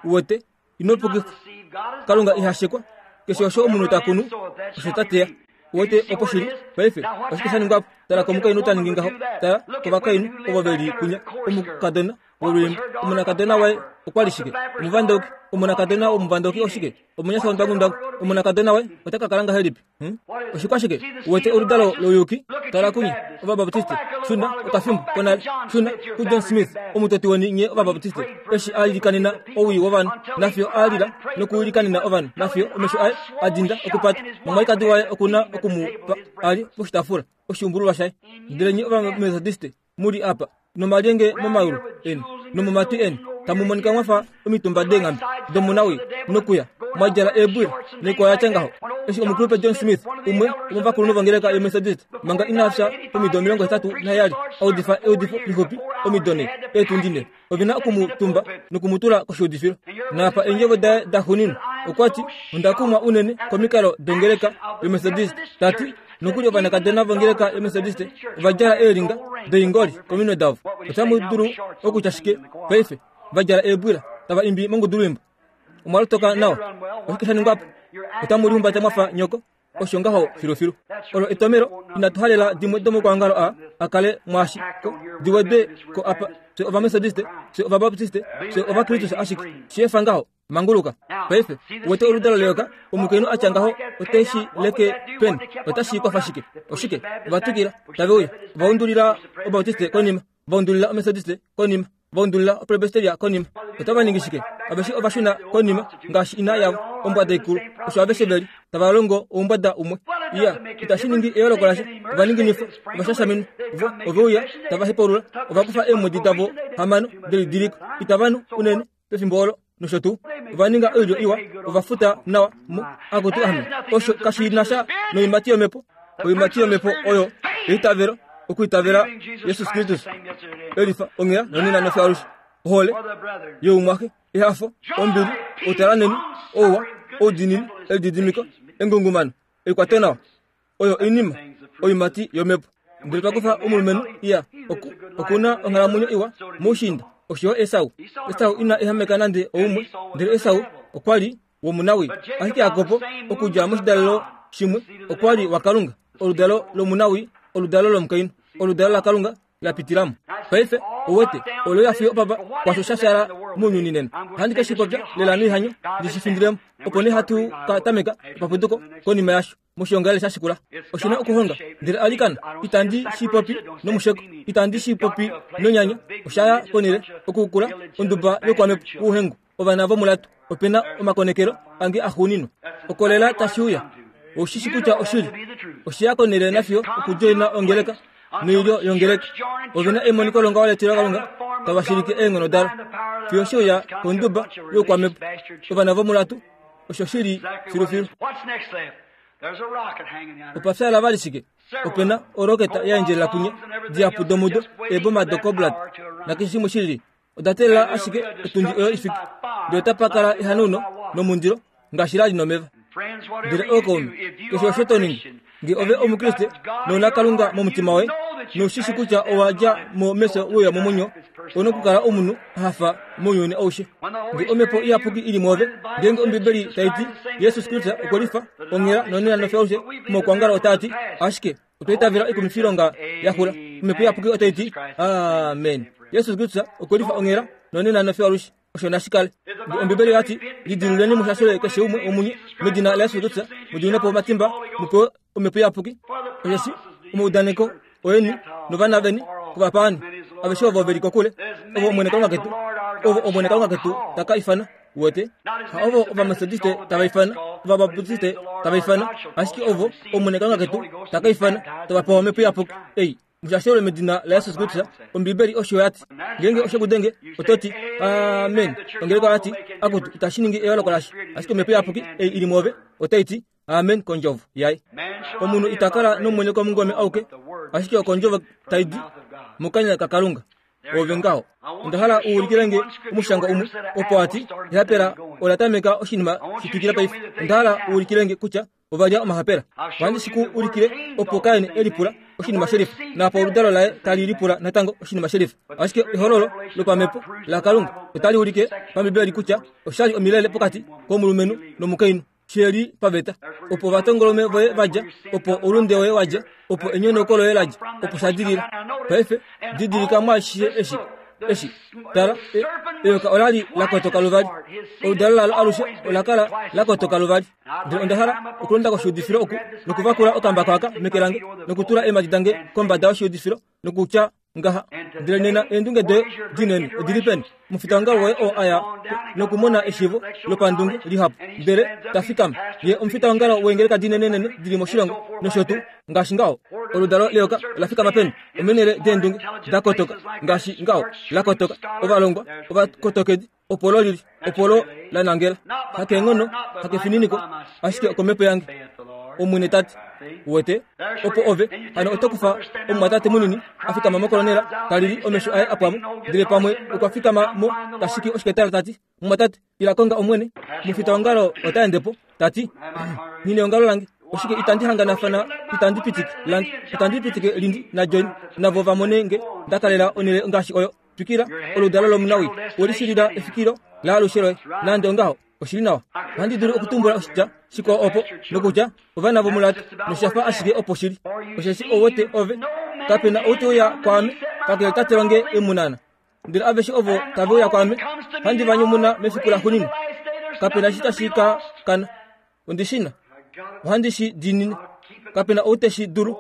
S2: Uwete, ino pukifwa. Kalunga iha shekwa. Keshe osho omunhu ta kunu, osho ta teya. Uwete opo shili paife oshike sha ningwa po? Tala komukainhu ta ningi ngaho. Tala kovakainhu ovo ve li kunya. Omukadona wolwiimbo, omonakadona waye okwa li shike? Omuvandauki. Omonakadona womuvandauki oshike? Omunyasha wondwangundwangu. Omonakadona waye ota ka kala ngahelipi? Hm? Oshikwashike? Uwete oludalo louyuki? Tala kunye Ovabaptiste. Shuna okafimbo konale. Shuna kuJohn Smith, omutoti weni nye Ovabaptiste, eshi a ilikanena owii wovanhu, nafiyo a lila nokuilikanena ovanhu, nafiyo omesho aye a dinda okupata. Nomwalikadi waye okuna oku mu pa a li poshitaafula oshiumbululwa shaye. Ndele nye Ovamethodiste mu li apa nomalyenge momayulu eni nomomatwi eni, tamu monika mwafa omitumba deenghambe domunawii, nokuya mwa djala eebwila noikwao ya tya ngaho. Eshi omukulupe John Smith, umwe womovakulunhu vongeleka yoMethodist, manga ina fya pomido omilongo hetatu naheyali, a udifa eudifo lixupi omido ne, eetundi ne, ove na oku mu tumba noku mu tula koshiudifilo. Naapa eendjovo daye da xuuninwa, okwa ti, onda kumwa unene komikalo dongeleka yoMethodist. Ta ti, nokuli ovanakadona vongeleka yoMethodist ova djala eelinga doingoli kominwe davo. Otamu dulu okutya shike paife? Va djala eebwila, tava imbi mongudulwiimbo. Omwa lotoka nawa. Oshike sha ningwa po? Otamu lihumbata mwafa nyoko. Osho ngaho filufilu. Olo etomelo inatu halela dimwe domokwaongalo a a kale mwaashi ko diwedwe ko apa. Fye Ovamethodiste, fye Ovabaptiste, fye Ovakristus ashike. Shi efa ngaho, manguluka. Paife, uwete oludalo leyoka, omukainhu a tya ngaho ote shi leke peni, otashi kwafa shike? Oshike? Ova twikila, tave uya. Ova undulila Obautiste konima, va undulila Omethodiste konima, va undulila Opresbyteria konima. Otava ningi shike? Aveshe ova shuna konima ngaashi ina yavo, ombwada ikulu. Osho aveshe veli, tava longo oumbwada umwe. Iya, itashi ningi eyooloko lasha. Ova ninginifwa, ova shashaminwa, vo ove uya, tava hepaulula, ova kufa eemwedi davo hamano delidiliko, itava nu unene pefimbo olo nosho tuu. Ova ninga oilyo iwa, ova futa nawa mo akutu ame. Osho kashi na sha noimati yomhepo. Oimati yomhepo oyo eitavelo, okuitavela Jesus Kristus, elifa onghela nonena nofyo alushe, ohole youmwaxe, ehafo, ombili, outalanheni, ouwa, oudiinini, elididimiko, engungumano, eikwatonawa. Oyo oinima oimati yomhepo. Ndele twa kufa omulumenhu iya oku, okuna onghalamwenyo iwa moushiinda, osho yo Esau. Esau ina ehameka nande oumwe, ndele Esau okwa li womunawii. Ashike Jakob, okudja moshidalelo shimwe, okwa li waKalunga, oludalo lomunawii, oludalo lomukainhu, oludalo laKalunga la pitilamo. Paife ouwete olo ya fiyo opapa kwasho sha fyala mounyuni nena. Ohandi ke shi popya lela noihanyo ndi shi findilemo, opo nee hatu ka tameka epapuduko konima yasho moshiongalele sha shikula. Oshi na okuhonga, ndele alikana, itandi shi popi nomusheko, itandi shi popi nonyanya. Osha ya konele okukula onduba yokwamhepo wouhengu, ovana vomulatu. Ope na omakonekelo ange axuuninwa. Okolela tashi uya. Oushi shi kutya oshili. Oshe ya konele nafiyo okudjoina ongeleka noilyo yongeleka. Ove na emoniko longaho letilo laKalunga tava shilike eenghono dalo. Fiyo she uya konduba youkwamhepo, ovana vomulatu, osho shili filufilu. Opa fyala vali shike? Ope na oroketa ya endjelela kunye, dihapu domudo, eeboma doCobalt, nakeshe shimwe shilili. Oda teelela ashike otundi oyo ifike, ndele otapa kala ehanauno nomundilo ngaashi la li nomeva. Ndele ookaume, keshe osho to ningi, nge ove Omukriste nouna Kalunga momutima woye, Noushishi kutya owa dja mo mefyo we uya momwenyo, ou na okukala omunhu a hafa mounyuni aushe. Ngee omhepo iyapuki ili mwoove, ngeenge Ombibeli tai ti Jesus Kristus okwe lifa onghela nonena nofyo alushe, omaukwaongalo otaa ti ashike otwa itavela oikumwifilonga ya xula. Omhepo iyapuki otai ti amen. Jesus Kristus okwe lifa onghela nonena nofyo alushe. Osho nashi kale. Ngee Ombibeli oya ti lidiluleni mushashole keshe umwe womunye medina laYesus Kristus, mu po omatimba, mu pewe omhepo iyapuki. Osheshi omaudaneko oeni novana veni kovapaani, aveshe ovo veli kokule, ovo Omwene Kalunga ketu, ovo Omwene Kalunga ketu ta ka ifana. Uwete? Ha ovo Ovametodiste tava ifana, Ovabaptiste tava ifana, ashike ovo Omwene Kalunga ketu ta ka ifana, tava pewa omhepo iyapuki. Ei, mushashelwe medina laYesus Kristus. Ombibeli osho ya ti. Ngeenge oshe ku denge, oto ti amen. Ongeleka oya ti akutu, itashi ningi eyooloko lasha. Ashike omhepo iyapuki ei ili mwoove otai ti amen kondjovo yaye. Omunhu ita kala nomwenyo komungome auke, ashike okondjovo tai di mokanya kaKalunga. Ove ngaho. Onda hala u ulikile nge omushangwa umwe opo a ti ehapela ola tameka oshinima shitwikila paife. Onda hala u ulikile nge kutya ova lya omahapela. Ohandi shi ku ulikile opo Kain e lipula oshinima shelifa, naapo oludalo laye tali lipula natango oshinima shelifa. Ashike ehololo lopamhepo laKalunga otali ulike pambibeli kutya oshali omilele pokati komulumenhu nomukainhu sheli paveta. Opo ovatongolume voye vadja, opo oulunde woye wadja, opo enyonauko loye ladja, opo sha dilila. Paife didilika mwaashishe eshi eshi tala, eyoka ola li la kotoka luvali. Oludalo lalo alushe ola kala la kotoka luvali. Ndele onda hala okulonda koshiudifilo oku nokuvakula okambako aka meke lange nokutula eemhadi dange kombada yoshiudifilo nokutya ngaha. Ndele nena eendunge doye dinene odili peni? Omufitaongalo woye oo aya nokumona eshiivo lopandunge lihapu, ndele ta fikama. Ye omufitaongalo weengeleka dinenenene dili moshilongo nosho tuu ngaashi ngaho. Oludalo leyoka ola fikama peni? Omenele deendunge da kotoka ngaashi ngaho la kotoka. Ovalongwa ovakotokedi opo lo lili, opo lo la nangela. Hakeenghono, hakefininiko, ashike okomhepo yange, Omwene ta ti. Uwete? Opo ove hano oto kufa omumwatate munini a fikama mokolonela ta lili omesho aye apwamo, ndele pamwe okwa fikama mo tashiki oshiketala ta ti, mumwatate, ila konga Omwene. Omufitaongalo ota ende po ta ti, nghi neongalo lange, oshike itandi hanganafana, itandi pitike lange, itandi pitike Lindi naJohn navo va mone nge nda kalela onhele ngaashi oyo. Twikila oludalo lomunawii, welishilila efikilo laalushe loye. Nande ongaho, oshili nawa. Ohandi dulu okutumbula oshitya shikwao opo, nokutya ovana vomulati, noshafa ashike opo shili. Osheshi ouwete ove, kape na ou te uya kwaame kakele Tate wange e mu nana. Ndele aveshe ovo tave uya kwaame, handi va nyumuna mefiku laxuuninwa. Kape na eshi tashi ka kana. Ondi shi na. Ohandi shi diinine. Kape na ou te shi dulu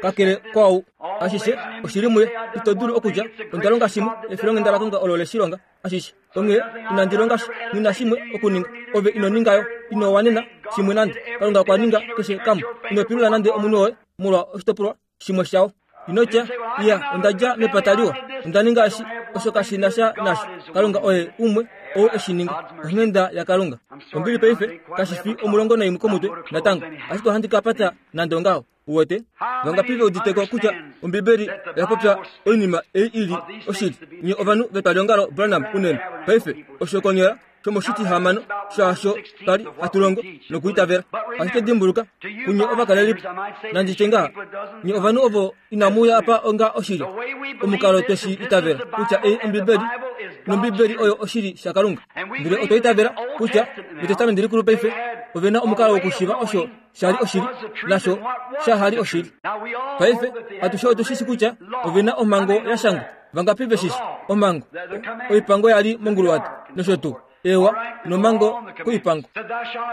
S2: kakele kwaau. Ashishe oshili muye. Ito dulu okutya onda longa shimwe, efilonghenda laKalunga olo le shi longa ashishe. Onghee inandi longa sha, nghi na shimwe okuninga. Ove ino ningayo, ino wanena shimwe nande. Kalunga okwa ninga keshe kamwe. Ino pilula nande omunhu woye molwa oshitopolwa shimwe shawo. Ino tya, iya, onda dja mepata liwa, onda ninga eshi, osho kashi na sha nasho. Kalunga oye umwe ou e shi ninga, onghenda yaKalunga. Ombili paife kashi fi omulongo naimwe komutwe natango, ashike ohandi ka pata nande ongaho. Uwete? Vangapi ve udite ko kutya Ombibeli oya popya oinima ei ili oshili? Nye ovanhu vetwaliongalo Branham unene. Paife osho konyala shomoshitihamano shaasho twali hatu longo nokuitavela. Ashike dimbuluka, kunye ovakalelipo, nandi tye ngaha, nye ovanhu ovo inamu uya apa onga oshili, omukalo twe shi itavela kutya ei Ombibeli, nOmbibeli oyo oshili shaKalunga. Ndele otwa itavela kutya mEtestamenti Likulu paife ove na omukalo wokushiiva osho shali oshili nasho shahali oshili. Paife atushe otu shishi kutya ove na omhango ya shangwa. Vangapi ve shishi omhango? Oipango yali monguluwato nosho tuu. Ewa nomhango koipango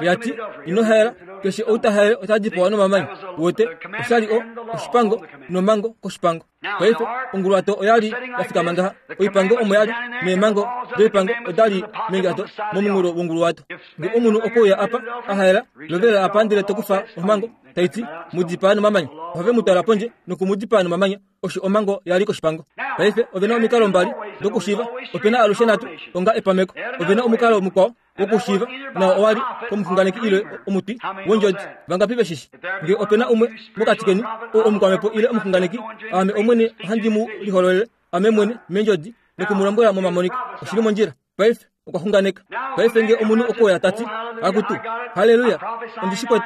S2: oya ti ino haela, keshe ou ta haele ota dipawa nomamanya. Uwete? Oshali o oshipango nomhango koshipango. Paife onguluwato oyali ya fikama ngaha, oipango omo yali, neemhango doipango odali meengato momunghulo wonguluwato. Nge omunhu okwe uya apa a haela, lovelela apa ndele to kufa omhango tai ti mu dipaa nomamanya, ohave mu twala pondje noku mu dipaa nomamanya. Osho omhango yali koshipango. Paife ove na omikalo mbali dokushiiva, ope na alushe nhatu onga epameko. Ove na omukalo mukwao wokushiiva, nao owali komuxunganeki ile omutwi wondjodi. Vangapi ve shishi? Nge ope na umwe mokati keni oo omukwamhepo ile omuxunganeki, aame Omwene ohandi mu lihololele ame mwene meendjodi noku mu lombwela momamoniko. Oshili mondjila. Paife okwa xunganeka. Paife nge omunhu okwe uya ta ti, akutu, haleluya, ondi shi kwete,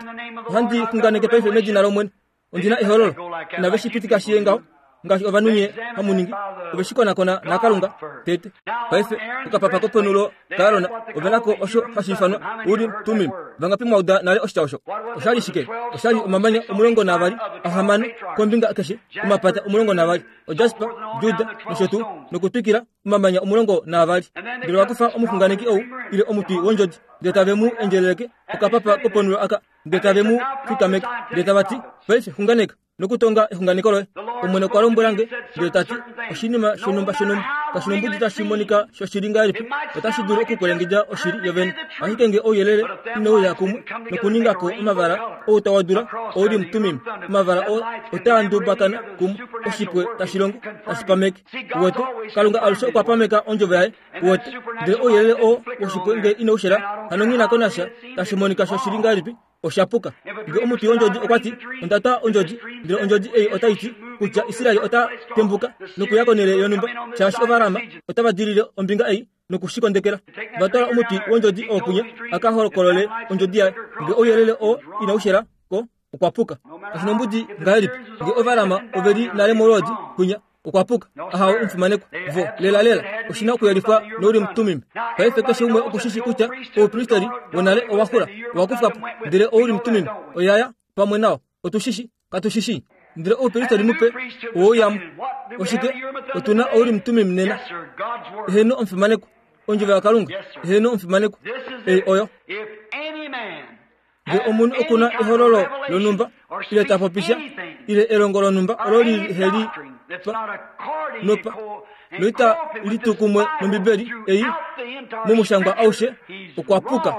S2: ohandi xunganeke paife medina lOmwene, ondi na ehololo. Inave shi pitika shiye ngaho. ngaashi ovanhu nye hamu ningi ove shi konakona naKalunga tete. Paife okapapa kopenulo kaArona ove nako osho hashi ifanwa Urim Tumim. Vangapi mwauda nale oshitya osho? Oshali shike? Oshali omamanya omulongo navali ahamano kombinga keshe, omapata omulongo navali, oJasper, Juda nosho tuu, nokutwikila omamanya omulongo navali. Ndele wakufa omuxunganeki ou ile omuti wondjodi, ndele tave mu endjeleleke okapapa kopenulo aka, ndele tave mu fikameke, ndele tava ti, paife xunganeka nokutonga exunganeko loye. Omwene okwa lombwela nge, ndele tati oshinima shonumba shonumba kashinombudi tashi monika shoshili ngahelipi, otashi dulu okukwelengedja oshili yovene. Ashike nge ouyelele inouya kumwe nokuningako omavala ou tawa dula Ourim Tumim, omavala oo otaa ndubakana kumwe, oshipwe tashi longo tashi pameke. Uwete, Kalunga alushe okwa pameka ondjovo yaye. Uwete, ndele ouyelele oo woshipwe nge inaushela, hano nghi nako nasha tashi monika shoshili ngahelipi, oshapuka. Nge omuti wondjodi okwa ti, onda twa ondjodi, ndele ondjodi ei otai ti kutya Israel ota tembuka nokuya konhele yonhumba, shaashi Ovarama otava dilile ombinga ei nokushikondekela. Va twala omuti wondjodi oo kunya a ka hokolole ondjodi yaye. Nge ouyelele oo inaushela ko, okwa puka. Kashinombudi ngahelipi nge Ovarama ove li nale molwoodi kunya, okwa puka. Ahawe omufimanekwa vo lela lela oshina okuyelifwa noUrim Tumim. Paife keshe umwe okushishi kutya oupristeri wonale owa xula, owa kufwa po, ndele Ourim Tumim oyaya pamwe nao. Otushishi katushishi, ndele oupristeri mupe owouyamo. Oshike otuna Ourim Tumim nena? Eheno omufimanekwa, ondjovo yaKalunga. Eheno omufimanekwa, ei oyo. Nge omunhu okuna ehololo lonhumba ile ta popisha ile elongo lonhumba olo liheli pa nopa noita litukumwe nombibeli ei momushangwa aushe, okwa puka.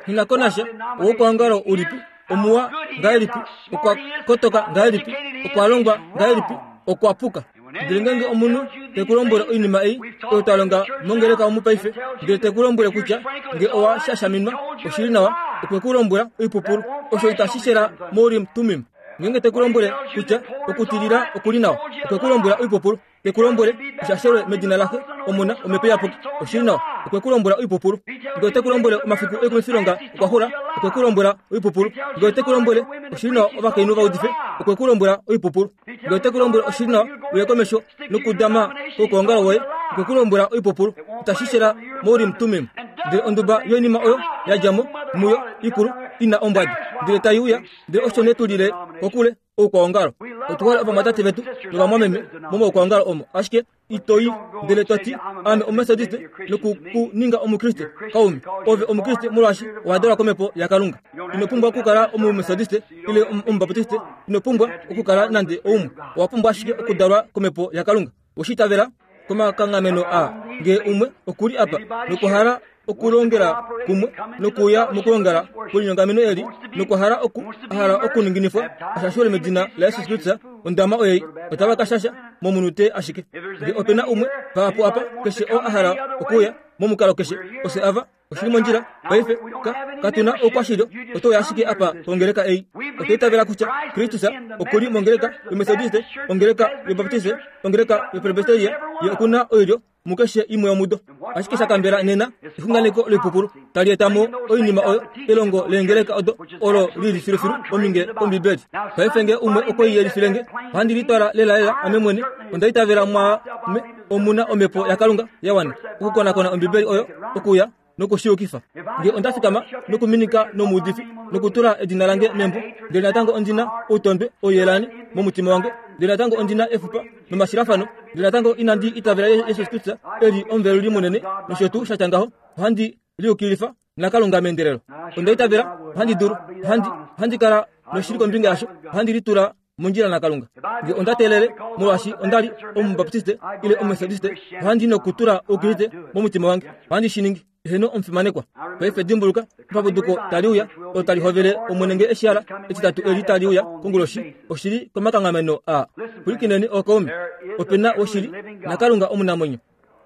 S2: Nghi ko nasha owokuongalo ulipi, omuwa ngahelipi, okwa kotoka ngahelipi, okwa longwa ngahelipi, okwa puka. Ndele ngenge omunhu te ku lombwele oinima ei oyo twa longa mongeleka omu paife, ndele te ku lombwele kutya nge owa shashaminwa oshili nawa, okwe ku lombwela oipupulu, osho itashi shela moUrim Tumim. Ngenge te ku lombwele kutya okutilila okuli nawa, okwe ku lombwela oipupulu. Te ku lombwele ushashelwe medina laxe, Omona, Omhepo Iyapuki, oshili nawa, okwe ku lombwela oipupulu. Nge ote ku lombwele omafiku oikumifilonga okwa xula, okwe ku lombwela oipupulu. Nge ote ku lombwele oshili nawa ovakainhu va udife, okwe ku lombwela oipupulu. Nge ote ku lombwele oshili nawa uye komesho nokudama koukuongalo woye, okwe ku lombwela oipupulu. Itashi shela moUrim Tumim. Ndele onduba yoinima oyo ya dja mo muyo ikulu ina ombwada, ndele tai uya, ndele osho ne tulile kokule oukwaongalo. Otu hole ovamwatate vetu novamwameme momaukwaongalo omo, ashike itoi ndele toti ame Omumethodiste nokukuninga Omukriste. Kaume, ove Omukriste molwaashi owa dalwa komhepo yaKalunga. Ino pumbwa okukala Omumethodiste ile Omubaptiste, ino pumbwa okukala nande oumwe. Owa pumbwa ashike okudalwa komhepo yaKalunga. Oweshi itavela komakanghameno aa. Nge umwe okuli apa nokuhala okulongela kumwe nokuya mokulongela kwelinyongameno eli, nokuhala oku ahala okuninginifwa ashashelwe medina laJesus Kristus, ondama oyei otava ka shasha momunute ashike. Nge opena umwe vahapu apa, keshe oo a hala okuya momukalo keshe, ofye ava oshili mondjila. Paife ka katuna oukwashilyo, otouya ashike apa pongeleka ei. Otwa itavela kutya Kristus okuli mongeleka yoMethodiste, ongeleka yoBaptiste, ongeleka yoPresbyteria, ye okuna oilyo mukeshe imwe yomudo. Ashike shakambela nena exunganeko loipupulu tali eta mo oinima oyo elongo leengeleka odo olo lili filufilu ominge kOmbibeli. Paife nge umwe okwe i yelifile nge, ohandi litwala lelalela ame mwene. Onda itavela mwaame omuna omhepo yaKalunga ya wana okukonakona Ombibeli oyo okuya nokushiyukifa. Nge onda fikama nokuminika nomuudifi nokutula edina lange membo, ndele natango ondina outondwe ouyelani momutima wange, ndele natango ondina efupa nomashilafano, ndele natango inandi itavela Jesus Kristus eli omuveluli munene nosho tuu shatya ngaho, ohandi liyukilifa naKalunga meendelelo. Onda itavela ohandi dulu, ohandi ohandi kala noshili kombinga yasho, ohandi litula mondjila naKalunga. Nge onda teelele molwaashi onda li Omubaptiste ile Omumethodiste, ohandi nokutula Oukriste momutima wange, ohandi shi ningi. Eheno omufimanekwa. Paife dimbuluka, epapuduko tali uya olo tali hovele Omwene nge eshihala etitatu eli tali uya konguloshi, oshili komakanghameno aa. Pwilikineni ookaume, opena woshili naKalunga omunamwenyo.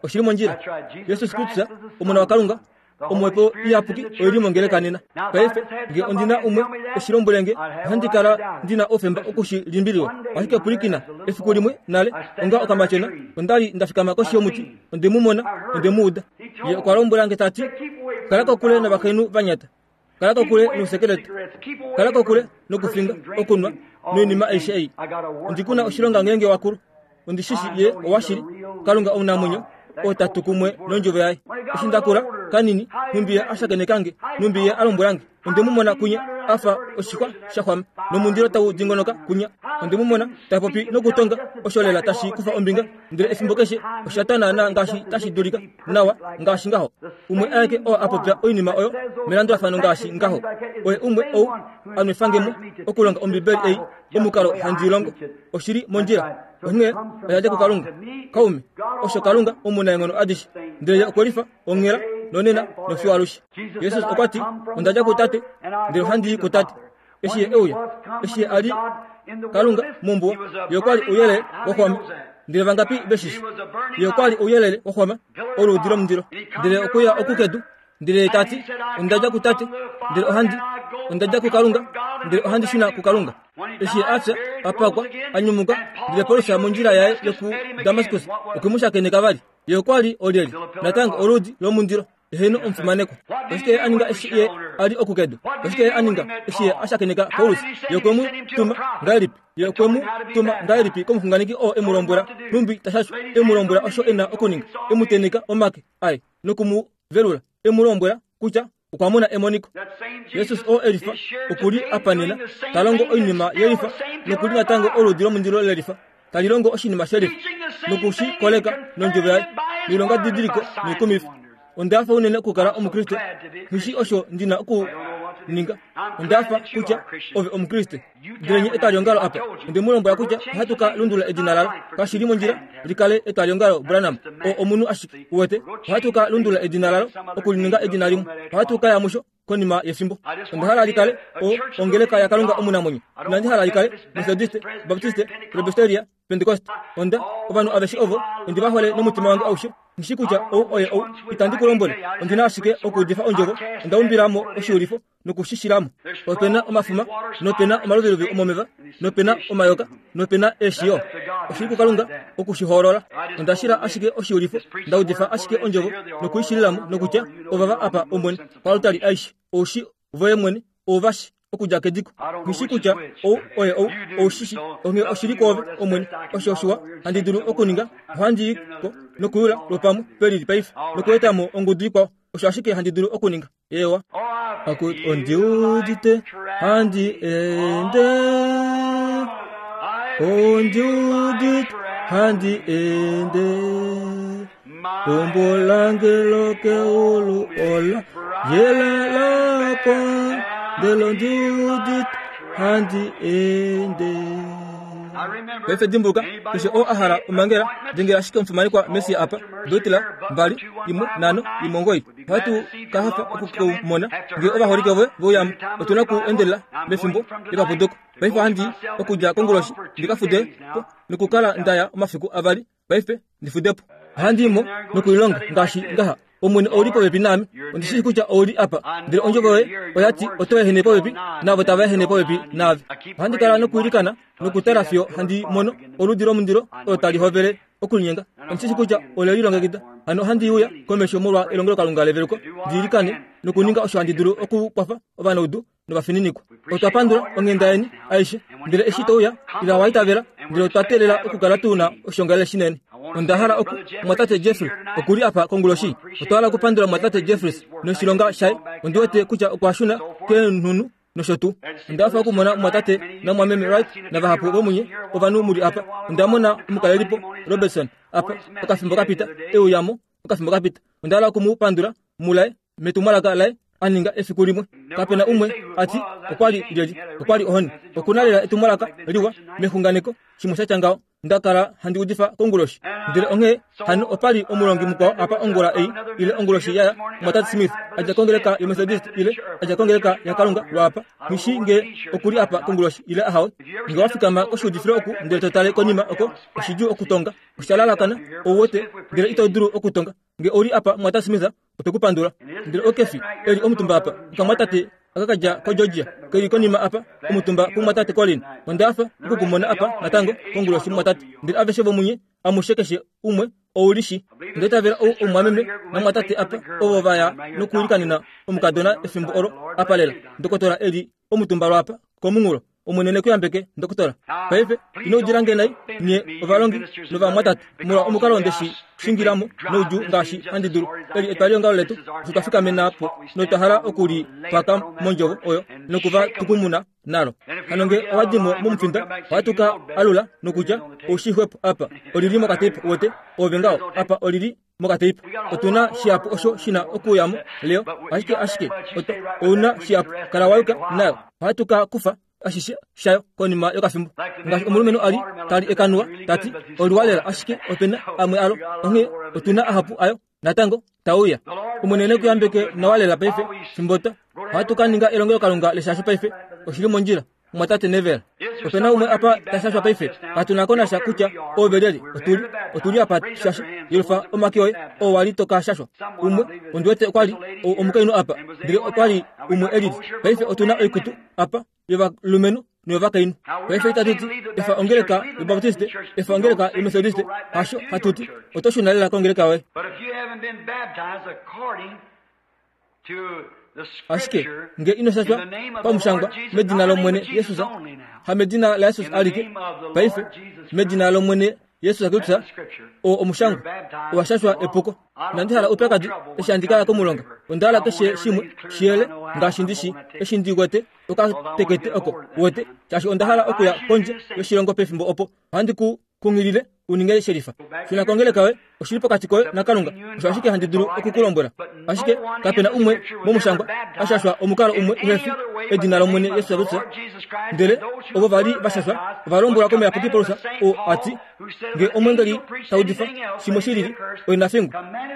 S2: Oshili mondjila. Jesus Kristus, Omona waKalunga, Omhepo Iyapuki oili mongeleka nena. Paife nge ondina umwe eshi lombwele nge, ohandi kala ndina oufemba okushi limbililwa. Ashike pwilikina, efiku limwe nale, onga okamatyona, onda li nda fikama koshi yomuti, onde mu mona, onde mu uda. Ye okwa lombwela nge ta ti, kala kokule novakainhu vanyata, kala kokule nousekeleta, kala kokule nokufinga, okunwa noinima aishe ei. Ondi kuna oshilonga ngeenge wakulu. Ondi shishi ye owashili Kalunga omunamwenyo oo tatu kumwe nondjovo yaye. Eshi ndakula kanini nhumbi ye ashakenekange nhumbi ye alombwelange. Onde mu mona kunya afa oshixwa shaxwama nomundilo tau dingonoka kunya. Onde mu mona ta popi nokutonga osho lela tashi kufa ombinga ndele efimbo keshe osha tanaana ngaashi tashi dulika nawa ngaashi ngaho. Umwe aeke oo a popya oinima oyo melandulafano ngaashi ngaho. Oye umwe ou a nwefangemo okulonga Ombibeli ei omukalo handi longo. Oshili mondjila. Onghee oya dja kuKalunga. Kaume, osho Kalunga omunaenghono adishe. Ndele ye okwe lifa onghela nonena nofiyo alushe. Jesus okwa ti, onda dja kuTate, ndele ohandi i kuTate. Eshi ye euya, eshi ye a li Kalunga mombuwa, ye okwa li ouyelele wa xwama. Ndele vangapi veshishi? Ye okwa li ouyelele wa xwama, oluudi lomundilo. Ndele okuya oku kedu, ndele ye ta ti, onda dja kuTate, ndele ohandi, onda dja kuKalunga, ndele ohandi shuna kuKalunga. Eshi ye a fya, a pakwa, a nyumuka, ndele Paulus mondjila yaye yoku Damaskus okwe mu shakeneka vali. Ye okwa li olyelye? Natango oluudi lomundilo. Eheno omufimanekwa. Oshike ye a ninga eshi ye a li oku kedu? Oshike ye a ninga eshi ye a shakeneka Paulus? Ye okwe mu tuma ngahelipi? Ye okwe mu tuma ngahelipi komuxunganeki oo e mu lombwela nhumbi tashashwa, e mu lombwela osho e na okuninga, e mu tenheka omake aye noku mu velula, e mu lombwela kutya okwa mona emoniko. Jesus oo e lifa oku li apa nena ta longo oinima ye lifa noku li natango oluudi lomundilo le lifa tali longo oshinima she lifa noku shi koleka nondjovo yaye noilonga didiliko noikumifa. Onda hafa unene okukala Omukriste. Nghishi osho ndi na okuninga. Onda hafa kutya ove Omukriste. Ndele nye etwaliongalo apa, onde mu lombwela kutya ohatu ka lundulula edina lalo. Kashi li mondjila li kale etwaliongalo Branham, oo omunhu ashike uwete. Ohatu ka lundulula edina lalo okulininga edina limwe. Ohatu ka ya musho konima yefimbo. Onda hala li kale o ongeleka yaKalunga omunamwenyo. Inandi hala li kale Methodiste, Baptiste, Presbyteria, Pentecost. Onda ovanhu aveshe ovo ondi va hole nomutima wange aushe. Nghishi kutya ou oye ou, itandi ku lombwele. Ondi na ashike okuudifa ondjovo. Onda umbila mo oshiulifo nokushishilamo. Ope na omafuma, nope na omaluviluvi omomeva, nope na omayoka, nope na eeshi yo. Oshili kuKalunga okushihoolola. Onda shila ashike oshiulifo, nda udifa ashike ondjovo nokuishililamo nokutya ovava apa Omwene koaltari aishe. Oushi voye mwene ouvashi okudja kediko. Nghishi kutya ou oye ou, oushishi. Onghee oshili kwoove Omwene. Osho oshiwa handi dulu okuninga, ohandi i ko nokuyula lwopamwe pelili paife nokueta mo ongudu ikwao. Osho ashike handi dulu okuninga. Eewa. Akutu ondi udite handi ende. Ondi udite handi ende. Eumbo lange lokeulu ola yela lakwa, ndele ondi udite handi ende. Paife dimbuluka, keshe oo a hala omangela, dengela ashike omufimanekwa Messi apa, dotila mbali imwe nhano imwe omugoyi. Ohatu ka hafa okukumona ngee ovaholike voye veuyamo. Otu na oku endelela mefimbo lepapuduko. Paife ohandi okudja konguloshi ndi ka fude po nokukala nda ya omafiku avali. Paife ndi fude po. Ohandi i mo nokulilonga ngaashi ngaha. Omwene ou li popepi naame. Ondi shii kutya ou li apa. Ndele ondjovo yoye oya ti oto ehene popepi naavo tava ehene popepi naave. Ohandi kala nokuilikana nokutala fiyo handi mono oluudi lomundilo olo tali hovele okulinyenga. Ondi shii kutya ole lilongekida. Hano ohandi uya komesho molwa elongelokalunga leveluko, ndi ilikane nokuninga osho handi dulu okukwafa ovanaudu novafininikwa. Otwa pandula onghenda yeni aishe. Ndele eshi to uya, ila wa itavela, ndele otwa teelela okukala tu na oshiongalele shinene. Onda hala oku mumwatate Jeffrey oku li apa konguloshi. Otwa hala okupandula mumwatate Jeffries noshilonga shaye. Ondi wete kutya okwa shuna keenhunhu nosho tuu. Onda hafa okumona mumwatate namumwameme Wright navahapu vomunye ovanhu mu li apa. Onda mona omukalelipo Robertson apa okafimbo kapita, e uya mo okafimbo kapita. Onda hala oku mu pandula mulaye metumwalaka laye a ninga efiku limwe. Kape na umwe a ti okwa li lyelye, okwa li ohoni. Oku na lela etumwalaka liwa mexunganeko, shimwe sha tya ngaho. Nda kala handi udifa konguloshi. Ndele onghee hano opa li omulongi mukwao apa ongula ei, ile onguloshi yaya, mumwatate Smith, a dja kongeleka yoMethodist ile a dja kongeleka yaKalunga lwaapa. Nghishi ngee oku li apa konguloshi ile ahawe. Ngee wa fikama koshiudifilo oku ndele to tale konima oko, oshidjuu okutonga. Osha lalakana, ou wete, ndele ito dulu okutonga. Ngee ou li apa mumwatate Smith, otwe ku pandula. Ndele okefi e li omutumba apa, okamwatate aka ka dja koGeorgia, ke li konima apa, omutumba kumumwatate Colin. Onda hafa okukumona apa natango konguloshi mumwatate. Ndele aveshe vomunye amushe keshe umwe ou li shi. Onda itavela ou omumwameme namumwatate apa ovo va ya nokuilikanena omukadona efimbo olo apa lela. Ndokotola e li omutumba lwaapa komunghulo. Omwene ne ku yambeke ndokotola. Paife ino udila nge nai nye ovalongi novamwatate molwa omukalo ndeshi shingilamo noudjuu ngaashi handi dulu. Eli etwaliongalo letu osho twa fikamena po notwa hala okuli paka mondjovo oyo nokuva tukumuna nalo. Hano nge owa dimo momufinda ohatu ka alula nokutya oushixwepo apa olili mokateipa uwete ove ngaho apa olili mokateipa. Otuna shihapu osho shina okuyamo leo ashike ashike ouna shihapu kala wayuka nayo ohatu ka kufa ashishe shayo konima yokafimbo. Ngaashi omulumenhu ali tali ekanuwa tati oliwa lela ashike opena amwe alo onghee otuna ahapu ayo natango tauya. Omwene ne ku yambeke nawa lela paife fimbota ohatu ka ninga elongelokalunga leshasho paife oshili mondjila mwatate Neville. Opena umwe apa tashashwa paife katuna ko nasha kutya ove lyeli otuli otuli apa shasho yelufa omake oye oo wali toka shashwa. Umwe ondiwete okwali omukainhu apa ndele okwali umwe elili. Paife otuna oikutu apa yovalumenhu noyovakainhu. Paife itatuti efa ongeleka yobaptiste efa ongeleka yomethodiste hasho hatuti oto shuna lela kongeleka yoye. Ashike nge ino shashwa pamushangwa medina lomwene Yesus ha medina la Yesus alike paife medina lomwene Yesus Kristus o omushangwa owashashwa epuko. Nandi hala upyakadi eshi handi kala komulonga onda hala keshe shimwe shiyele ngaashi ndishi eshi ndi wete okatekete oko wete shaashi onda hala okuya kondje yoshilongo pefimbo opo ohandi ku kunghilile uninge sherifa. Shuna kongeleka yoye oshili pokati koye naKalunga osho ashike handi dulu okukulombwela. Ashike kapena umwe momushangwa ashashwa omukalo umwe uhefi edina lomwene Yesus Kristus. Ndele ovo vali vashashwa ova lombwelwa komuyapuki Paulus oo ati nge omwengeli taudifa shimwe shilili oina fingu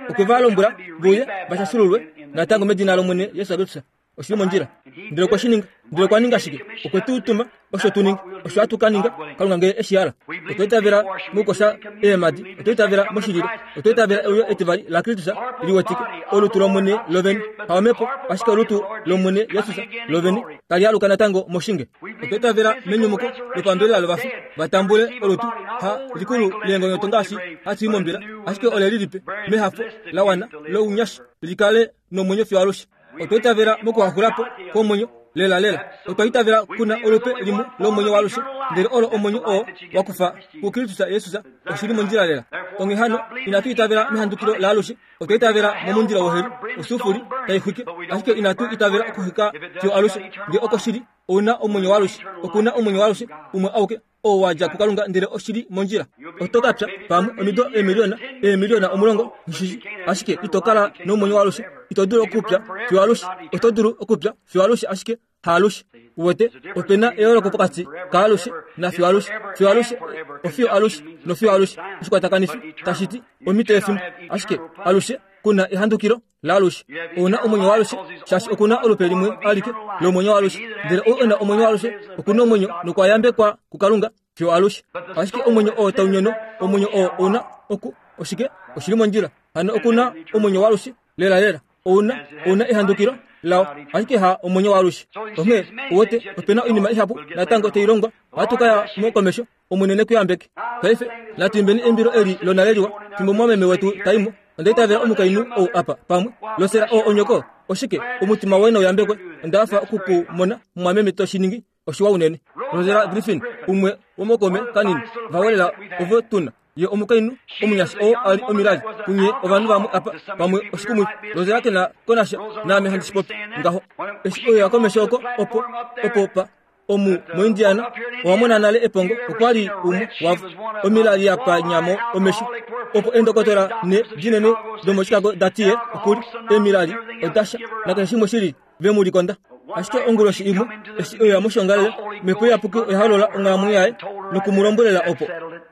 S2: okwe va lombwela vuye vashashululwe natango medina lomwene Yesus Kristus. Oshili mondjila. Ndele okwe shi ninga. Ndele okwa ninga shike? Okwe tu tuma osho tu ninga osho hatu ka ninga Kalunga ngee eshi hala. Otwa itavela mokukosha eemadi, otwa itavela moshililo, otwa itavela euyo etivali laKristus liwetike olutu lomwene lovene haomhepo ashike olutu lomwene Yesus lovene tali aluka natango moshinge. Otwa itavela menyumuko lopambelela lovafi vatambule olutu ha likulu leengonyoto ngaashi hatu i mombila ashike ole lilipe mehafo lawana lounyashi likale nomwenyo fiyo alushe. Otwa itavela mokuhaxulapo kwomwenyo lela lela. Otwa itavela kuna olupe limwe lomwenyo walushe ndele olo omwenyo oo wakufa kuKristus Yesus oshili mondjila lela. Onghee hano inatu itavela mehandukilo laalushe, otwa itavela momundilo woheli osufuli taixwike ashike inatu itavela okuxwika fiyo alushe. Nge oko shili ouna omwenyo walushe, okuna omwenyo walushe umwe auke oo wadja kuKalunga ndele oshili mondjila. Oto ka pya pamwe omido eemiliona eemiliona omulongo ngishishi ashike ito kala nomwenyo walushe. Ito dulu okupya fiyo alushe, oto dulu okupya fiyo alushe ashike haalushe. Uwete opena eyooloko pokati kaalushe na fiyo alushe. Fiyo alushe ofiyo alushe nofiyo alushe oshikwatakanifi tashiti omhito yefimbo ashike alushe kuna ehandukilo laalushe. Ouna omwenyo waalushe shaashi okuna olupe limwe alike lomwenyo waalushe ndele ou ena omwenyo waalushe okuna omwenyo nokwa yambekwa kuKalunga fiyo alushe. Ashike omwenyo oo taunyono omwenyo oo ouna oku oshike oshili mondjila. Hano okuna omwenyo waalushe lela lela ouna ouna ehandukilo lao ashike ha omwenyo waalushe. Onghee uwete opena oinima ihapu natango tailongwa ohatu kaya mo komesho Omwene ne ku yambeke. Paife natu imbeni eimbilo eli lonale liwa fimbo mwameme wetu taimo. Onda itavela omukainhu ou apa pamwe losela oo onyoko oshike omutima woye nauyambekwe. Onda hafa okukumona mwameme toshiningi oshiwa unene. Rosella Griffin umwe womokome kanini vawelela ovo tuna ye omukainhu omunyasha oo ali omilali kunye ovanhu vamwe apa pamwe oshikumwifi. Rosella kena konasha naame handi shipopi ngaho eshi oyo ya komesho oko opo opo pa omu moIndiana owamona nale epongo okwali umwe wavo omilali yapanyamo omesho opo endokotola ne dinene domoChicago datiye okuli emilali odasha nakeshe shimwe shili vemulikonda. Ashike onguloshi imwe eshi oyo yamoshongalele Omhepo Iyapuki oya holola onghalamwenyo yaye nokumulombwelela opo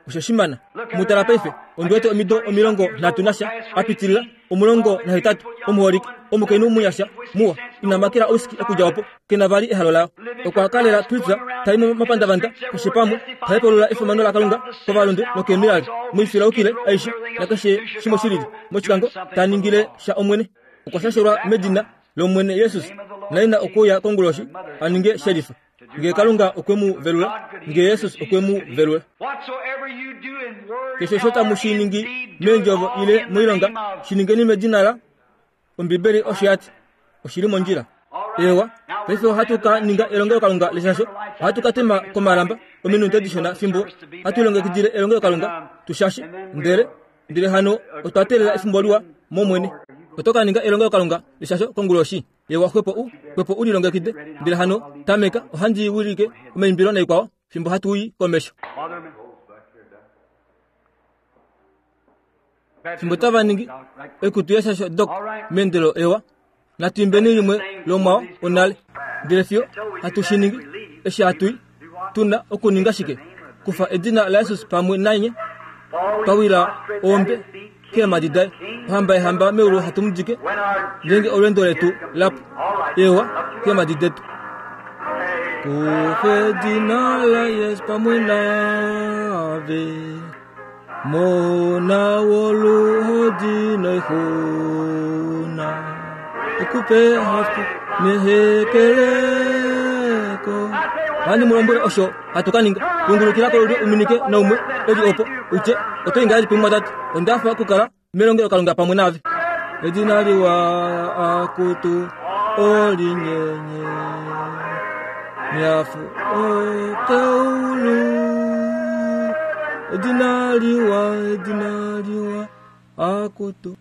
S2: osho shimana. Mutala paife ondiwete omido omilongo nhatu nasha apitilila omulongo nahetatu omuholike omukainhu munyasha muwa ina makela ousiki okudja opo kena vali ehalo layo. Okwa kalela Kristus tai momapandavanda keshe pamwe taipolula efimano laKalunga kovalundu nokeemilali moifilaukile aishe nakeshe shimwe shilili moshikango taningile sha Omwene. Okwa shashelwa medina lomwene Yesus naina okuya konguloshi aninge sherifa. Nge Kalunga okwe mu velula, nge Yesus okwe mu velula. Keshe osho tamu shi ningi meendjovo ile moilonga, shi ningeni medina la Ombibeli osho yati oshili mondjila. Ewa, paife ohatu ka ninga elongelokalunga leshasho. Ohatu ka tema komalamba ominute dishona fimbo hatu longekidile elongelokalunga tushashe. Ndele ndele hano otwa teelela efimbo liwa mOmwene. Oto ka ninga elongelokalunga leshasho konguloshi. Ewa, xwepo u xwepo u lilongekide. Ndele hano tameka ohandi wilike omaimbilo naikwao fimbo hatu i komesho. Fimbo tava ningi ekutu yeshasho dok meendelo ewa. Natu imbeni limwe lomwao onale. Ndele fiyo hatu shi ningi eshi hatu i, tuna okuninga shike? Kufa edina laJesus pamwe nanye, twawila ombe keemhadi daye. Ohamba yehamba meulu hatu mu dike, ngeenge olweendo letu lapu. Ewa, keemhadi detu. Kufa edina laJesus pamwe naave, mona woluhodi noixuna, okupe hafu nehekeleko. Ohandi mu lombwele osho hatu ka ninga. Lundulukila kolulyo uminike naumwe eli opo utye oto i ngahelipi mumwatate? Onda hafa okukala melongelokalunga pamwe naave. Edina liwa akutu olinyenye miafu okeulu. Edina liwa, edina liwa akutu